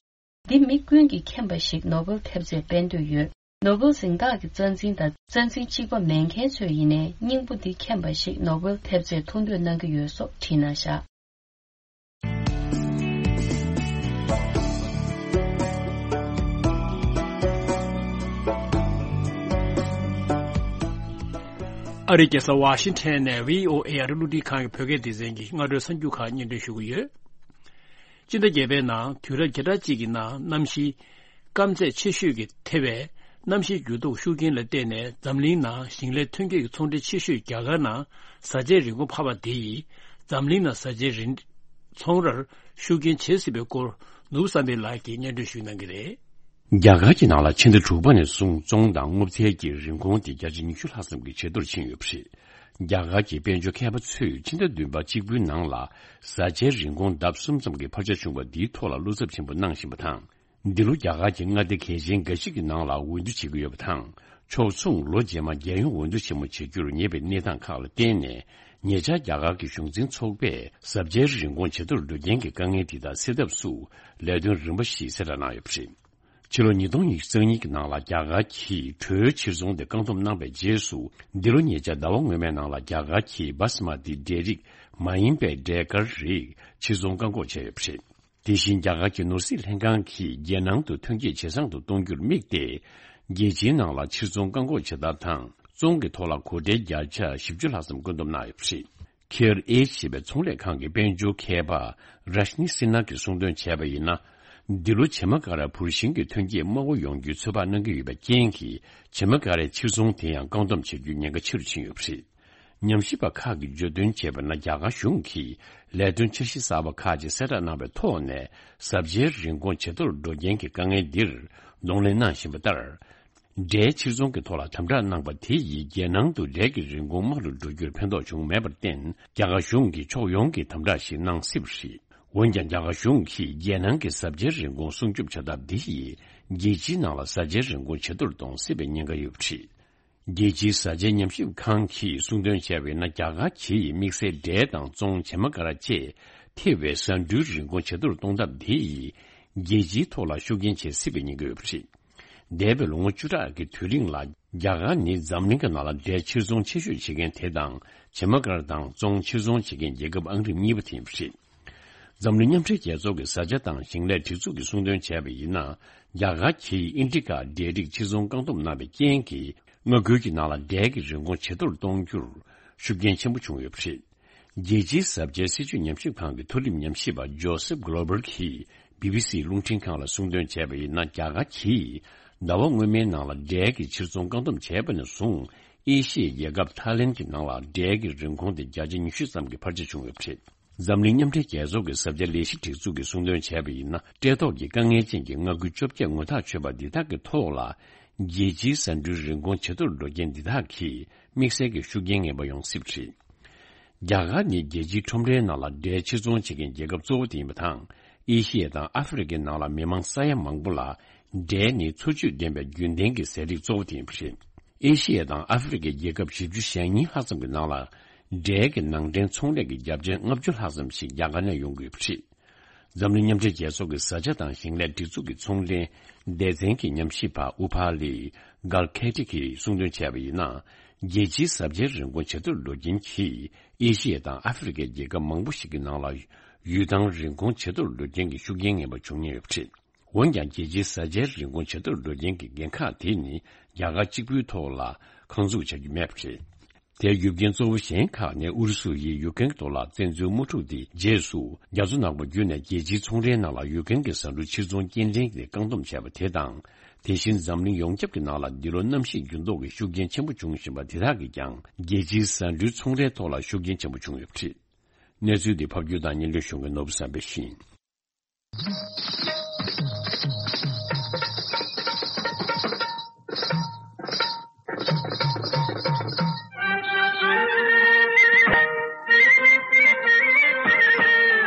འདི་མི་ཀུན་གྱིས་མཁྱེན་པ་ཞིག་ནོ་བེལ་ཐེབས་རྩས་སྤེལ་འདོད་ཡོད། ནོ་བེལ་གཟེངས་རྟགས་ཀྱི་རྩ་འཛིན་དང་རྩ་འཛིན་གཅིག་པ་མེད་མཁན་ཚོས་ཡིན་ནའི་སྙིང་པོ་འདི་མཁྱེན་པ་ཞིག་ནོ་བེལ་ཐེབས་རྩས་ཐུགས་འདོད་གནང་གི་ཡོད་སོགས་བྲིས་གནང་བཞག། ཨ་རིའི་རྒྱལ་ས་ཝ་ཤིང་ཊོན་ནས་བྷི་ཨོ་ཨེ་ཨ་རི་རླུང་འཕྲིན་ཁང་གི་བོད་སྐད་སྡེ་ཚན་གྱི་སྔ་དྲོའི་གསར་འགྱུར་ཁག་སྙན་སྒྲོན་ཞུ་གི་ཡོད། སྤྱི་ཟླ་བརྒྱད་པའི་ནང་དུས་རབས་བརྒྱ་ཕྲག་གཅིག་གི་ནང་གནམ་གཤིས་སྐམ་ཚད་ཆེ་ཤོས་ཀྱི་ཐེ་བའི་གནམ་གཤིས་འགྱུར་ལྡོག་ཤུགས་རྐྱེན་ལ་བརྟེན་ནས་འཛམ་གླིང་ནང་ཞིང་ལས་ཐོན་སྐྱེད་ཀྱི་ཚོང་འབྲེལ་ཆེ་ཤོས་རྒྱ་གར་ནང་བཟའ་ཆས་རིན་གོང་འཕར་བ་དེ་ཡིས་འཛམ་གླིང་ནང་བཟའ་ཆས་རིན་ཚོང་རར་ཤུགས་རྐྱེན་བྱེད་སྲིད་པའི་སྐོར་ནུབ་བསམ་འཕེལ་ལགས་ཀྱིས་སྙན་སྒྲོན་ཞུ་གནང་གི་རེད། རྒྱ་གར་གྱི་ནང་ལ་ཕྱི་ཟླ་དྲུག་པ་ནས་བཟུང་བཙོང་དང་སྔོ་ཚལ་གྱི་རིན་གོང་དེ་བརྒྱ་ཆ་ཉི་ཤུ་ལྷག་ཙམ་གྱི་ཇེ་མཐོར་ཕྱིན་ཡོད་པ་རེད། རྒྱ་གར་གྱི་དཔལ་འབྱོར་མཁས་པ་ཚོས་ཕྱི་ཟླ་བདུན་པ་གཅིག་པུའི་ནང་ལ་བཟའ་བཅའི་རིན་གོང་ལྡབ་གསུམ་ཙམ་གྱི་འཕར་ཆ་བྱུང་བ་འདིའི་ཐོག་ལ་བློ་འཚབ་ཆེན་པོ་གནང་བཞིན་པ་དང་། འདི་ལོ་རྒྱ་གར་གྱི་མངའ་སྡེ་གལ་ཆེན་འགའ་ཞིག་གི་ནང་ལ་འོས་བསྡུ་བྱེད་ཀྱི་ཡོད་པ་དང་། ཕྱོགས་མཚུངས་ལོ་རྗེས་མ་རྒྱལ་ཡོངས་འོས་བསྡུ་ཆེན་མོ་བྱེད་རྒྱུར་ཉེ་བའི་གནས་སྟངས་ཁག་ལ་བརྟེན་ནས། ཉེ་ཆར་རྒྱ་གར་གྱི་གཞུང་འཛིན་ཚོགས་པས་བཟའ་བཅའི་རིན་གོང་ཇེ་མཐོར་འགྲོ་རྐྱེན་གྱི་དཀའ་ངལ་དེ་དག་སེལ་ཐབས་སུ་ལས་དོན་རིམ་པ་ཞིག་གསལ་བསྒྲགས་གནང་ཡོད་པ་རེད། ཕྱི་ལོ་ཉིས་སྟོང་ཉི་ཤུ་རྩ་གཉིས་ཀྱི་ནང་ལ་རྒྱ་གར་གྱིས་གྲོའི་ཕྱིར་ཚོང་དེ་བཀག་སྡོམ་གནང་བའི་རྗེས་སུ། འདི་ལོ་ཉེ་ཆར་ཟླ་བ་སྔོན་མའི་ནང་ལ་རྒྱ་གར་གྱིས་བྷ་སི་མ་ཏི་འབྲས་རིགས་མ་ཡིན་པའི་འབྲས་དཀར་རིགས་ཕྱིར་ཚོང་བཀག་འགོག་བྱས་ཡོད་པ་རེད། དེ་བཞིན་རྒྱ་གར་གྱི་ནོར་སྲིད་ལྷན་ཁང་གིས་རྒྱལ་ནང་དུ་ཐོན་སྐྱེད་ཇེ་བཟང་དུ་གཏོང་རྒྱུར་དམིགས་ཏེ། རྒྱལ་སྤྱིའི་ནང་ལ་ཕྱིར་ཚོང་བཀག་འགོག་བྱེད་ཐབས་དང་བཙོང་གི་ཐོག་ལ་གོ་ཁྲལ་བརྒྱ་ཆ་བཞི་བཅུ་ལྷག་ཙམ་བཀོད་འདོམས་གནང་ཡོད་པ་རེད། ཁེར་ཨེ་ཞེས་པའི་ཚོང་ལས་ཁང་གི་དཔལ་འབྱོར་མཁས་པ་རཱཤ་ནི་སི་ན་གིས་གསུངས་དོན་བྱས་པ་ཡིན་ན། འདི་ལོ་བྱེ་མ་ཀ་ར་འབུར་ཤིང་གི་ཐོན་སྐྱེད་དམའ་བོ་ཡོང་རྒྱུའི་ཚོད་དཔག་གནང་གི་ཡོད་པའི་རྐྱེན་གྱིས། བྱེ་མ་ཀ་རའི་ཕྱིར་ཚོང་དེ་ཡང་བཀག་སྡོམ་བྱེད་རྒྱུའི་ཉེན་ཁ་ཆེ་རུ་ཕྱིན་ཡོད་པ་རེད། ཉམས་ཞིབ་པ་ཁག་གིས་བརྗོད་དོན་བྱས་པ་ན། རྒྱ་གར་གཞུང་གིས་ལས་དོན་འཆར་གཞི་གསར་པ་ཁག་ཅིག་གསལ་བསྒྲགས་གནང་བའི་ཐོག་ནས། བཟའ་བཅའི་རིན་གོང་ཇེ་མཐོར་འགྲོ་རྐྱེན་གྱི་དཀའ་ངལ་འདིར་གདོང་ལེན་གནང་བཞིན་པ་ལྟར། འབྲས་ཕྱིར་ཚོང་གི་ཐོག་ལ་དམ་དྲག་གནང་པ་དེ་ཡིས་རྒྱལ་ནང་དུ་འབྲས་ཀྱི་རིན་གོང་དམའ་རུ་འགྲོ་རྒྱུར་ཕན་ཐོགས་བྱུང་མེད་པར་བརྟེན། རྒྱ་གར་གཞུང་གིས་ཕྱོགས་ཡོངས་ཀྱི་དམ་དྲག་ཞིག་གནང་སྲིད་པ་རེད། འོན་ཀྱང་། རྒྱ་གར་གཞུང་གིས་རྒྱལ་ནང་གི་བཟའ་བཅའི་རིན་གོང་སྲུང་སྐྱོབ་བྱ་ཐབས་འདི་ཡིས་རྒྱལ་སྤྱིའི་ནང་ལ་བཟའ་བཅའི་རིན་གོང་ཇེ་མཐོར་གཏོང་སྲིད་པའི་ཉེན་ཁ་ཡོད་པ་རེད། རྒྱལ་སྤྱིའི་བཟའ་བཅའི་ཉམས་ཞིབ་ཁང་གིས་གསུངས་དོན་བྱས་པ་ཡིན་ན། རྒྱ་གར་གྱིས་དམིགས་བསལ་འབྲས་དང་བཙོང་། བྱེ་མ་ཀ་ར་བཅས་ཐེ་བའི་བཟའ་འབྲུའི་རིན་གོང་ཇེ་མཐོར་གཏོང་ཐབས་དེ་ཡིས་རྒྱལ་སྤྱིའི་ཐོག་ལ་ཤུགས་རྐྱེན་བྱེད་སྲིད་པའི་ཉེན་ཁ་ཡོད་པ་རེད། འདས་པའི་ལོ་ངོ་བཅུ་ཕྲག་གི་དུས་རིང་ལ། རྒྱ་གར་ནི་འཛམ་གླིང་གི་ནང་ལ་འབྲས་ཕྱིར་ཚོང་ཆེ་ཤོས་བྱེད་མཁན་དེ་དང་། བྱེ་མ་ཀ་ར་དང་བཙོང་ཕྱིར་ཚོང་བྱེད་མཁན་རྒྱལ་ཁབ་ཨང་རིམ་གཉིས་པ་དེ་ཡིན་པ་རེད། འཛམ་གླིང་མཉམ་འབྲེལ་རྒྱལ་ཚོགས་ཀྱི་བཟའ་བཅའ་དང་ཞིང་ལས་སྒྲིག་འཛུགས་ཀྱིས་གསུངས་དོན་བྱས་པ་ཡིན་ན། རྒྱ་གར་གྱིས་ཨིན་ཌི་ཀ་འབྲས་རིགས་ཕྱིར་ཚོང་བཀག་སྡོམ་གནང་བའི་རྐྱེན་གྱིས། མངའ་ཁུལ་གྱི་ནང་ལ་འབྲས་ཀྱི་རིན་གོང་ཇེ་མཐོར་གཏོང་རྒྱུར་ཤུགས་རྐྱེན་ཆེན་པོ་བྱུང་ཡོད་པ་རེད། རྒྱལ་སྤྱིའི་བཟའ་བཅའི་སྲིད་ཇུས་ཉམས་ཞིབ་ཁང་གི་མཐོ་རིམ་ཉམས་ཞིབ་པ་ཇོ་སེབ་གྷོ་ལོ་བར་གྱིས་བི་བི་སི་རླུང་འཕྲིན་ཁང་ལ་གསུངས་དོན་བྱས་པ་ཡིན་ན། རྒྱ་གར་གྱིས་ཟླ་བ་སྔོན་མའི་ནང་ལ་འབྲས་ཀྱི་ཕྱིར་ཚོང་བཀག་སྡོམ་བྱས་པ་ནས་བཟུང་། ཨེ་ཤི་ཡའི་རྒྱལ་ཁབ་ཐའི་ལེན་གྱི་ནང་ལ་འབྲས་ཀྱི་རིན་གོང་དེ་བརྒྱ་ཆ་ཉི་ཤུ་ཙམ་གྱི་འཕར་ཆ་བྱུང་ཡོད་པ་རེད། འཛམ་གླིང་མཉམ་འབྲེལ་རྒྱལ་ཚོགས་ཀྱི་བཟའ་བཅའ་ལས་གཞི་སྒྲིག་འཛུགས་ཀྱིས་གསུངས་དོན་བྱས་པ་ཡིན་ན། འབྲས་ཐོག་གི་དཀའ་ངལ་ཅན་གྱི་མངའ་ཁུལ་བཅོ་བརྒྱད་ངོ་ཐག་ཆོད་པ་འདི་དག་གི་ཐོག་ལ། རྒྱལ་སྤྱིའི་བཟའ་འབྲུའི་རིན་གོང་ཇེ་མཐོར་འགྲོ་རྐྱེན་འདི་དག་གིས་དམིགས་བསལ་གྱི་ཤུགས་རྐྱེན་ངན་པ་ཡོང་སྲིད་པ་རེད། རྒྱ་གར་ནི་རྒྱལ་སྤྱིའི་ཁྲོམ་རའི་ནང་ལ་འབྲས་ཕྱིར་ཚོང་བྱེད་མཁན་རྒྱལ་ཁབ་གཙོ་བོ་དེ་ཡིན་པ་དང་། ཨེ་ཤི་ཡ་དང་ཨ་ཧྥེ་རི་ཁའི་ནང་ལ་མི་མང་ས་ཡ་མང་པོ་ལ་འབྲས་ནི་འཚོ་བཅུད་ལྡན་པའི་རྒྱུན་ལྡན་གྱི་ཟས་རིགས་གཙོ་བོ་དེ་ཡིན་པ་རེད། ཨེ་ཤི་ཡ་དང་ཨ་ཧྥེ་རི་ཁའི་རྒྱལ་ཁབ་བཞི་བཅུ་ཞེ་གཉིས་ལྷག་ཙམ་གྱི་ནང་ལ། འབྲས་ཀྱི་ནང་འདྲེན་ཚོང་ལས་ཀྱི་རྒྱབ་ཆེན་ལྔ་བཅུ་ལྷག་ཙམ་ཞིག་རྒྱ་གར་ནས་ཡོང་གི་ཡོད་པ་རེད། འཛམ་གླིང་མཉམ་འབྲེལ་རྒྱལ་ཚོགས་ཀྱི་བཟའ་བཅའ་དང་ཞིང་ལས་སྒྲིག་འཛུགས་ཀྱི་ཚོང་ལས་སྡེ་ཚན་གྱི་ཉམས་ཞིབ་པ་ཨུ་ཕ་ལི་གྷལ་ཁེ་ཏི་གིས་གསུངས་དོན་བྱས་པ་ཡིན་ན། རྒྱལ་སྤྱིའི་བཟའ་བཅའི་རིན་གོང་ཇེ་མཐོར་འགྲོ་རྐྱེན་གྱིས། ཨེ་ཤི་ཡ་དང་ཨ་ཧྥེ་རི་ཁའི་རྒྱལ་ཁབ་མང་པོ་ཞིག་གི་ནང་ལ་ཡུལ་ཐང་རིན་གོང་ཇེ་མཐོར་འགྲོ་རྐྱེན་གྱི་ཤུགས་རྐྱེན་ངན་པ་འབྱུང་ཉེན་ཡོད་པ་རེད། འོན་ཀྱང་། རྒྱལ་སྤྱིའི་བཟའ་བཅའི་རིན་གོང་ཇེ་མཐོར་འགྲོ་རྐྱེན་གྱི་འགན་ཁག་དེ་ནི་རྒྱ་གར་གཅིག་པུའི་ཐོག་ལ་ཁག་འཛུགས་བྱ་རྒྱུ་མེད་པ་རེད། དེའི་རྒྱུ་རྐྱེན་གཙོ་བོ་གཞན་ཁག་ནི་ཨུ་རུ་སུ་ཡིས་ཡུ་ཀེན་གྱི་ཐོག་ལ་བཙན་འཛུལ་དམག་འཁྲུག་དེའི་རྗེས་སུ། རྒྱ་མཚོ་ནག་པོ་བརྒྱུད་ནས་རྒྱལ་སྤྱིའི་ཚོང་རའི་ནང་ལ་ཡུ་ཀེན་གྱི་ཟ་འབྲུ་ཕྱིར་ཚོང་སྐྱེལ་འདྲེན་གྱི་བཀག་སྡོམ་བྱས་པ་དེ་དང་། དེ་བཞིན་འཛམ་གླིང་ཡོངས་ཁྱབ་ཀྱི་ནང་ལ་འདི་ལོ་གནམ་གཤིས་འགྱུར་ལྡོག་གི་ཤུགས་རྐྱེན་ཆེན་པོ་བྱུང་བཞིན་པ་དེ་དག་གིས་ཀྱང་རྒྱལ་སྤྱིའི་ཟ་འབྲུའི་ཚོང་རའི་ཐོག་ལ་ཤུགས་རྐྱེན་ཆེན་པོ་བྱུང་ཡོད་པ་རེད། གནས་ཚུལ་འདི་ཕབ་སྒྱུར་དང་སྙན་སྒྲོན་ཞུ་མཁན་ནོར་བུ་བསམ་འཕེལ་ཡིན།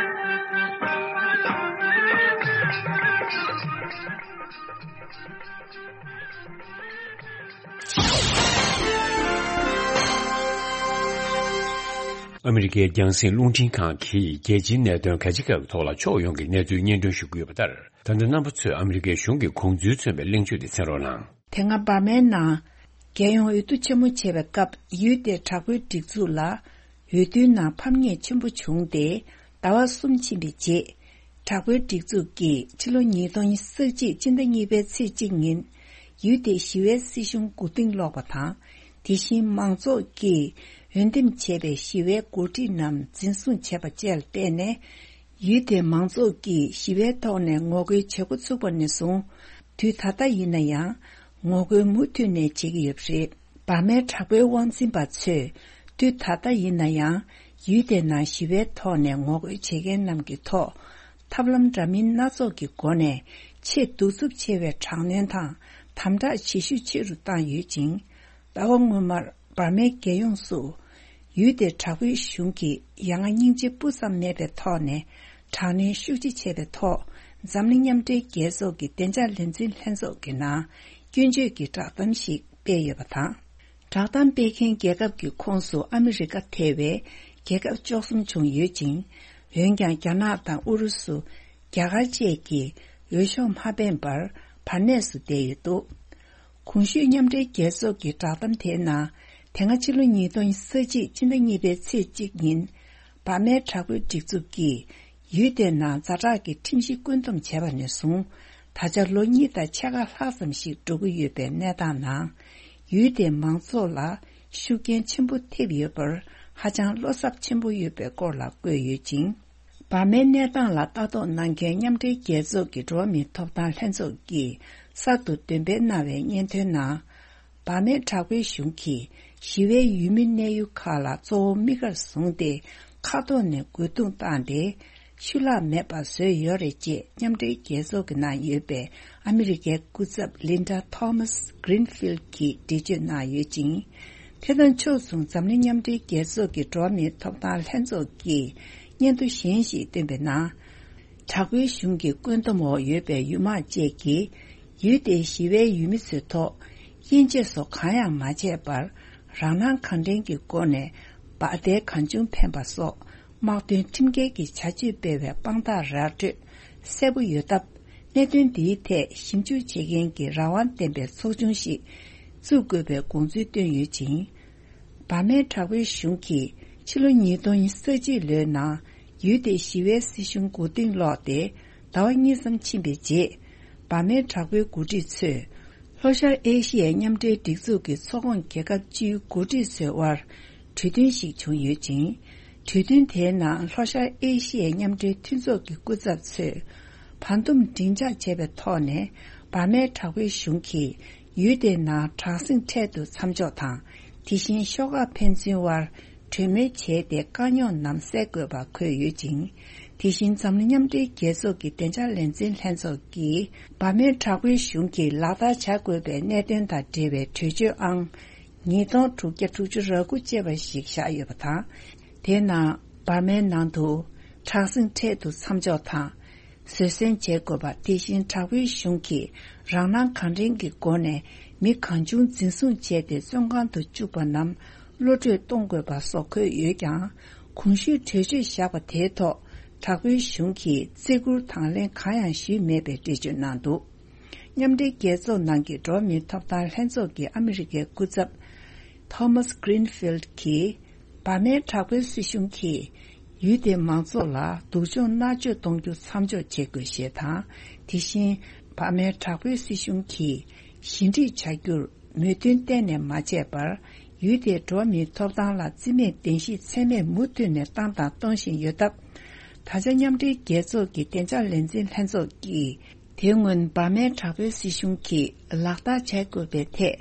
ཨ་མི་རི་ཀའི་རྒྱང་སྲིང་རླུང་འཕྲིན་ཁང་གིས་རྒྱལ་སྤྱིའི་གནད་དོན་ག་ཅི་ག་གི་ཐོག་ལ་ཕྱོགས་ཡོངས་ཀྱི་གནས་ཚུལ་སྙན་སྒྲོན་ཞུ་གི་ཡོད་པ་ལྟར། ད་ལྟ་རྣམ་པ་ཚོས་ཨ་མི་རི་ཀའི་གཞུང་གི་དགོངས་ཚུལ་མཚོན་པའི་གླེང་བརྗོད་དེ་གསན་རོགས་གནང་། དེ་སྔ་འབར་མའི་ནང་རྒྱལ་ཡོངས་འོས་བསྡུ་ཆེན་མོ་བྱེད་པའི་སྐབས། ཡུལ་དེའི་དྲག་པོའི་སྒྲིག་འཛུགས་ལ་འོས་བསྡུའི་ནང་ཕམ་ཉེས་ཆེན་པོ་བྱུང་སྟེ། ཟླ་བ་གསུམ་ཕྱིན་པའི་རྗེས། དྲག་པོའི་སྒྲིག་འཛུགས་ཀྱིས་ཕྱི་ལོ་ཉིས་སྟོང་ཉེར་གཅིག་སྤྱི་ཟླ་གཉིས་པའི་ཚེས་གཅིག་ཉིན། ཡུལ་དེའི་ཞི་བའི་སྲིད་གཞུང་མགོ་རྟིང་སློག་པ་དང་། དེ་བཞིན་མང་ཚོགས་ཀྱིས་འོས་འདེམས་བྱས་པའི་ཞི་བའི་འགོ་ཁྲིད་རྣམས་འཛིན་བཟུང་བྱས་པ་བཅས་ལ་བརྟེན་ནས། ཡུལ་དེའི་མང་ཚོགས་ཀྱིས་ཞི་བའི་ཐོག་ནས་ངོ་རྒོལ་བྱེད་འགོ་ཚུགས་པ་ནས་བཟུང་། དུས་ད་ལྟ་ཡིན་ན་ཡང་ངོ་རྒོལ་མུ་མཐུད་ནས་བྱེད་ཀྱི་ཡོད་པ་རེད། འབར་མའི་དྲག་པོའི་དབང་འཛིན་པ་ཚོས་དུས་ད་ལྟ་ཡིན་ན་ཡང་ཡུལ་དེའི་ནང་ཞི་བའི་ཐོག་ནས་ངོ་རྒོལ་བྱེད་མཁན་རྣམས་ཀྱི་ཐོག་ཐབས་ལམ་འདྲ་མིན་སྣ་ཚོགས་ཀྱི་སྒོ་ནས་ཆེས་གདུག་རྩུབ་ཆེ་བའི་དྲག་གནོན་དང་དམ་དྲག་བྱེད་ཤུགས་ཆེ་རུ་བཏང་ཡོད་ཅིང་། ཟླ་བ་སྔོན་མར་འབར་མའི་རྒྱལ་ཡོངས་སུ་ཡུལ་དེའི་དྲག་པོའི་གཞུང་གིས་ཡ་ང་སྙིང་རྗེ་སྤུ་ཙམ་མེད་པའི་ཐོག་ནས་དྲག་གནོན་ཤུགས་ཆེ་བྱས་པའི་ཐོག་འཛམ་གླིང་མཉམ་འབྲེལ་རྒྱལ་ཚོགས་ཀྱི་བདེ་འཇགས་ལས་འཛིན་ལྷན་ཚོགས་ཀྱི་ནང་སྐྱོན་བརྗོད་ཀྱི་བསྒྲགས་གཏམ་ཞིག་སྤེལ་ཡོད་པ་དང་། བསྒྲགས་གཏམ་སྤེལ་མཁན་རྒྱལ་ཁབ་ཀྱི་ཁོངས་སུ་ཨ་མི་རི་ཀ་ཐེ་བའི་རྒྱལ་ཁབ་བཅུ་གསུམ་བྱུང་ཡོད་ཅིང་། འོན་ཀྱང་རྒྱ་ནག་དང་ཨུ་རུ་སུ། རྒྱ་གར་བཅས་ཀྱིས་འོས་ཤོག་མ་འཕེན་པར་བར་གནས་སུ་བསྡད་ཡོད་འདུག་གོང་ཞུས་མཉམ་འབྲེལ་རྒྱལ་ཚོགས་ཀྱི་བསྒྲགས་གཏམ་དེའི་ནང་། དེ་སྔ་ཕྱི་ལོ་ཉིས་སྟོང་ཉེར་གཅིག་སྤྱི་ཟླ་གཉིས་པའི་ཚེས་གཅིག་ཉིན། འབར་མའི་དྲག་པོའི་སྒྲིག་འཛུགས་ཀྱིས་ཡུལ་དེའི་ནང་ཛ་དྲག་གི་ཁྲིམས་གཞི་བཀོད་འདོམས་བྱས་པ་ནས་བཟུང་། ད་ཆ་ལོ་གཉིས་དང་ཕྱེད་ཀ་ལྷག་ཙམ་ཞིག་འགྲོ་གི་ཡོད་པའི་གནས་སྟངས་ནང་། ཡུལ་དེའི་མང་ཚོགས་ལ་ཤུགས་རྐྱེན་ཆེན་པོ་ཐེབས་ཡོད་པར་ཧ་ཅང་བློ་འཚབ་ཆེན་པོ་ཡོད་པའི་སྐོར་ལ་བཀོད་ཡོད་ཅིང་། འབར་མའི་གནས་སྟངས་ལ་ལྟ་རྟོག་གནང་མཁན་མཉམ་འབྲེལ་རྒྱལ་ཚོགས་ཀྱི་འགྲོ་བ་མིའི་ཐོབ་ཐང་ལྷན་ཚོགས་ཀྱིས་གསར་དུ་འདོན་སྤེལ་གནང་བའི་སྙན་ཐོའི་ནང་། འབར་མའི་དྲག་པོའི་གཞུང་གིས་ཞི་བའི་ཡུལ་མི་གནས་ཡུལ་ཁག་ལ་གཙོ་བོ་དམིགས་ཀར་བཟུང་སྟེ། མཁའ་ཐོག་ནས་རྒོལ་རྡུང་བཏང་སྟེ། ཤུལ་ལྷག་མེད་པར་བཟོས་ཡོད་རེད་ཅེས་མཉམ་འབྲེལ་རྒྱལ་ཚོགས་ཀྱི་ནང་ཡོད་པའི་ཨ་མི་རི་ཀའི་སྐུ་ཚབ་ལིན་ཌ་ཐོ་མཱས་གྷི་རིན་ཕིལ་གྱིས་འགྲེལ་བརྗོད་གནང་ཡོད་ཅིང་། དེ་དང་ཕྱོགས་མཚུངས་འཛམ་གླིང་མཉམ་འབྲེལ་རྒྱལ་ཚོགས་ཀྱི་འགྲོ་བ་མིའི་ཐོབ་ཐང་ལྷན་ཚོགས་ཀྱིས་སྙན་ཐོ་གཞན་ཞིག་བཏོན་པའི་ནང་། དྲག་པོའི་གཞུང་གི་བཀོད་འདོམས་འོག་ཡོད་པའི་ཡུལ་དམག་བཅས་ཀྱིས་ཡུལ་དེའི་ཞི་བའི་ཡུལ་མི་ཚོའི་ཐོག་དབྱེ་འབྱེད་སོགས་གང་ཡང་མ་བྱས་པར། རང་སྣང་གང་དྲན་གྱི་སྒོ་ནས་འབར་མདེལ་གང་བྱུང་འཕེན་པ་སོགས་དམག་དོན་ཁྲིམས་འགལ་གྱི་བྱ་སྤྱོད་སྤེལ་བའི་དཔང་རྟགས་ར་སྤྲོད་གསལ་པོ་ཡོད་སྟབས། གནད་དོན་འདིའི་ཐད་ཞིབ་འཇུག་བྱེད་མཁན་གྱི་རང་དབང་ལྡན་པའི་ཚོགས་ཆུང་ཞིག་བཙུགས་དགོས་པའི་དགོངས་ཚུལ་བཏོན་ཡོད་ཅིང་། འབར་མའི་དྲག་པོའི་གཞུང་གིས་ཕྱི་ལོ་ཉིས་སྟོང་ཉེར་གཅིག་ལོའི་ནང་ཡུལ་དེའི་ཞི་བའི་སྲིད་གཞུང་མགོ་རྟིང་སློག་སྟེ། ཟླ་བ་གཉིས་ཙམ་ཕྱིན་པའི་རྗེས། འབར་མའི་དྲག་པོའི་འགོ་ཁྲིད་ཚོས། ལྷོ་ཤར་ཨེ་ཤི་ཡའི་མཉམ་འབྲེལ་སྒྲིག་འཛུགས་ཀྱི་ཚོགས་ཁོངས་རྒྱལ་ཁབ་བཅུའི་འགོ་ཁྲིད་ཚོའི་དབར་གྲོས་མཐུན་ཞིག་བྱུང་ཡོད་ཅིང་། གྲོས་མཐུན་དེའི་ནང་ལྷོ་ཤར་ཨེ་ཤི་ཡའི་མཉམ་འབྲེལ་མཐུན་ཚོགས་ཀྱི་སྐུ་ཚབ་ཚོས་བར་འདུམ་མགྲིན་ཚབ་བྱས་པའི་ཐོག་ནས། འབར་མའི་དྲག་པོའི་གཞུང་གིས་ཡུལ་དེའི་ནང་དྲག་ཟིང་འཕྲལ་དུ་མཚམས་འཇོག་དང་། དེ་བཞིན་ཤོག་ཁག་ཕན་ཚུན་དབར་གྲོས་མོལ་བྱས་ཏེ། དཀའ་རྙོག་རྣམས་སེལ་དགོས་པ་འཁོད་ཡོད་ཅིང་། དེ་བཞིན་འཛམ་གླིང་མཉམ་འབྲེལ་རྒྱལ་ཚོགས་ཀྱི་བདེ་འཇགས་ལས་འཛིན་ལྷན་ཚོགས་ཀྱིས། འབར་མའི་དྲག་པོའི་གཞུང་གིས་ལག་བསྟར་བྱ་དགོས་པའི་གནད་དོན་དང་འབྲེལ་བའི་གྲོས་ཆོད་ཨང་ཉིས་སྟོང་དྲུག་བརྒྱ་དྲུག་ཅུ་རེ་དགུ་ཅེས་པ་ཞིག་བཞག་ཡོད་པ་དང་། དེའི་ནང་འབར་མའི་ནང་དུ་དྲག་ཟིང་འཕྲལ་དུ་མཚམས་འཇོག་དང་། བཟོད་བསྲན་བྱེད་དགོས་པ། དེ་བཞིན་དྲག་པོའི་གཞུང་གིས་རང་སྣང་གང་དྲན་གྱི་སྒོ་ནས་མི་གང་བྱུང་འཛིན་བཟུང་བྱས་ཏེ། བཙོན་ཁང་དུ་བཅུག་པ་རྣམས་གློད་བཀྲོལ་གཏོང་དགོས་པ་སོགས་འཁོད་ཡོད་ཀྱང་། གོང་ཞུས་གྲོས་ཆོད་བཞག་པ་དེའི་ཐོག་དྲག་པོའི་གཞུང་གིས་བརྩི་བཀུར་དང་ལེན་གང་ཡང་ཞུས་མེད་པའི་འགྲེལ་བརྗོད་གནང་འདུག་མཉམ་འབྲེལ་རྒྱལ་ཚོགས་ནང་གི་འགྲོ་བ་མིའི་ཐོབ་ཐང་ལྷན་ཚོགས་ཀྱི་ཨ་མི་རི་ཀའི་སྐུ་ཚབ། ཐོ་མཱས་གྷི་རིན་ཕིལ་གྱིས། འབར་མའི་དྲག་པོའི་སྲིད་གཞུང་གིས་ཡུལ་དེའི་མང་ཚོགས་ལ་སྡུག་སྦྱོང་མནར་གཅོད་གཏོང་རྒྱུ་མཚམས་འཇོག་བྱེད་དགོས་ཞེས་དང་། དེ་བཞིན་འབར་མའི་དྲག་པོའི་སྲིད་གཞུང་གིས་ཞི་འགྲིག་བྱ་རྒྱུར་མོས་མཐུན་གཏན་ནས་མ་བྱས་པར། ཡུལ་དེའི་འགྲོ་བ་མིའི་ཐོབ་ཐང་ལ་རྩིས་མེད་བདེན་བཞིའི་མཚན་སྨད་མུ་མཐུད་ནས་བཏང་དང་གཏོང་བཞིན་ཡོད་སྟབས། ད་ཆ་མཉམ་འབྲེལ་རྒྱལ་ཚོགས་ཀྱི་བདེ་འཇགས་ལས་འཛིན་ལྷན་ཚོགས་ཀྱིས། དེ་སྔོན་འབར་མའི་དྲག་པོའི་སྲིད་གཞུང་གིས་ལག་བསྟར་བྱ་དགོས་པའི་ཐད།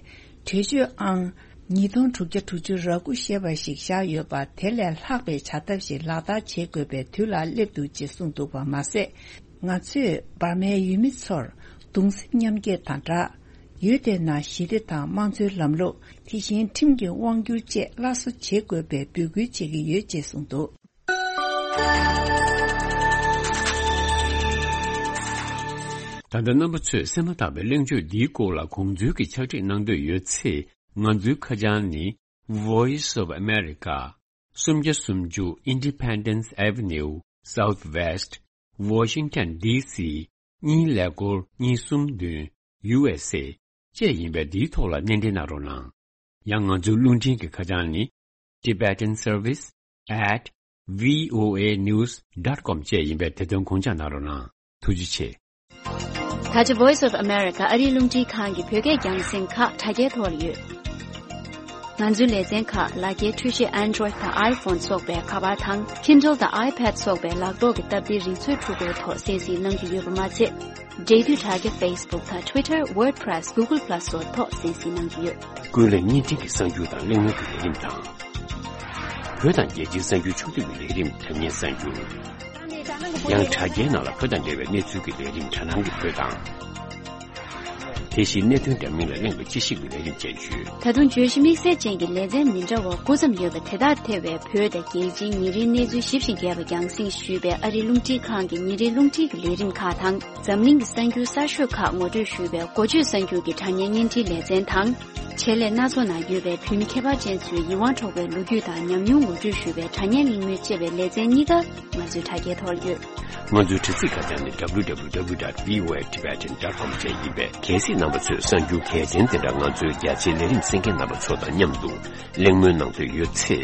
གྲོས་ཆོད་ཨང་། ཉིས་སྟོང་དྲུག་བརྒྱ་དྲུག་ཅུ་རེ་དགུ་ཞེས་པ་ཞིག་བཞག་ཡོད་པ། དེ་ལས་ལྷག་པའི་བྱ་ཐབས་ཤིག་ལག་བསྟར་བྱེད་དགོས་པའི་དུས་ལ་སླེབས་འདུག་ཅེས་གསུངས་འདུག་པ་མ་ཟད། ང་ཚོས་འབར་མའི་ཡུལ་མི་ཚོར་གདུང་སེམས་མཉམ་སྐྱེད་དང་སྦྲགས། ཡུལ་དེའི་ནང་ཞི་བདེ་དང་དམངས་གཙོའི་ལམ་ལུགས། དེ་བཞིན་ཁྲིམས་ཀྱི་དབང་སྒྱུར་བཅས་སླར་གསོ་བྱེད་དགོས་པའི་འབོད་སྐུལ་བྱེད་ཀྱི་ཡོད་ཅེས་གསུངས་འདུག། ད་ལྟ་རྣམ་པ་ཚོས་གསན་མ་ཐག་པའི་གླེང་བརྗོད་འདིའི་སྐོར་ལ་དགོངས་ཚུལ་གྱི་ཕྱག་བྲིས་གནང་འདོད་ཡོད་ཚེ། ང་ཚོའི་ཁ་བྱང་ནི། Voice of America། སུམ་བརྒྱ་སུམ་ཅུ་Independence Avenue Southwest Washington D C གཉིས་ཀླད་ཀོར་གཉིས་གསུམ་བདུན། U S A བཅས་ཡིན་པས། འདིའི་ཐོག་ལ་སྣེ་འདྲེན་གནང་རོགས་གནང་། ཡང་ང་ཚོའི་རླུང་འཕྲིན་གྱི་ཁ་བྱང་ནི། Tibetan Service at V O A News dot com བཅས་ཡིན་པས། དེ་དོན་དགོངས་འཇགས་གནང་རོགས་གནང་། ཐུགས་རྗེ་ཆེ། ད་ཆ་Voice of America ཨ་རིའི་རླུང་འཕྲིན་ཁང་གི་བོད་སྐད་རྒྱང་སྲིང་ཁག་དྲ་རྒྱའི་ཐོག་ལ་ཡོད། ང་ཚོའི་ལེ་ཚན་ཁག་ལག་འཁྱེར་འཕྲུལ་ཆས་Android་དང་iPhone་སོགས་པའི་ཁ་པར་དང་Kindle་དང་iPad་སོགས་པའི་ལག་ཐོག་གི་སྟབས་བདེའི་རིག་མཛོད་འཕྲུལ་འཁོར་ཐོག་གསན་གཟིགས་གནང་གི་ཡོད་པ་མ་ཚད། འབྲེལ་མཐུད་དྲ་རྒྱ་Facebook་དང་Twitter, WordPress, Google Plus་སོགས་ཐོག་གསན་གཟིགས་གནང་གི་ཡོད། ཀུན་གླེང་བརྙན་འཕྲིན་གྱི་གསར་འགྱུར་དང་གླེང་མོལ་གྱི་ལས་རིམ་དང་། བོད་དང་རྒྱལ་སྤྱིའི་གསར་འགྱུར་ཕྱོགས་བསྡུས་ཀྱི་ལས་རིམ་དྲ་བརྙན་གསར་འགྱུར། ཡང་དྲ་རྒྱའི་ནང་ལ་བོད་དང་འབྲེལ་བའི་གནས་ཚུལ་གྱི་ལས་རིམ་དྲ་སྣང་གི་བོད་དང་། དེ་བཞིན་གནད་དོན་འདྲ་མིན་ལ་གླེང་བའི་དཔྱད་ཞིབ་ཀྱི་ལས་རིམ་བཅས་ཡོད། ད་དུང་བརྗོད་གཞི་དམིགས་བསལ་ཅན་གྱི་ལེ་ཚན་མི་འདྲ་བ་དགུ་ཙམ་ཡོད་པ་དེ་དག་ཐེ་བའི་བོད་དང་རྒྱལ་སྤྱིའི་ཉིན་རེའི་གནས་ཚུལ་ཞིབ་ཅིང་རྒྱས་པ་རྒྱང་སྲིང་ཞུས་པའི་ཨ་རིའི་རླུང་འཕྲིན་ཁང་གི་ཉིན་རེའི་རླུང་འཕྲིན་གྱི་ལས་རིམ་ཁག་དང་། འཛམ་གླིང་གི་གསར་འགྱུར་གསར་ཤོས་ཁག་ངོ་སྤྲོད་ཞུས་པའི་འགོ་བརྗོད་གསར་འགྱུར་གྱི་དྲ་བརྙན་བརྙན་འཕྲིན་ལེ་ཚན་དང་། ཆེད་ལས་སྣ་ཚོགས་ནང་ཡོད་པའི་བོད་མི་ཁྱད་པར་ཅན་ཚོའི་ཡིད་དབང་འཕྲོག་པའི་ལོ་རྒྱུས་དང་ཉམས་མྱོང་ངོ་སྤྲོད་ཞུས་པའི་དྲ་བརྙན་གླེང་མོལ་བཅས་པའི་ལེ་ཚན་གཉིས་ཀ་ང་ཚོའི་དྲ་རྒྱའི་ཐོག་ཡོད། ང་ཚོའི་དྲ་ཚིགས་ཁ་བྱང་ནི་W W W dot V O A Tibetan dot com བཅས་ཡིན་པས། གལ་སྲིད་རྣམ་པ་ཚོས་གསར་འགྱུར་གལ་ཆེན་དེ་འདྲ་ང་ཚོའི་རྒྱ་ཆེའི་ལས་རིམ་གསན་མཁན་རྣམ་པ་ཚོ་དང་མཉམ་དུ་གླེང་མོལ་གནང་འདོད་ཡོད་ཚེ།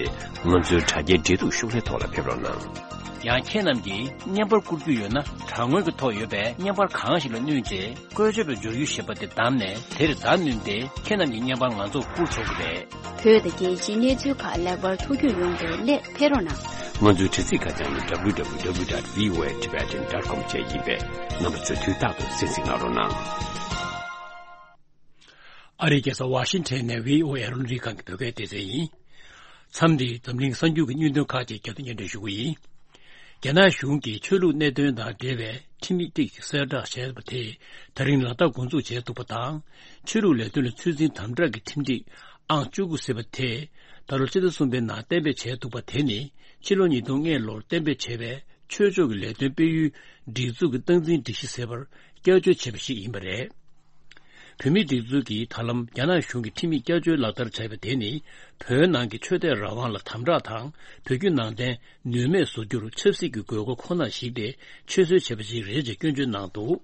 ང་ཚོའི་དྲ་རྒྱའི་འབྲེལ་གཏུག་ཤོག་ལྷེ་ཐོག་ལ་ཕེབས་རོགས་གནང་། ཡང་ཁྱེད་རྣམས་ཀྱིས་བརྙན་པར་བསྐུར་རྒྱུ་ཡོད་ན། དྲ་ངོས་ཀྱི་ཐོག་ཡོད་པའི་བརྙན་པར་གང་ཞིག་ལ་བསྣུན་རྗེས། བཀོལ་སྤྱོད་པའི་འབྱོར་རྒྱུ་ཞེས་པ་དེ་བདམས་ནས། དེར་བརྡ་བསྣུན་ཏེ། ཁྱེད་རྣམས་ཀྱི་བརྙན་པར་ང་ཚོར་བསྐུར་ཆོག་གི་རེད། བོད་དང་རྒྱལ་སྤྱིའི་གནས་ཚུལ་ཁག་ལེགས་པར་ཐུགས་རྒྱུས་ཡོང་བའི་སླད་ཕེབས་རོགས་གནང་། ང་ཚོའི་དྲ་ཚིགས་ཁ་བྱང་ནི་W W W dot V O A Tibetan dot com བཅས་ཡིན་པས། རྣམ་པ་ཚོས་དུས་རྟག་ཏུ་གསན་གཟིགས་གནང་རོགས་གནང་། ཨ་རིའི་རྒྱལ་ས་ཝ་ཤིང་ཊོན་ནས་བྷི་ཨོ་ཨེ་རླུང་འཕྲིན་ཁང་གི་བོད་སྐད་སྡེ་ཚན་ཡིན། མཚམས་འདིར་འཛམ་གླིང་གསར་འགྱུར་གྱི་སྙིང་དོན་ཁག་ཅིག་རྒྱབ་ཏུ་སྙན་སྒྲོན་ཞུ་གི་ཡིན། རྒྱ་ནག་གཞུང་གིས་ཆོས་ལུགས་གནད་དོན་དང་འབྲེལ་བའི་ཁྲིམས་ཡིག་ཅིག་གསལ་བསྒྲགས་བྱས་པ་དེ་ད་རིང་ལ་དྭགས་འགོ་འཛུགས་བྱས་འདུག་པ་དང་། ཆོས་ལུགས་ལས་དོན་ལ་ཚོད་འཛིན་དམ་དྲག་གི་ཁྲིམས་སྒྲིག་ཨང་བཅུ་དགུ་ཟེར་བ་དེ་ད་ལོ་སྤྱི་ཟླ་གསུམ་པའི་ནང་གཏན་འབེབས་བྱས་འདུག་པ་དེ་ནི། ཕྱི་ལོ་ཉིས་སྟོང་ལྔ་ལོར་གཏན་འབེབས་བྱས་པའི་ཆོས་ཕྱོགས་ཀྱི་ལས་དོན་སྤེལ་ཡུལ་སྒྲིག་འཛུགས་ཀྱི་སྟངས་འཛིན་སྒྲིག་གཞི་ཟེར་བར་བསྐྱར་བཅོས་བྱས་པ་ཞིག་ཡིན་པ་རེད། བོད་མིའི་སྒྲིག་འཛུགས་ཀྱིས་ད་ལམ་རྒྱ་ནག་གཞུང་གི་ཁྲིམས་ཡིག་བསྐྱར་བཅོས་ལག་བསྟར་བྱས་པ་དེ་ནི། བོད་ནང་གི་ཆོས་དད་རང་དབང་ལ་དམ་དྲག་དང་། བོད་བརྒྱུད་ནང་བསྟན་ནུས་མེད་བཟོ་རྒྱུར་ཆབ་སྲིད་ཀྱི་དགོས་མཁོ་ཁོ་ན་གཞིགས་ཏེ་ཆོད་གསོལ་བྱས་པ་ཞིག་རེད་ཅེས་སྐྱོན་བརྗོད་གནང་འདུག།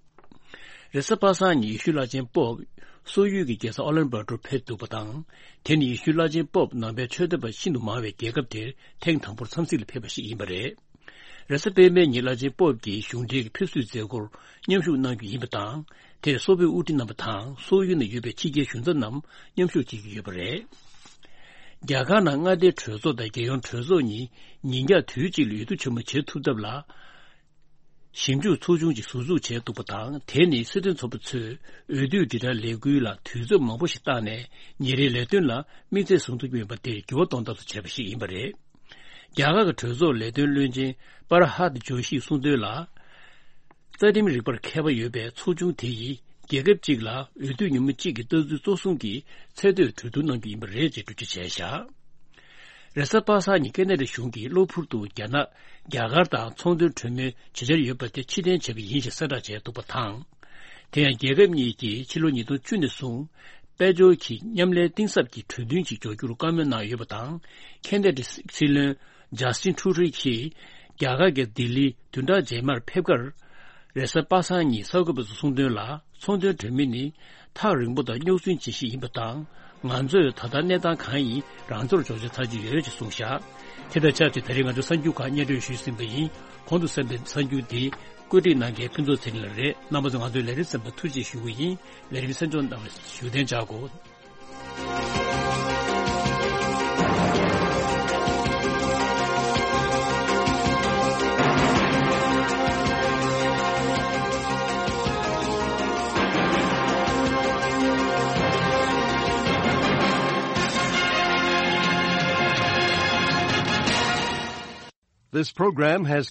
རེས་གཟའ་པ་སངས་ཉིན་ཡེ་ཤུ་བླ་ཆེན་པོབ་སོག་ཡུལ་གྱི་རྒྱལ་ས་ཨོ་ལན་པར་ཊོར་ཕེབས་འདུག་པ་དང་། དེ་ནི་ཡེ་ཤུ་བླ་ཆེན་པོབ་ནང་པའི་ཆོས་དད་པ་ཤིན་ཏུ་མང་བའི་རྒྱལ་ཁབ་དེར་ཐེངས་དང་པོར་འཚམས་གཟིགས་ལ་ཕེབས་པ་ཞིག་ཡིན་པ་རེད། རེས་གཟའ་སྤེན་པའི་ཉིན་བླ་ཆེན་པོབ་ཀྱིས་གཞུང་འབྲེལ་གྱི་ཕེབས་བསུའི་མཛད་སྒོར་མཉམ་ཞུགས་གནང་རྒྱུ་ཡིན་པ་དང་། དེར་སོག་པོའི་དབུ་ཁྲིད་རྣམ་པ་དང་སོག་ཡུལ་ནང་ཡོད་པའི་ཕྱི་རྒྱལ་གཞུང་ཚབ་རྣམས་མཉམ་ཞུགས་བྱེད་ཀྱི་ཡོད་པ་རེད། རྒྱ་གར་ནང་མངའ་སྡེའི་གྲོས་ཚོགས་དང་རྒྱལ་ཡོངས་གྲོས་ཚོགས་གཉིས་ཉིན་རྒྱག་དུས་གཅིག་ལ་འོས་བསྡུ་ཆེན་མོ་བྱེད་ཐུབ་ཐབས་ལ། ཞིབ་འཇུག་ཚོགས་ཆུང་ཅིག་ཟུར་འཛུགས་བྱས་འདུག་པ་དང་། དེ་ནི་སྲིད་དོན་ཚོགས་པ་ཚོས་འོས་བསྡུའི་དྲིལ་བསྒྲགས་ལས་འགུལ་ལ་དུས་ཚོད་མང་པོ་ཞིག་བཏང་ནས་ཉིན་རེའི་ལས་དོན་ལ་དམིགས་ཚད་བཟུང་ཐུབ་ཀྱི་མེད་པ་དེར་འགྱུར་བ་གཏོང་ཐབས་སུ་བྱས་པ་ཞིག་ཡིན་པ་རེད། རྒྱ་གར་གྱི་གྲོས་ཚོགས་ལས་དོན་བློན་ཆེན་པར་ཧཱད་ཇོ་ཤིས་གསུངས་དོན་ལ། རྩ་ཁྲིམས་རིག་པར་མཁས་པ་ཡོད་པའི་ཚོགས་ཆུང་དེ་ཡིས་རྒྱལ་ཁབ་གཅིག་ལ་འོས་བསྡུ་ཉིན་མོ་གཅིག་གི་ལྟ་ཚུལ་གཙོ་བཟུང་གིས་ཚད་མཐོའི་གྲོས་བསྡུར་གནང་རྒྱུ་ཡིན་པ་རེད་ཅེས་འགྲེལ་བརྗོད་བྱས་བཞག། རེས་གཟའ་པ་སངས་ཉིན་ཁེ་ན་ཌ་གཞུང་གིས་གློ་བུར་དུ་རྒྱ་ནག་རྒྱ་གར་དང་ཚོང་དོན་གྲོས་མོལ་བྱེད་འཆར་ཡོད་པ་དེ་ཕྱིར་འཐེན་བྱས་པ་ཡིན་ཞེས་གསལ་བསྒྲགས་བྱས་འདུག་པ་དང་། དེ་ཡང་རྒྱལ་ཁབ་གཉིས་ཀྱིས་ཕྱི་ལོ་ཉིས་སྟོང་བཅུ་ནས་བཟུང་དཔལ་འབྱོར་གྱི་མཉམ་ལས་གཏིང་ཟབ་ཀྱི་གྲོས་མཐུན་ཞིག་འཇོག་རྒྱུར་བཀའ་མོལ་གནང་ཡོད་པ་དང་། ཁེ་ན་ཌའི་སྲིད་བློན་ཇ་སི་ཊིན་ཁྲུ་ཌོ་གྱིས་རྒྱ་གར་གྱི་ལྡི་ལི་བདུན་ཕྲག་རྗེས་མར་ཕེབས་ཁར། རེས་གཟའ་པ་སངས་ཉིན་གསར་འགོད་པ་ཚོར་གསུངས་དོན་ལ། ཚོང་དོན་གྲོས་མོལ་ནི་ཐག་རིང་པོ་དང་རྙོག་ཟིང་ཆེ་ཤོས་ཡིན་པ་དང་། ང་ཚོས་ད་ལྟ་གནས་སྟངས་གང་ཡིན་རང་ཚོར་འཇོག་འཆར་ཚར་གྱི་ཡོད་ཅེས་གསུངས་བཞག། དེ་དང་ཆབས་ཅིག་ད་རེས་ང་ཚོའི་གསར་འགྱུར་ཁག་སྙན་སྒྲོན་ཞུས་ཟིན་པ་ཡིན། གོང་དུ་གསན་པའི་གསར་འགྱུར་འདི་བཀོད་སྒྲིག་གནང་མཁན་ཕུན་ཚོགས་ཚེ་རིང་ལགས་རེད། རྣམ་པ་ཚོ་ང་ཚོའི་ལས་རིམ་གསན་པར་ཐུགས་རྗེ་ཞུ་གི་ཡིན། ལས་རིམ་གསན་སྦྱོང་གནང་བར་བཞུགས་གདན་འཇགས་དགོས། This program has